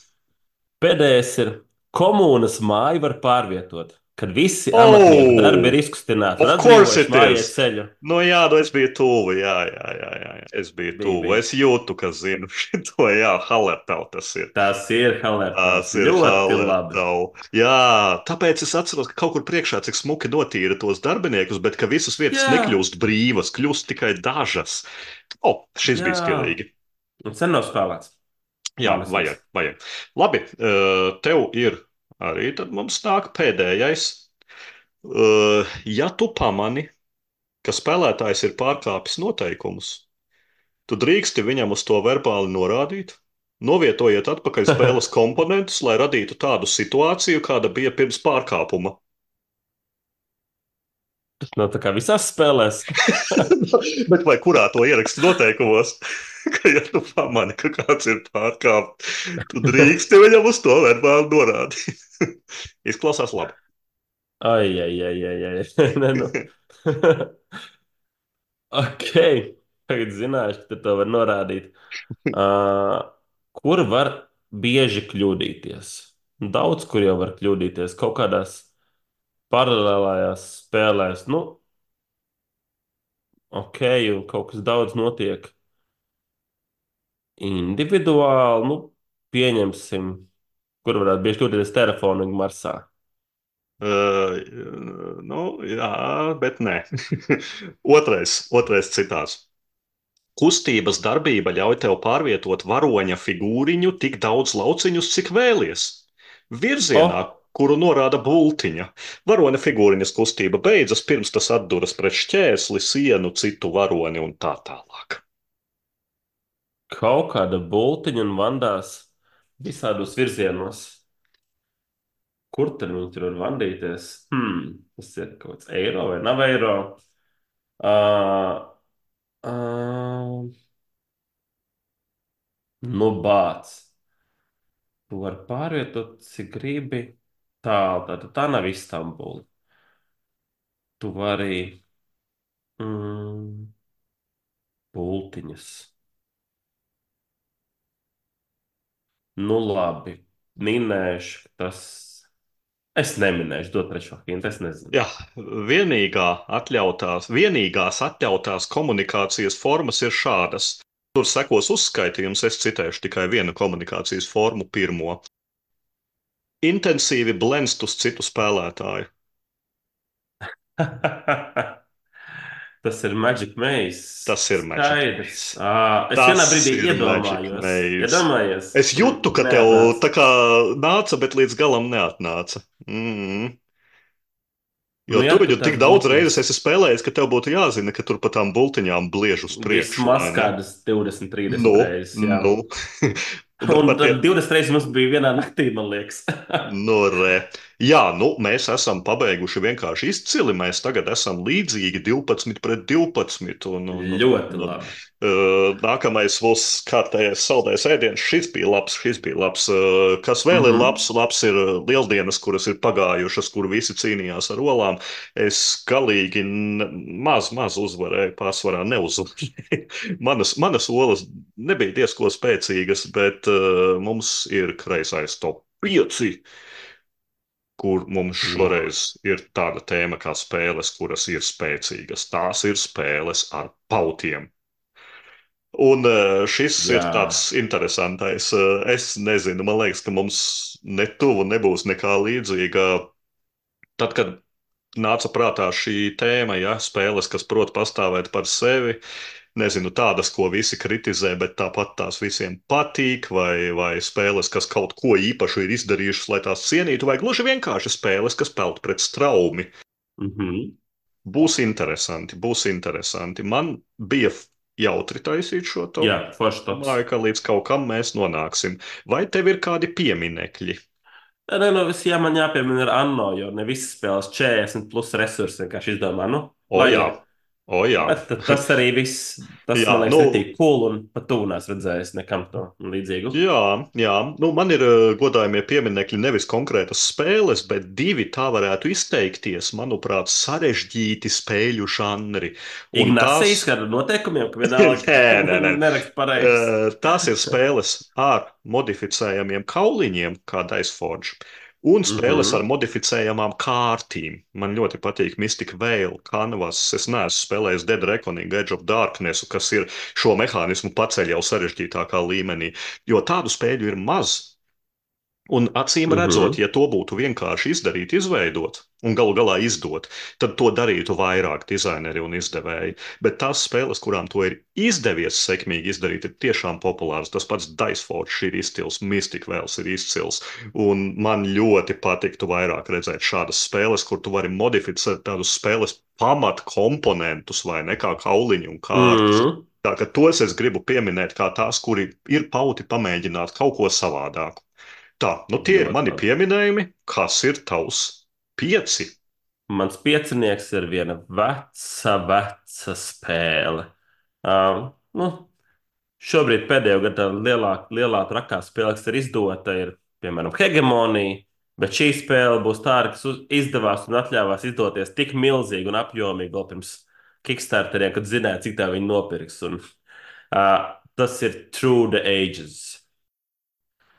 [SPEAKER 2] Pēdējais ir komūnas māju var pārvietot. kad visi amatnieku darbi ir
[SPEAKER 1] Oh,
[SPEAKER 2] izkustināti un
[SPEAKER 1] of course
[SPEAKER 2] atbrīvojuši
[SPEAKER 1] it
[SPEAKER 2] mājiet
[SPEAKER 1] is.
[SPEAKER 2] ceļu.
[SPEAKER 1] Nu, jā, nu es biju tuvu. Jā, jā, jā, jā, jā. Es biju
[SPEAKER 2] Bija,
[SPEAKER 1] tuvu.
[SPEAKER 2] bija.
[SPEAKER 1] Es jūtu, ka zinu šo, jā, Halertau tas ir.
[SPEAKER 2] Tas ir
[SPEAKER 1] Tas
[SPEAKER 2] Halertals.
[SPEAKER 1] ir
[SPEAKER 2] Ļoti labi.
[SPEAKER 1] Halertau. Jā, tāpēc es atceros, ka kaut kur priekšā cik smuki notīra tos darbiniekus, bet ka visas vietas
[SPEAKER 2] Jā,
[SPEAKER 1] nekļūst brīvas, kļūst tikai dažas. O, šis
[SPEAKER 2] jā.
[SPEAKER 1] bija stilīgi.
[SPEAKER 2] Un sen nav spēlēts.
[SPEAKER 1] Jā,
[SPEAKER 2] Manas
[SPEAKER 1] vajag, vajag. Labi, eh, tev ir arī tad mums nāk pēdējais. Eh, Ja tu pamani, ka spēlētājs ir pārkāpis noteikumus, tu drīksti viņam uz to verbāli norādīt, novietojiet atpakaļ spēles komponentus, lai radītu tādu situāciju, kāda bija pirms pārkāpuma.
[SPEAKER 2] Tas nav tā kā visās spēlēs.
[SPEAKER 1] Bet vai kurā to ierakstu noteikumos? Ka, ja tu pamani, ka kāds ir pārkāpts, tu drīksti viņam uz to verbāli norādīt. Izklausās labi.
[SPEAKER 2] Ai, ai, ai, ai, ai. Nē, nu. Ok. Tagad zināšu, ka to var norādīt. Uh, kur var bieži kļūdīties? Daudz kur jau var kļūdīties. Kaut kādās paralēlējās spēlēs. Nu, ok, un kaut kas daudz notiek individuāli. Nu, pieņemsim, kur varētu bieži kļūdīties telefonu marsā.
[SPEAKER 1] Uh, nu, jā, bet nē. otrais, otrais citāts. Kustības darbība ļauj tev pārvietot varoņa figūriņu tik daudz lauciņus, cik vēlies. Virzienā,
[SPEAKER 2] Oh,
[SPEAKER 1] kuru norāda bultiņa. Varoņa figūriņas kustība beidzas, pirms tas atduras pret šķērsli, sienu, citu varoni un tā tālāk.
[SPEAKER 2] kaut kāda bultiņa un vandās visādos virzienos. Kur tad viņi tur var vandīties? Hmm, tas ir kaut kāds eiro vai nav eiro. Uh, uh, nu, bāc. Tu vari pārvietot, cik gribi. Tālu, tā, tā nav Istambula. Tu vari mm, bultiņas. Nu, labi. Minēšu, ka tas. Es neminēšu, dot trešo hintu, es nezinu.
[SPEAKER 1] Jā, vienīgā atļautās, vienīgās atļautās komunikācijas formas ir šādas. Tur sekos uzskaitījums, es citēšu tikai vienu komunikācijas formu, pirmo. Intensīvi blenst uz citu spēlētāju.
[SPEAKER 2] Tas ir Magic Maze.
[SPEAKER 1] Tas ir Magic
[SPEAKER 2] Skaidrs.
[SPEAKER 1] Maze.
[SPEAKER 2] À, es vienā
[SPEAKER 1] Tas
[SPEAKER 2] brīdī
[SPEAKER 1] ir Magic
[SPEAKER 2] iedomājos.
[SPEAKER 1] Maze.
[SPEAKER 2] Iedomājies.
[SPEAKER 1] Es jūtu, ka tev
[SPEAKER 2] Neatnāca.
[SPEAKER 1] tā kā nāca, bet līdz galam neatnāca. Mm. Jo
[SPEAKER 2] Nu, ja
[SPEAKER 1] tu
[SPEAKER 2] tu
[SPEAKER 1] viņu tik
[SPEAKER 2] tās
[SPEAKER 1] daudz
[SPEAKER 2] bultiņas
[SPEAKER 1] reizes esi spēlējis, ka tev būtu jāzina, ka tur pa tām bultiņām bliež uz priekšu,
[SPEAKER 2] vismaz
[SPEAKER 1] vai ne?
[SPEAKER 2] kādas divdesmit,
[SPEAKER 1] Nu,
[SPEAKER 2] trīsdesmit reizes, jā.
[SPEAKER 1] nu. Bet
[SPEAKER 2] Un
[SPEAKER 1] par tie,
[SPEAKER 2] tad divdesmit reizes mums bija vienā naktī, man liekas.
[SPEAKER 1] nu, re. Jā, nu, mēs esam pabeiguši vienkārši izcili. Mēs tagad esam līdzīgi divpadsmit pret divpadsmit. Un, un, un,
[SPEAKER 2] Ļoti
[SPEAKER 1] un,
[SPEAKER 2] labi.
[SPEAKER 1] uh, nākamais būs kārtējais saldais ēdiens. Šis bija labs, šis bija labs. Uh, kas vēl
[SPEAKER 2] Mhm.
[SPEAKER 1] ir labs? Labs ir uh, lieldienas, kuras ir pagājušas, kur visi cīnījās ar olām. Es galīgi n- maz, maz uzvarēju, pārsvarā neuzvarēju. manas, manas olas nebija diezko spēcīgas, bet uh, mums ir kreisais top pieci, kur mums
[SPEAKER 2] Nu,
[SPEAKER 1] šoreiz ir tāda tēma kā spēles, kuras ir spēcīgas. Tās ir spēles ar pautiem. Un uh, šis
[SPEAKER 2] jā.
[SPEAKER 1] ir tāds interesantais. Uh, es nezinu, man liekas, ka mums netuvu nebūs nekā līdzīga. Tad, kad nāca prātā šī tēma, ja spēles, kas prot pastāvēt par sevi, nezinu, tādas, ko visi kritizē, bet tāpat tās visiem patīk, vai, vai spēles, kas kaut ko īpašu ir izdarījušas, lai tās cienītu, vai gluži vienkārši spēles, kas peld pret straumi.
[SPEAKER 2] Mhm.
[SPEAKER 1] Būs interesanti, būs interesanti. Man bija jautri taisīt šo to.
[SPEAKER 2] Jā, foršs tops.
[SPEAKER 1] Domāju, ka līdz kaut kam mēs nonāksim. Vai tev ir kādi pieminekļi?
[SPEAKER 2] Nē, nē, nu, viss jā, man jāpiemina ir Anno, jo ne visas spēles četrdesmit plus resursi vienkārši izdomā, nu,
[SPEAKER 1] O jā,
[SPEAKER 2] vajag.
[SPEAKER 1] o jā.
[SPEAKER 2] Bet ta- tas arī viss, tas
[SPEAKER 1] Jā,
[SPEAKER 2] man liekas,
[SPEAKER 1] nu,
[SPEAKER 2] netīk cool un pat tu nāc redzējis nekam to līdzīgu.
[SPEAKER 1] Jā, jā. Nu, man ir uh, godājumie pieminekļi nevis konkrētas spēles, bet divi tā varētu izteikties, manuprāt, sarežģīti spēļu žanri. Un
[SPEAKER 2] Ignācijas
[SPEAKER 1] tās,
[SPEAKER 2] ar noteikumiem, ka vienalga
[SPEAKER 1] nē, nē, nē.
[SPEAKER 2] nerakst pareizi.
[SPEAKER 1] Uh, tās ir spēles ar modificējamiem kauliņiem, kā Dice Forge, Un spēles ar
[SPEAKER 2] Mhm.
[SPEAKER 1] modificējamām kārtīm. Man ļoti patīk Mystic Veil, Canvas. Es neesmu spēlējis Dead Reckoning, Edge of Darkness, kas ir šo mehānismu paceļ jau sarežģītākā līmenī, jo tādu spēļu ir maz. Un acīm redzot,
[SPEAKER 2] Mhm.
[SPEAKER 1] ja to būtu vienkārši izdarīt, izveidot un galu galā izdot, tad to darītu vairāk dizaineri un izdevēji. Bet tās spēles, kurām to ir izdevies sekmīgi izdarīt, ir tiešām populāras. Tas pats Diceforge ir izcils, Mystic Vales ir izcils. Un man ļoti patiktu vairāk redzēt šādas spēles, kur tu vari modificēt tādus spēles pamatkomponentus vai ne kā kauliņu un kārtas.
[SPEAKER 2] Mhm.
[SPEAKER 1] Tā ka tos es gribu pieminēt kā tās, kuri ir pauti pamēģināt kaut ko savādāku. Tā, nu tie ir
[SPEAKER 2] Ļoti
[SPEAKER 1] mani
[SPEAKER 2] labi.
[SPEAKER 1] pieminējumi. Kas ir tavs pieci?
[SPEAKER 2] Mans piecinieks ir viena veca, veca spēle. Um, nu, Šobrīd pēdējo gadu tā lielā, lielā trakā spēle, kas ir izdota, ir piemēram Hegemonija, bet šī spēle būs tāda, kas uz- izdevās un atļāvās izdoties tik milzīgi un apjomīgi vēl pirms Kickstarteriem, kad zināja, cik tā viņi nopirks. Un, uh, tas ir Through the Ages.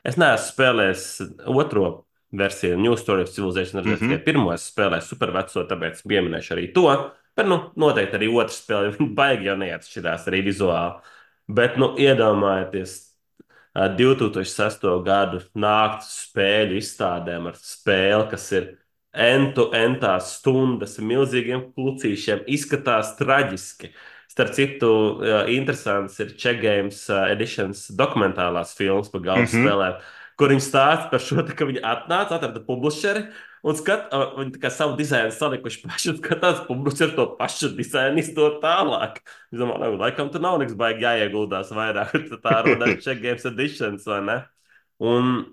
[SPEAKER 2] Es neesmu spēlējis otro versiju, New Story of Civilization, redzēju tikai
[SPEAKER 1] Mhm.
[SPEAKER 2] pirmo. Es spēlēju superveco, tāpēc pieminēšu arī to. Bet, nu, noteikti arī otra spēle, viņa baigi jau neatšķirās arī vizuāli. Bet, nu, iedomājieties, ā, divtūkstoš sesto gadu naktas spēļu izstādēm ar spēli, kas ir entu-entās stundas, ar milzīgiem klucīšiem, izskatās traģiski. Starp citu, ā, interesants ir Czech Games ā, Editions dokumentālās filmas par galdu
[SPEAKER 1] Mhm.
[SPEAKER 2] spēlēm, kur viņi stāsta par šo, ka viņi atnāca, atrada publisheri un skat, ā, viņi tā kā savu dizainu salikuši paši un skatās, publisheri to pašu dizainu izdod tālāk. Es domāju, nu, laikam tur nav nekas baigi jāieguldās vairāk. Tad tā rodās Czech Games Editions, vai ne? Un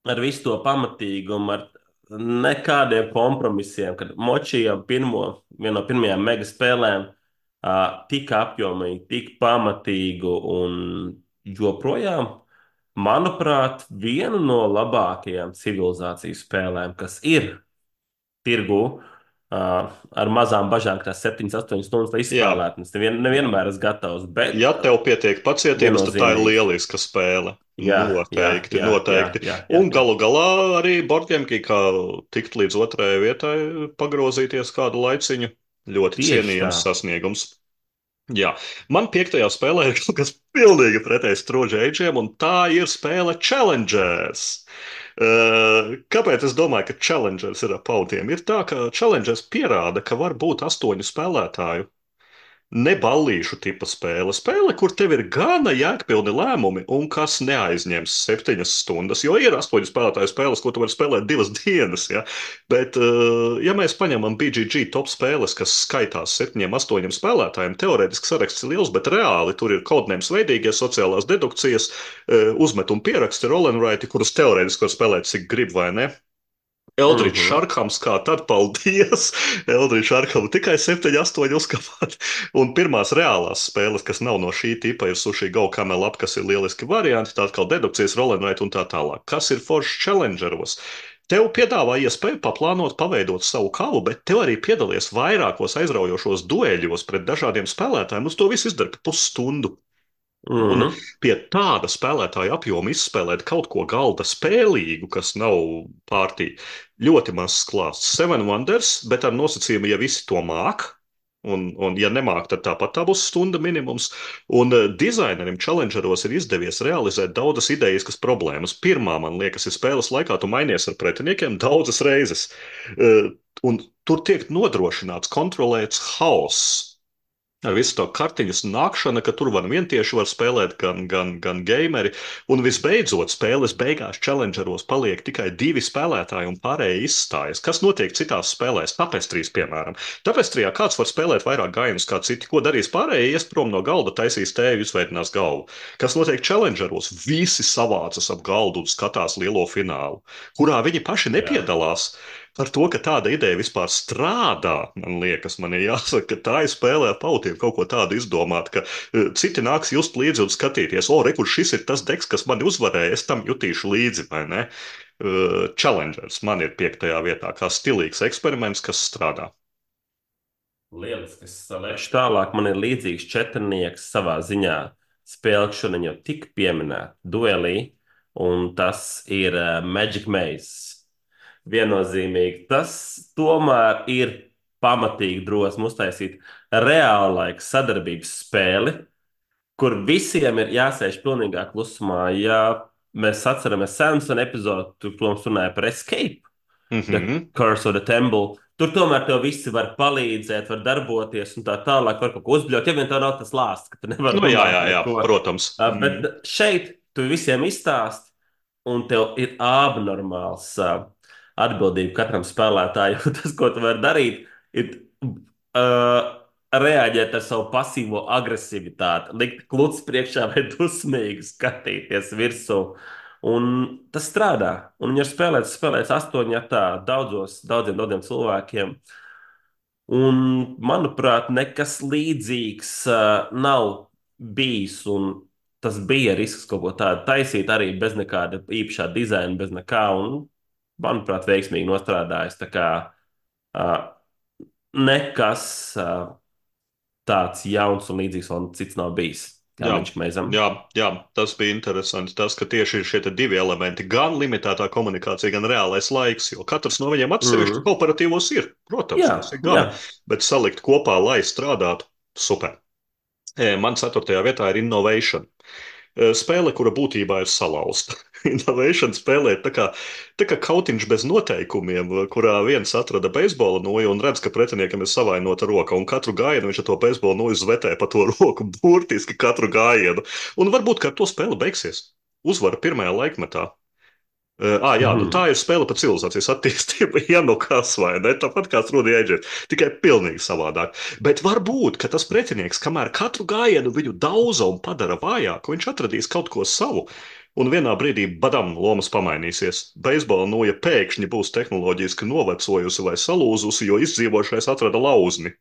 [SPEAKER 2] ar visu to pamatīgumu, ar nekādiem kompromisiem, kad močījām pirmo, vienu no pirmajām mega spēlēm, uh, tik apjomīgi, tik pamatīgu un joprojām, manuprāt, vienu no labākajām civilizācijas spēlēm, kas ir tirgu. Uh, ar mazām bažām, ka tās septiņas, astoņas stundas lai
[SPEAKER 1] Jā,
[SPEAKER 2] izspēlētu. Es nevien, nevienmēr esmu gatavs, bet
[SPEAKER 1] ja
[SPEAKER 2] uh,
[SPEAKER 1] tev pietiek pacietības, tad tā ir
[SPEAKER 2] viennozīmīgi.
[SPEAKER 1] lieliska spēle.
[SPEAKER 2] Jā, jā,
[SPEAKER 1] Noteikti,
[SPEAKER 2] jā, jā,
[SPEAKER 1] noteikti.
[SPEAKER 2] jā, jā,
[SPEAKER 1] Un
[SPEAKER 2] jā.
[SPEAKER 1] galu galā arī Boardgamekī, kā tikt līdz otrajai vietai, pagrozīties kādu laiciņu. Ļoti
[SPEAKER 2] Tieši tā.
[SPEAKER 1] cienījams sasniegums. Jā, man piektajā spēlē ir kaut kas pilnīgi pretējs troģēģiem, un tā ir spēle Challengers. Uh, kāpēc es domāju, ka Challengers ir ap pautiem? Ir tā, ka Challengers pierāda, ka var būt astoņu spēlētāju. Ne ballīšu tipa spēle. Spēle, kur tev ir gana jēgpilni lēmumi un kas neaizņems septiņas stundas. Jo ir astoņu spēlētāju spēles, ko tu vari spēlēt divas dienas. Ja? Bet, eh, ja mēs paņemam B G G top spēles, kas skaitās septiņiem, astoņiem spēlētājiem, teorētiski saraksts ir liels, bet reāli tur ir kodnēms veidīgie sociālās dedukcijas, eh, uzmetumi pieraksti, roll and write, kurus teorētiski var spēlēt cik grib vai ne. Eldričs
[SPEAKER 2] Mhm.
[SPEAKER 1] Šarkams, kā tad, paldies! Eldričs Šarkamu tikai septiņi, astoņi uzkāpāt. Un pirmās reālās spēles, kas nav no šī tipa, ir Sushi Go Camel Up, kas ir lieliski varianti, tā kā dedukcijas, rolenrite un tā tālāk. Kas ir foršs challengeros? Tev piedāvā iespēju paplānot, paveidot savu kavu, bet tev arī piedalies vairākos aizraujošos dueļos pret dažādiem spēlētājiem. Uz to visu izdara pusstundu. Un
[SPEAKER 2] Mhm.
[SPEAKER 1] pie tāda spēlētāja apjoma izspēlēt kaut ko galda spēlīgu, kas nav pārtī, ļoti mazs klāsts. Seven Wonders, bet ar nosacījumu, ja visi to māk. Un, un, ja nemāk, tad tāpat tā būs stunda minimums. Un uh, dizainerim Challengeros ir izdevies realizēt daudzas idejas, problēmas. Pirmā, man liekas, ir spēles laikā, tu mainies ar pretiniekiem daudzas reizes. Uh, un tur tiek nodrošināts kontrolēts haoss. Ar visu to kartiņas nākšanu, ka tur var vientieši var spēlēt gan, gan, gan gameri. Un visbeidzot, spēles beigās challengeros paliek tikai divi spēlētāji un pārējie izstājas. Kas notiek citās spēlēs? Tapestrīs, piemēram. Tapestrijā kāds var spēlēt vairāk gājienus kā citi. Ko darīs pārējie? Ies prom no galda, taisīs tēju, izveidinās galvu. Kas notiek challengeros? Visi savācas ap galdu un skatās lielo finālu, kurā viņi paši
[SPEAKER 2] Jā.
[SPEAKER 1] nepiedalās. Par to, ka tāda ideja vispār strādā, man liekas, man ir jāsaka, ka tā ir spēlē ar pautiem kaut ko tādu izdomāt, ka uh, citi nāks just līdzi un skatīties, o, re, kur šis ir tas deks, kas mani uzvarēja, es tam jutīšu līdzi, vai ne? Uh, Challengers man ir piektajā vietā, kā stilīgs eksperiments, kas strādā.
[SPEAKER 2] Lieliski. Es saliešu tālāk. Man ir līdzīgs četrnieks savā ziņā. Spēle, kas šodien jau tika pieminēta, duelī, un tas ir uh, Magic Maze. Viennozīmīgi. Tas tomēr ir pamatīgi drosmi uztaisīt reālaika sadarbības spēli, kur visiem ir jāsēž pilnīgā klusumā. Ja mēs atceramies Samsung epizodi, tur, protams, runāja par escape, The
[SPEAKER 1] Mhm.
[SPEAKER 2] Curse of the Temple. Tur tomēr tev visi var palīdzēt, var darboties un tā tālāk, var kaut ko uzbļaut. Ja vien tev nav tas lāsts, ka tu nevari
[SPEAKER 1] Nu, jā, jā,
[SPEAKER 2] runāt
[SPEAKER 1] jā,
[SPEAKER 2] neko.
[SPEAKER 1] protams.
[SPEAKER 2] Uh,
[SPEAKER 1] Mm.
[SPEAKER 2] Bet šeit tu visiem izstāst, un tev ir abnormāls uh, atbildība katram spēlētājam. Tas, ko tu vari darīt, ir uh, reaģēt ar savu pasīvo agresivitāti, likt kluts priekšā vai dusmīgi skatīties virsū. Un tas strādā. Un viņi ir spēlēts, spēlēts astoņi ar tā daudzos, daudziem, daudziem cilvēkiem. Un, manuprāt, nekas līdzīgs uh, nav bijis. Un tas bija risks kaut ko tādu taisīt arī bez nekāda īpašā dizaina, bez nekā. Un, manuprāt, veiksmīgi nostrādājis. Tā kā uh, nekas uh, tāds jauns un līdzīgs vēl cits nav bijis. Kā
[SPEAKER 1] Jā,
[SPEAKER 2] Magic Maze.
[SPEAKER 1] jā, jā, tas bija interesanti. Tas, ka tieši ir šie te divi elementi, gan limitētā komunikācija, gan reālais laiks, jo katrs no viņiem atsevišķi
[SPEAKER 2] Mm.
[SPEAKER 1] kooperatīvos ir. Protams,
[SPEAKER 2] Jā,
[SPEAKER 1] tas ir
[SPEAKER 2] jā.
[SPEAKER 1] gan, bet salikt kopā, lai strādātu, super. E, Man ceturtajā vietā ir Innovation. E, Spēle, kura būtībā ir salauzta. Innovation spēlē ir tā kā, tā kā kautiņš bez noteikumiem, kurā viens atrada beisbola noju un redz, ka pretiniekam ir savainota roka, un katru gājienu viņš ar to beisbola noju zvetē pa to roku, burtiski katru gājienu. Un varbūt, ka ar to spēle beigsies. Uzvara pirmajā laikmetā. Uh, ah, jā, nu tā
[SPEAKER 2] Mhm.
[SPEAKER 1] ir spēle par civilizācijas attīstību. Ja nu kas vai ne, tāpat kā Strūdija Eģipte, tikai pilnīgi savādāk. Bet varbūt, ka tas pretinieks, kamēr katru gājienu viņu dauza un padara vājāku, viņš atradīs kaut ko savu. Un vienā brīdī, badam, lomas pamainīsies. Beisbola noja pēkšņi būs tehnoloģiski novecojusi vai salūzusi, jo izdzīvošais atrada lauzni.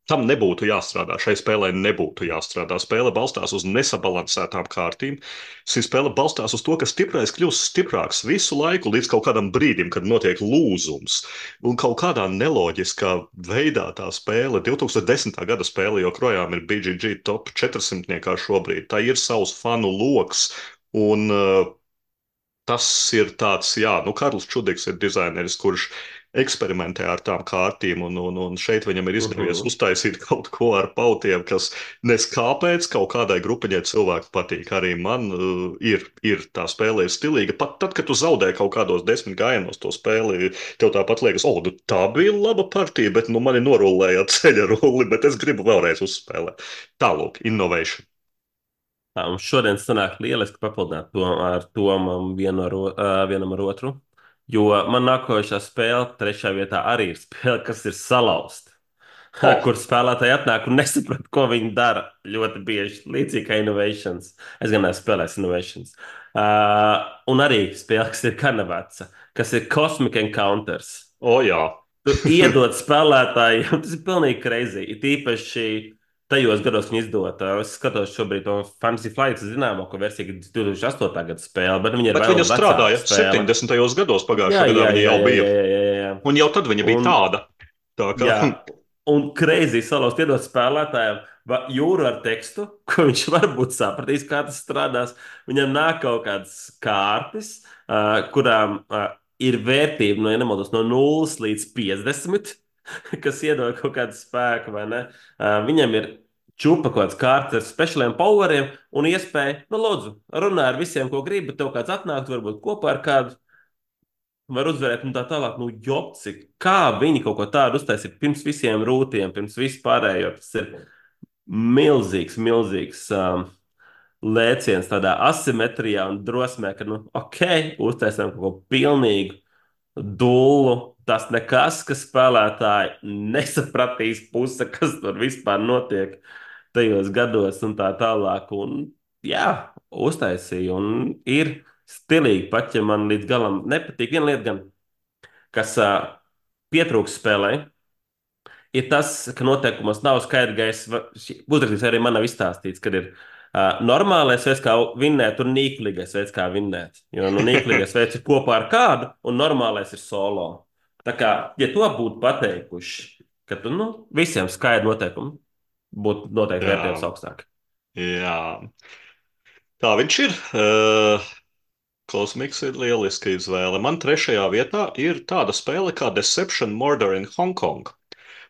[SPEAKER 1] Tam nebūtu jāstrādā. Šai spēlē nebūtu jāstrādā. Spēle balstās uz nesabalansētām kārtīm. Šī spēle balstās uz to, ka stiprais kļūst stiprāks visu laiku līdz kaut kādam brīdim, kad notiek lūzums. Un kaut kādā neloģiskā veidā tā spēle, divtūkstoš desmitā gada spēle, joprojām ir B G G top četrsimtniekā šobrīd. Tā ir savs fanu loks. Un uh, tas ir tāds, jā, nu, Karls Čudiks ir dizaineris, kurš eksperimentē ar tām kārtīm, un, un, un šeit viņam ir izdevies
[SPEAKER 2] Mhm.
[SPEAKER 1] uztaisīt kaut ko ar pautiem, kas nes kāpēc kaut kādai grupiņai cilvēku patīk. Arī man uh, ir, ir tā spēle ir stilīga. Pat tad, kad tu zaudē kaut kādos desmit gājienos to spēli, tev tāpat liekas, o, nu, tā bija laba partija, bet nu, mani norullēja ceļa rulli, bet es gribu vēlreiz uzspēlēt. Tālūk, innovation.
[SPEAKER 2] Tā, mums šodien sanāk lieliski papildināt to ar Tomam vienu ar, o- ā, vienam ar otru. Jo man nākošā spēle, trešā vietā, arī ir spēle, kas ir salauzta.
[SPEAKER 1] Oh,
[SPEAKER 2] Kur spēlētāji atnāk un nesaprot, ko viņi dara. Ļoti bieži līdzīgi kā Innovations. Es gan neesmu spēlējis Innovations. Uh, un arī spēle, kas ir kanaveca, kas ir Cosmic Encounters.
[SPEAKER 1] oh jā.
[SPEAKER 2] Tu iedod spēlētājiem, tas ir pilnīgi crazy. It īpaši tajos gados, kad viņi izdod. Es skatos šobrīd to Fantasy Flight, zināmāko versiju, kas ir divs tūkstoš astotā gada spēle, bet viņa ir
[SPEAKER 1] Bet
[SPEAKER 2] vēl
[SPEAKER 1] viņa
[SPEAKER 2] vecāka
[SPEAKER 1] strādāja
[SPEAKER 2] spēle.
[SPEAKER 1] septiņdesmitajos gados
[SPEAKER 2] Jā,
[SPEAKER 1] pagājušā gadā,
[SPEAKER 2] jā,
[SPEAKER 1] viņa
[SPEAKER 2] jā,
[SPEAKER 1] jau
[SPEAKER 2] jā,
[SPEAKER 1] bija.
[SPEAKER 2] jā, jā, jā. jā.
[SPEAKER 1] Un jau tad viņa bija
[SPEAKER 2] Un,
[SPEAKER 1] tāda. Tā kā,
[SPEAKER 2] jā, un crazy salauzt iedot spēlētājiem va- jūru ar tekstu, ko viņš varbūt sapratīs, kā tas strādās. Viņam nāk kaut kādas kārtas, uh, kurām uh, ir vērtība no, ja nemaldos, no nulles līdz piecdesmit, kas iedod kaut kādu spēku, vai ne? Uh, viņam ir čupa kaut kāds kārtas ar speciāliem poweriem un iespēja, nu, lūdzu, runā ar visiem, ko gribi, tev kāds atnākt, varbūt kopā ar kādu var uzvarēt un tā tālāk. Nu, jopci, kā viņi kaut ko tādu uztaisīja pirms visiem rūtiem, pirms vispārējo. Tas ir milzīgs, milzīgs um, lēciens tādā asimetrijā un drosmē, ka, nu, ok, uztaisām kaut ko pilnīgu dullu. Tas nekas, ka spēlētāji nesapratīs puse, kas tur vispār notiek tajos gados un tā tālāk. Un, jā, uztaisīja un ir stilīgi, pat ja man līdz galam nepatīk. Viena lieta gan kas uh, pietrūkst spēlē, ir tas, ka noteikumos nav skaidrs gaisa. Uzrakstīs arī man nav izstāstīts, kad ir uh, normālais veids, kā vinnēt, un nīklīgais veids, kā vinnēt. Jo nu, nīklīgais veids ir kopā ar kādu, un normālais ir solo. Tā kā, ja to būtu pateikuši, ka tu, nu, visiem skaidri noteikumi būtu noteikti vērtējums
[SPEAKER 1] jā,
[SPEAKER 2] augstāk.
[SPEAKER 1] jā. Tā viņš ir. Uh, Kosmiks ir lieliska izvēle. Man trešajā vietā ir tāda spēle kā Deception Murder in Hong Kong.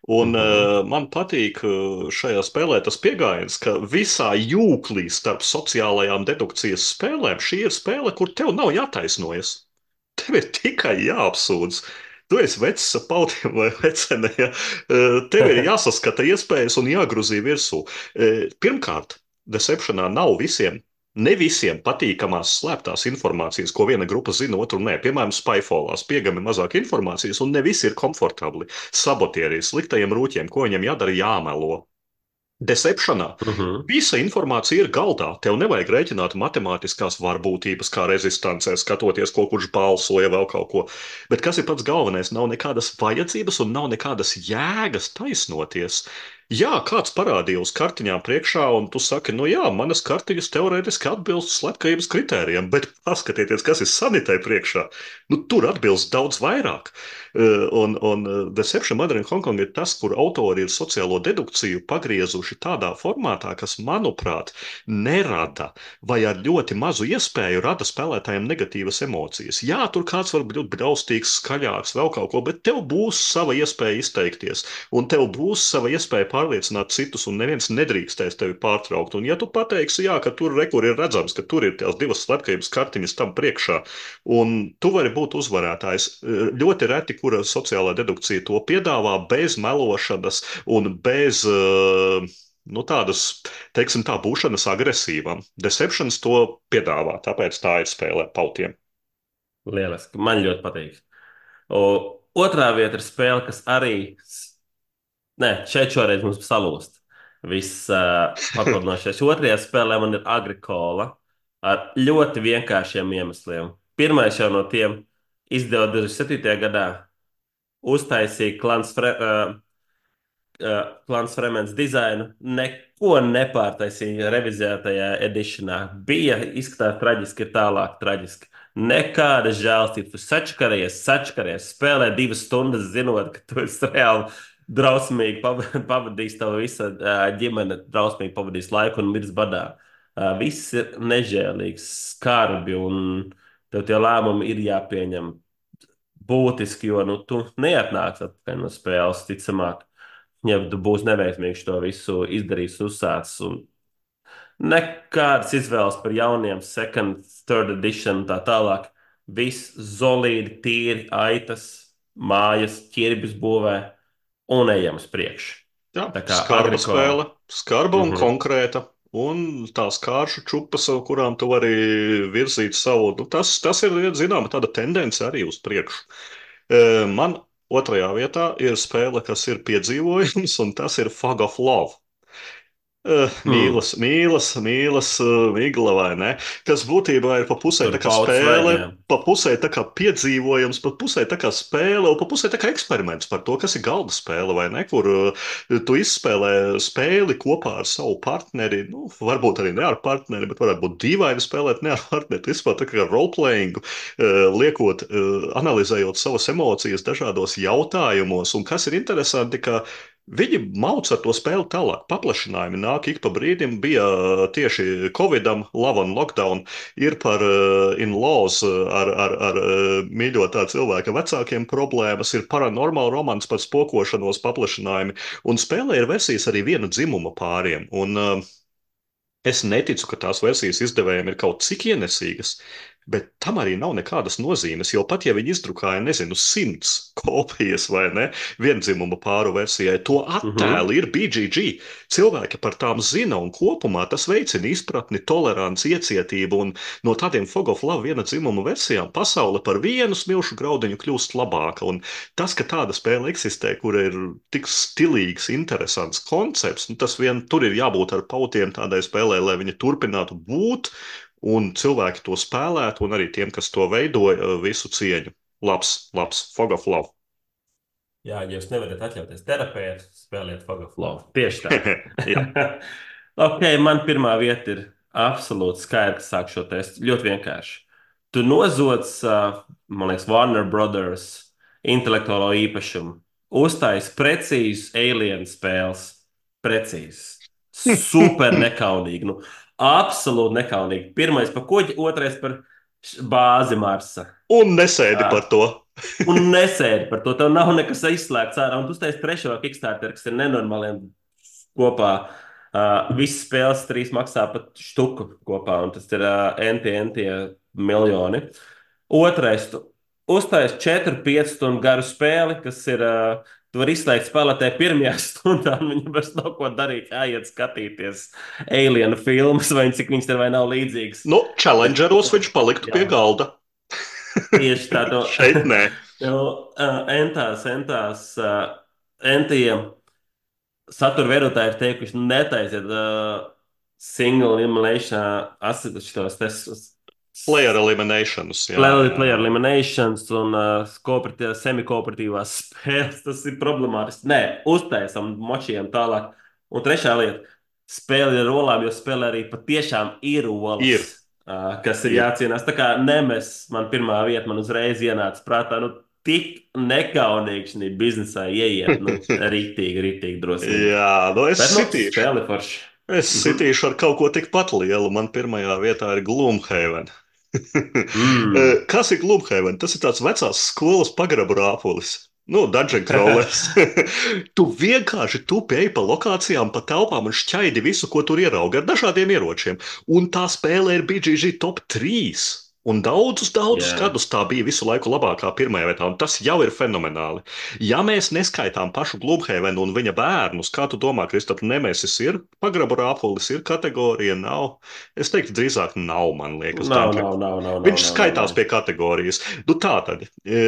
[SPEAKER 1] Un
[SPEAKER 2] Mhm.
[SPEAKER 1] uh, man patīk uh, šajā spēlē tas pieejams, ka visā jūklī starp sociālajām dedukcijas spēlēm šī ir spēle, kur tev nav jātaisnojas. Tev ir tikai jāapsūdz. Tu esi vecs ar pautiem vai vecene. Ja? Eh, Tev ir jāsaskata iespējas un jāgruzī virsū. Eh, Pirmkārt, Deceptionā nav visiem. Ne visiem patīkamās slēptās informācijas, ko viena grupa zina, otru nē. Piemēram, Spyfallās piegami mazāk informācijas, un ne visi ir komfortabli. Sabotierī, sliktajiem rūķiem, ko viņiem jādara, jāmelo. Deceptionā
[SPEAKER 2] Mhm.
[SPEAKER 1] visa informācija ir galdā. Tev nevajag rēķināt matemātiskās varbūtības, kā rezistancē, skatoties, ko kurš balsoja, vēl kaut ko. Bet kas ir pats galvenais? Nav nekādas vajadzības un nav nekādas jēgas taisnoties. Jā, kāds parādīja uz kartiņām priekšā, un tu saki, nu jā, manas kartiņas teorētiski atbilst slepkavības kritērijiem, bet paskatieties, kas ir sanitē priekšā. Nu, tur atbilst daudz vairāk. Uh, Un, un uh, Deception Mother in Hong Kong ir tas, kur autori ir sociālo dedukciju pagriezuši tādā formātā, kas, manuprāt, nerada vai ar ļoti mazu iespēju rada spēlētājiem negatīvas emocijas. Jā, tur kāds var būt braustīgs, skaļāks, vēl kaut ko, bet tev būs sava iespēja izteikties, un tev būs sava iespēja pārliecināt citus, un neviens nedrīkstēs tevi pārtraukt. Un ja tu pateiksi, jā, ka tur rekur ir redzams, ka tur ir tās divas slepkavības kartiņas tam priekšā, un tu vari būt uzvarētājs, ļoti reti, kura sociālā dedukcija to piedāvā bez melošanas un bez uh, nu, tādas, teiksim, tā būšanas agresīvam. Deceptions to piedāvā, tāpēc tā ir spēlē pautiem.
[SPEAKER 2] Lieliski. Man ļoti patīk. O, otrā vieta ir spēle, kas arī. Nē, šeit šoreiz mums salūst. Viss uh, papildinošais. Otrajā spēlē man ir agrikola ar ļoti vienkāršiem iemesliem. Pirmais jau no tiem izdeva divdesmit septītajā gadā. Uztaisīja klans, fre, uh, uh, klans Fremens dizainu. Neko nepārtaisīja revizētajā edišanā. Bija izskatās traģiski, ir tālāk traģiski. Nekāda žēlstības. Tu sačakarējies, sačakarējies, spēlē divas stundas, zinot, ka tu esi reāli drausmīgi pava- pavadījis tavu visu uh, ģimene, drausmīgi pavadījis laiku un miris badā. Uh, viss ir nežēlīgs, skarbi, un tev tie lēmumi ir jāpieņem būtiski, jo nu, tu neatnāc atpakaļ no spēles, ticamāk. Ja tu būsi neveiksmīgs to visu izdarījis, uzsācis, un nekādas izvēles par jauniem, second, third edition un tā tālāk. Viss solīdi, tīri, aitas, mājas, ķirbis būvē un ejam uz priekšu.
[SPEAKER 1] Jā,
[SPEAKER 2] Tā kā
[SPEAKER 1] skarba
[SPEAKER 2] agrikola.
[SPEAKER 1] spēle, skarba un
[SPEAKER 2] Mhm.
[SPEAKER 1] konkrēta. Un tās kāršu čupas, ar kurām tu vari virzīt savu, nu, tas, tas ir, zināma, tāda tendence arī uz priekšu. E, Man otrajā vietā ir spēle, kas ir piedzīvojums, un tas ir Fog of Love. Uh,
[SPEAKER 2] Hmm.
[SPEAKER 1] mīlas, mīlas, mīlas, uh, migla vai ne? Kas būtībā ir pa pusē
[SPEAKER 2] Tur
[SPEAKER 1] tā kā
[SPEAKER 2] paudzes
[SPEAKER 1] spēle,
[SPEAKER 2] vaigiem.
[SPEAKER 1] pa pusē tā kā piedzīvojums, pa pusē tā kā spēle, un pa pusē tā kā eksperiments par to, kas ir galda spēle vai ne, kur uh, tu izspēlē spēli kopā ar savu partneri, nu, varbūt arī ne ar partneri, bet varētu būt dīvaini spēlēt ne ar partneri. Tu izspēlē tā kā roleplaying, uh, liekot, uh, analizējot savas emocijas dažādos jautājumos, un kas ir interesanti, ka viņi mauc ar to spēli tālāk. Paplašinājumi nāk ik pa brīdim. Bija uh, tieši Covidam, Love and Lockdown, ir par uh, in-laws uh, ar, ar, ar uh, mīļotā cilvēka vecākiem problēmas, ir paranormāla romans par spokošanos paplašinājumi, un spēlē ir versijas arī viena dzimuma pāriem. Un, uh, Es neticu, ka tās versijas izdevējiem ir kaut cik ienesīgas, bet tam arī nav nekādas nozīmes. Jo pat ja viņi izdrukāja, nezinu, simts kopijas vai ne, viendzimuma pāru versijai, to
[SPEAKER 2] Mhm.
[SPEAKER 1] attēli ir B G G. Cilvēki par tām zina, un kopumā tas veicina izpratni, toleranci, iecietību. Un no tādiem Fog of Love viena dzimuma versijām pasaule par vienu smilšu graudiņu kļūst labāka. Un tas, ka tāda spēle eksistē, kur ir tik stilīgs, interesants koncepts, nu, tas vien tur ir jābūt ar pautiem tādai spēlē, lai viņi turpinātu būt, un cilvēki to spēlētu, un arī tiem, kas to veidoja, visu cieņu. Labs, labs, Fog of Love.
[SPEAKER 2] Jā, ja jūs nevarat atļauties terapēt, spēliet Fog of Love. Tieši tā.
[SPEAKER 1] Jā.
[SPEAKER 2] Ok, man pirmā vieta ir absolūti skaidrs, sāk šo testu. Ļoti vienkārši. Tu nozoc, uh, man liekas, Warner Brothers intelektuālo īpašumu. Uztais precīzus alien spēles. Precīzes. Super nekaunīgi. Nu, absolūti nekaunīgi. Pirmais par kuģi, otrais par bāzi Marsa.
[SPEAKER 1] Un nesēdi par to.
[SPEAKER 2] Un nesēdi par to. Tev nav nekas izslēgts ārā. Un tu taisīsi trešo Kickstarter, kas ir nenormāliem kopā. Uh, visas spēles trīs maksā pat štuku kopā, un tas ir uh, enti, enti miljoni. Otrais, tu uztaisīji četru pieci stundu garu spēli, kas ir. Uh, tu vari izslēgt spēlētāju pirmajā stundā, un viņam vairs nav ko darīt. Jāiet skatīties alien filmas, vai cik viņas ir vai nav līdzīgas.
[SPEAKER 1] Nu, challengeros viņš paliktu
[SPEAKER 2] Jā.
[SPEAKER 1] pie galda.
[SPEAKER 2] Tieši tā, to
[SPEAKER 1] Šeit nē.
[SPEAKER 2] jau uh, entās, entās, uh, entiem satura veidotāji ir teikuši, nu, netaisiet uh, single elimination, šitos testus.
[SPEAKER 1] Player eliminations. Jā,
[SPEAKER 2] Player,
[SPEAKER 1] jā,
[SPEAKER 2] player
[SPEAKER 1] jā.
[SPEAKER 2] eliminations un uh, kooperatīvās, semi-kooperatīvās spēles. Tas ir problemātiski. Nē, uztaisam, močījam tālāk. Un trešā lieta - spēle ir ar olām, jo spēlē arī patiešām ir olas.
[SPEAKER 1] Ir.
[SPEAKER 2] Uh, kas ir,
[SPEAKER 1] Ir.
[SPEAKER 2] jācīnās. Tā kā nemes, man pirmā vieta, man uzreiz ienāca prātā, nu, tik nekaunīgi šī biznesā ieiet. Nu, rītīgi, rītīgi drosmīgi.
[SPEAKER 1] Jā, nu es
[SPEAKER 2] Bet, nu,
[SPEAKER 1] sitīšu.
[SPEAKER 2] spēle forši.
[SPEAKER 1] Es
[SPEAKER 2] Mhm.
[SPEAKER 1] sitīšu ar kaut ko tikpat lielu. Man pirmajā vietā ir Gloomhaven.
[SPEAKER 2] Mm.
[SPEAKER 1] Kas ir Gloomhaven? Tas ir tāds vecās skolas pagrabu rāpulis. Nu, dungeon crawlers. Tu vienkārši tupi ej pa lokācijām, pa telpām un šķaidi visu, ko tur ieraugi ar dažādiem ieročiem. Un tā spēle ir B G G top trīs. Un daudzus, daudzus
[SPEAKER 2] Jā.
[SPEAKER 1] gadus tā bija visu laiku labākā pirmajā vietā, un tas jau ir fenomenāli. Ja mēs neskaitām pašu Gloomhavenu un viņa bērnus, kā tu domā, Kristap, Nemesis ir pagrabu rāpulis, ir kategorija, nav? Es teiktu, drīzāk nav, man liekas.
[SPEAKER 2] Nav,
[SPEAKER 1] tā.
[SPEAKER 2] nav, nav, nav.
[SPEAKER 1] Viņš
[SPEAKER 2] nav,
[SPEAKER 1] skaitās
[SPEAKER 2] nav.
[SPEAKER 1] pie kategorijas. Nu, tā tad, e,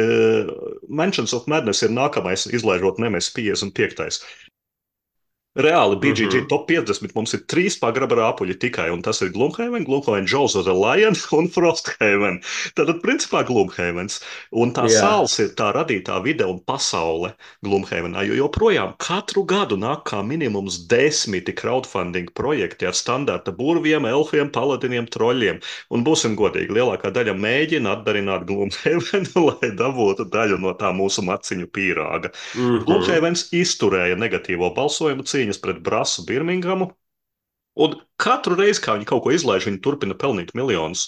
[SPEAKER 1] Mansions of Madness ir nākamais, izlaižot Nemesis piecdesmit piektais. Reāli B G G
[SPEAKER 2] Mhm.
[SPEAKER 1] top piecdesmit mums ir trīs pagraba rāpuļi tikai, un tas ir Gloomhaven, Gloomhaven, Jaws of the Lion un Frosthaven. Tātad, principā, Gloomhavens. Un tā
[SPEAKER 2] Jā.
[SPEAKER 1] sāls ir tā radītā vide un pasaule Gloomhavenā, jo joprojām katru gadu nāk kā minimums desmiti crowdfunding projekti ar standarta burviem, elfiem, paladiniem, troļļiem. Un būsim godīgi, lielākā daļa mēģina atdarināt Gloomhavenu, lai dabūtu daļu no tā mūsu maciņu pīrāga.
[SPEAKER 2] Mhm.
[SPEAKER 1] Gloomhavens izturēja negatīvo balsojumu cīņas pret Brasu Birmingamu, un katru reizi, kā viņi kaut ko izlaiž, viņi turpina pelnīt miljonus.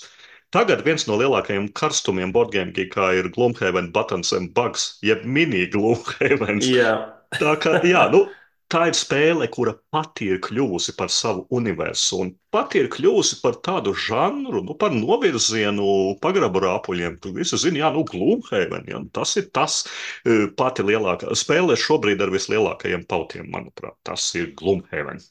[SPEAKER 1] Tagad viens no lielākajiem karstumiem boardgame geekā ir Gloomhaven Buttons and Bugs, jeb mini Gloomhavens.
[SPEAKER 2] Jā.
[SPEAKER 1] Tā kā, jā, nu, tā ir spēle, kura pati ir kļuvusi par savu universu, un pati ir kļuvusi par tādu žanru, nu, par novirzienu pagrabu rāpuļiem. Tu visi zini, jā, nu, Gloomhaven, jā, tas ir tas eh, pati lielākā spēle šobrīd ar vislielākajiem pautiem, manuprāt. Tas ir Gloomhaven.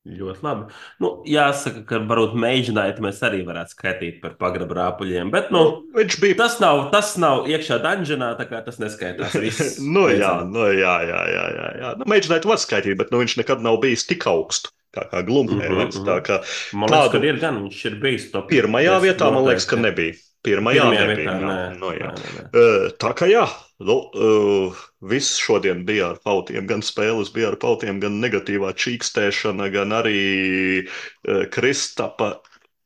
[SPEAKER 2] Ļoti labi. Nu, jāsaka, ka varbūt mēģinājumi mēs arī varētu skaitīt par pagrabu rāpuļiem, bet nu,
[SPEAKER 1] Nu, viņš bija.
[SPEAKER 2] tas nav, tas nav iekšā dungeonā, tā kā tas neskaitās. Viss.
[SPEAKER 1] nu, jā,
[SPEAKER 2] Beidzam.
[SPEAKER 1] nu, jā, jā, jā, jā, jā. Nu, mēģināt var skaitīt, bet nu, viņš nekad nav bijis tik augstu kā, kā Gloomhavens.
[SPEAKER 2] Mhm,
[SPEAKER 1] Tā
[SPEAKER 2] mhm.
[SPEAKER 1] kā
[SPEAKER 2] Man liekas,
[SPEAKER 1] tādu
[SPEAKER 2] ka ir gan, viņš ir bijis top
[SPEAKER 1] pirmajā
[SPEAKER 2] desmit
[SPEAKER 1] vietā, man liekas, ka
[SPEAKER 2] noteikti.
[SPEAKER 1] nebija. Pirmajā
[SPEAKER 2] Pirmajā
[SPEAKER 1] nebija.
[SPEAKER 2] vietā,
[SPEAKER 1] jā.
[SPEAKER 2] nē.
[SPEAKER 1] Nu, jā.
[SPEAKER 2] Nē, nē, nē.
[SPEAKER 1] Uh, Tā kā jā, nu, uh, viss šodien bija ar pautiem, gan spēles bija ar pautiem, gan negatīvā čīkstēšana, gan arī uh, Kristapa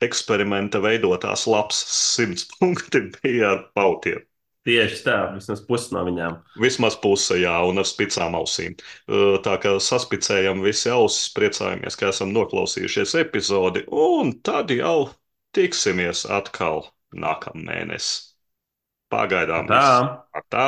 [SPEAKER 1] eksperimenta veidotās labs simts punkti bija ar pautiem.
[SPEAKER 2] Tieši tā, vismaz pusi no viņām.
[SPEAKER 1] Vismaz puse, jā, un ar spicām ausīm. Uh, Tā kā saspicējam visi ausis, priecājamies, ka esam noklausījušies epizodi, un tad jau tiksimies atkal nākamnēnes. Pagaidām
[SPEAKER 2] Tā.
[SPEAKER 1] viss. Tā.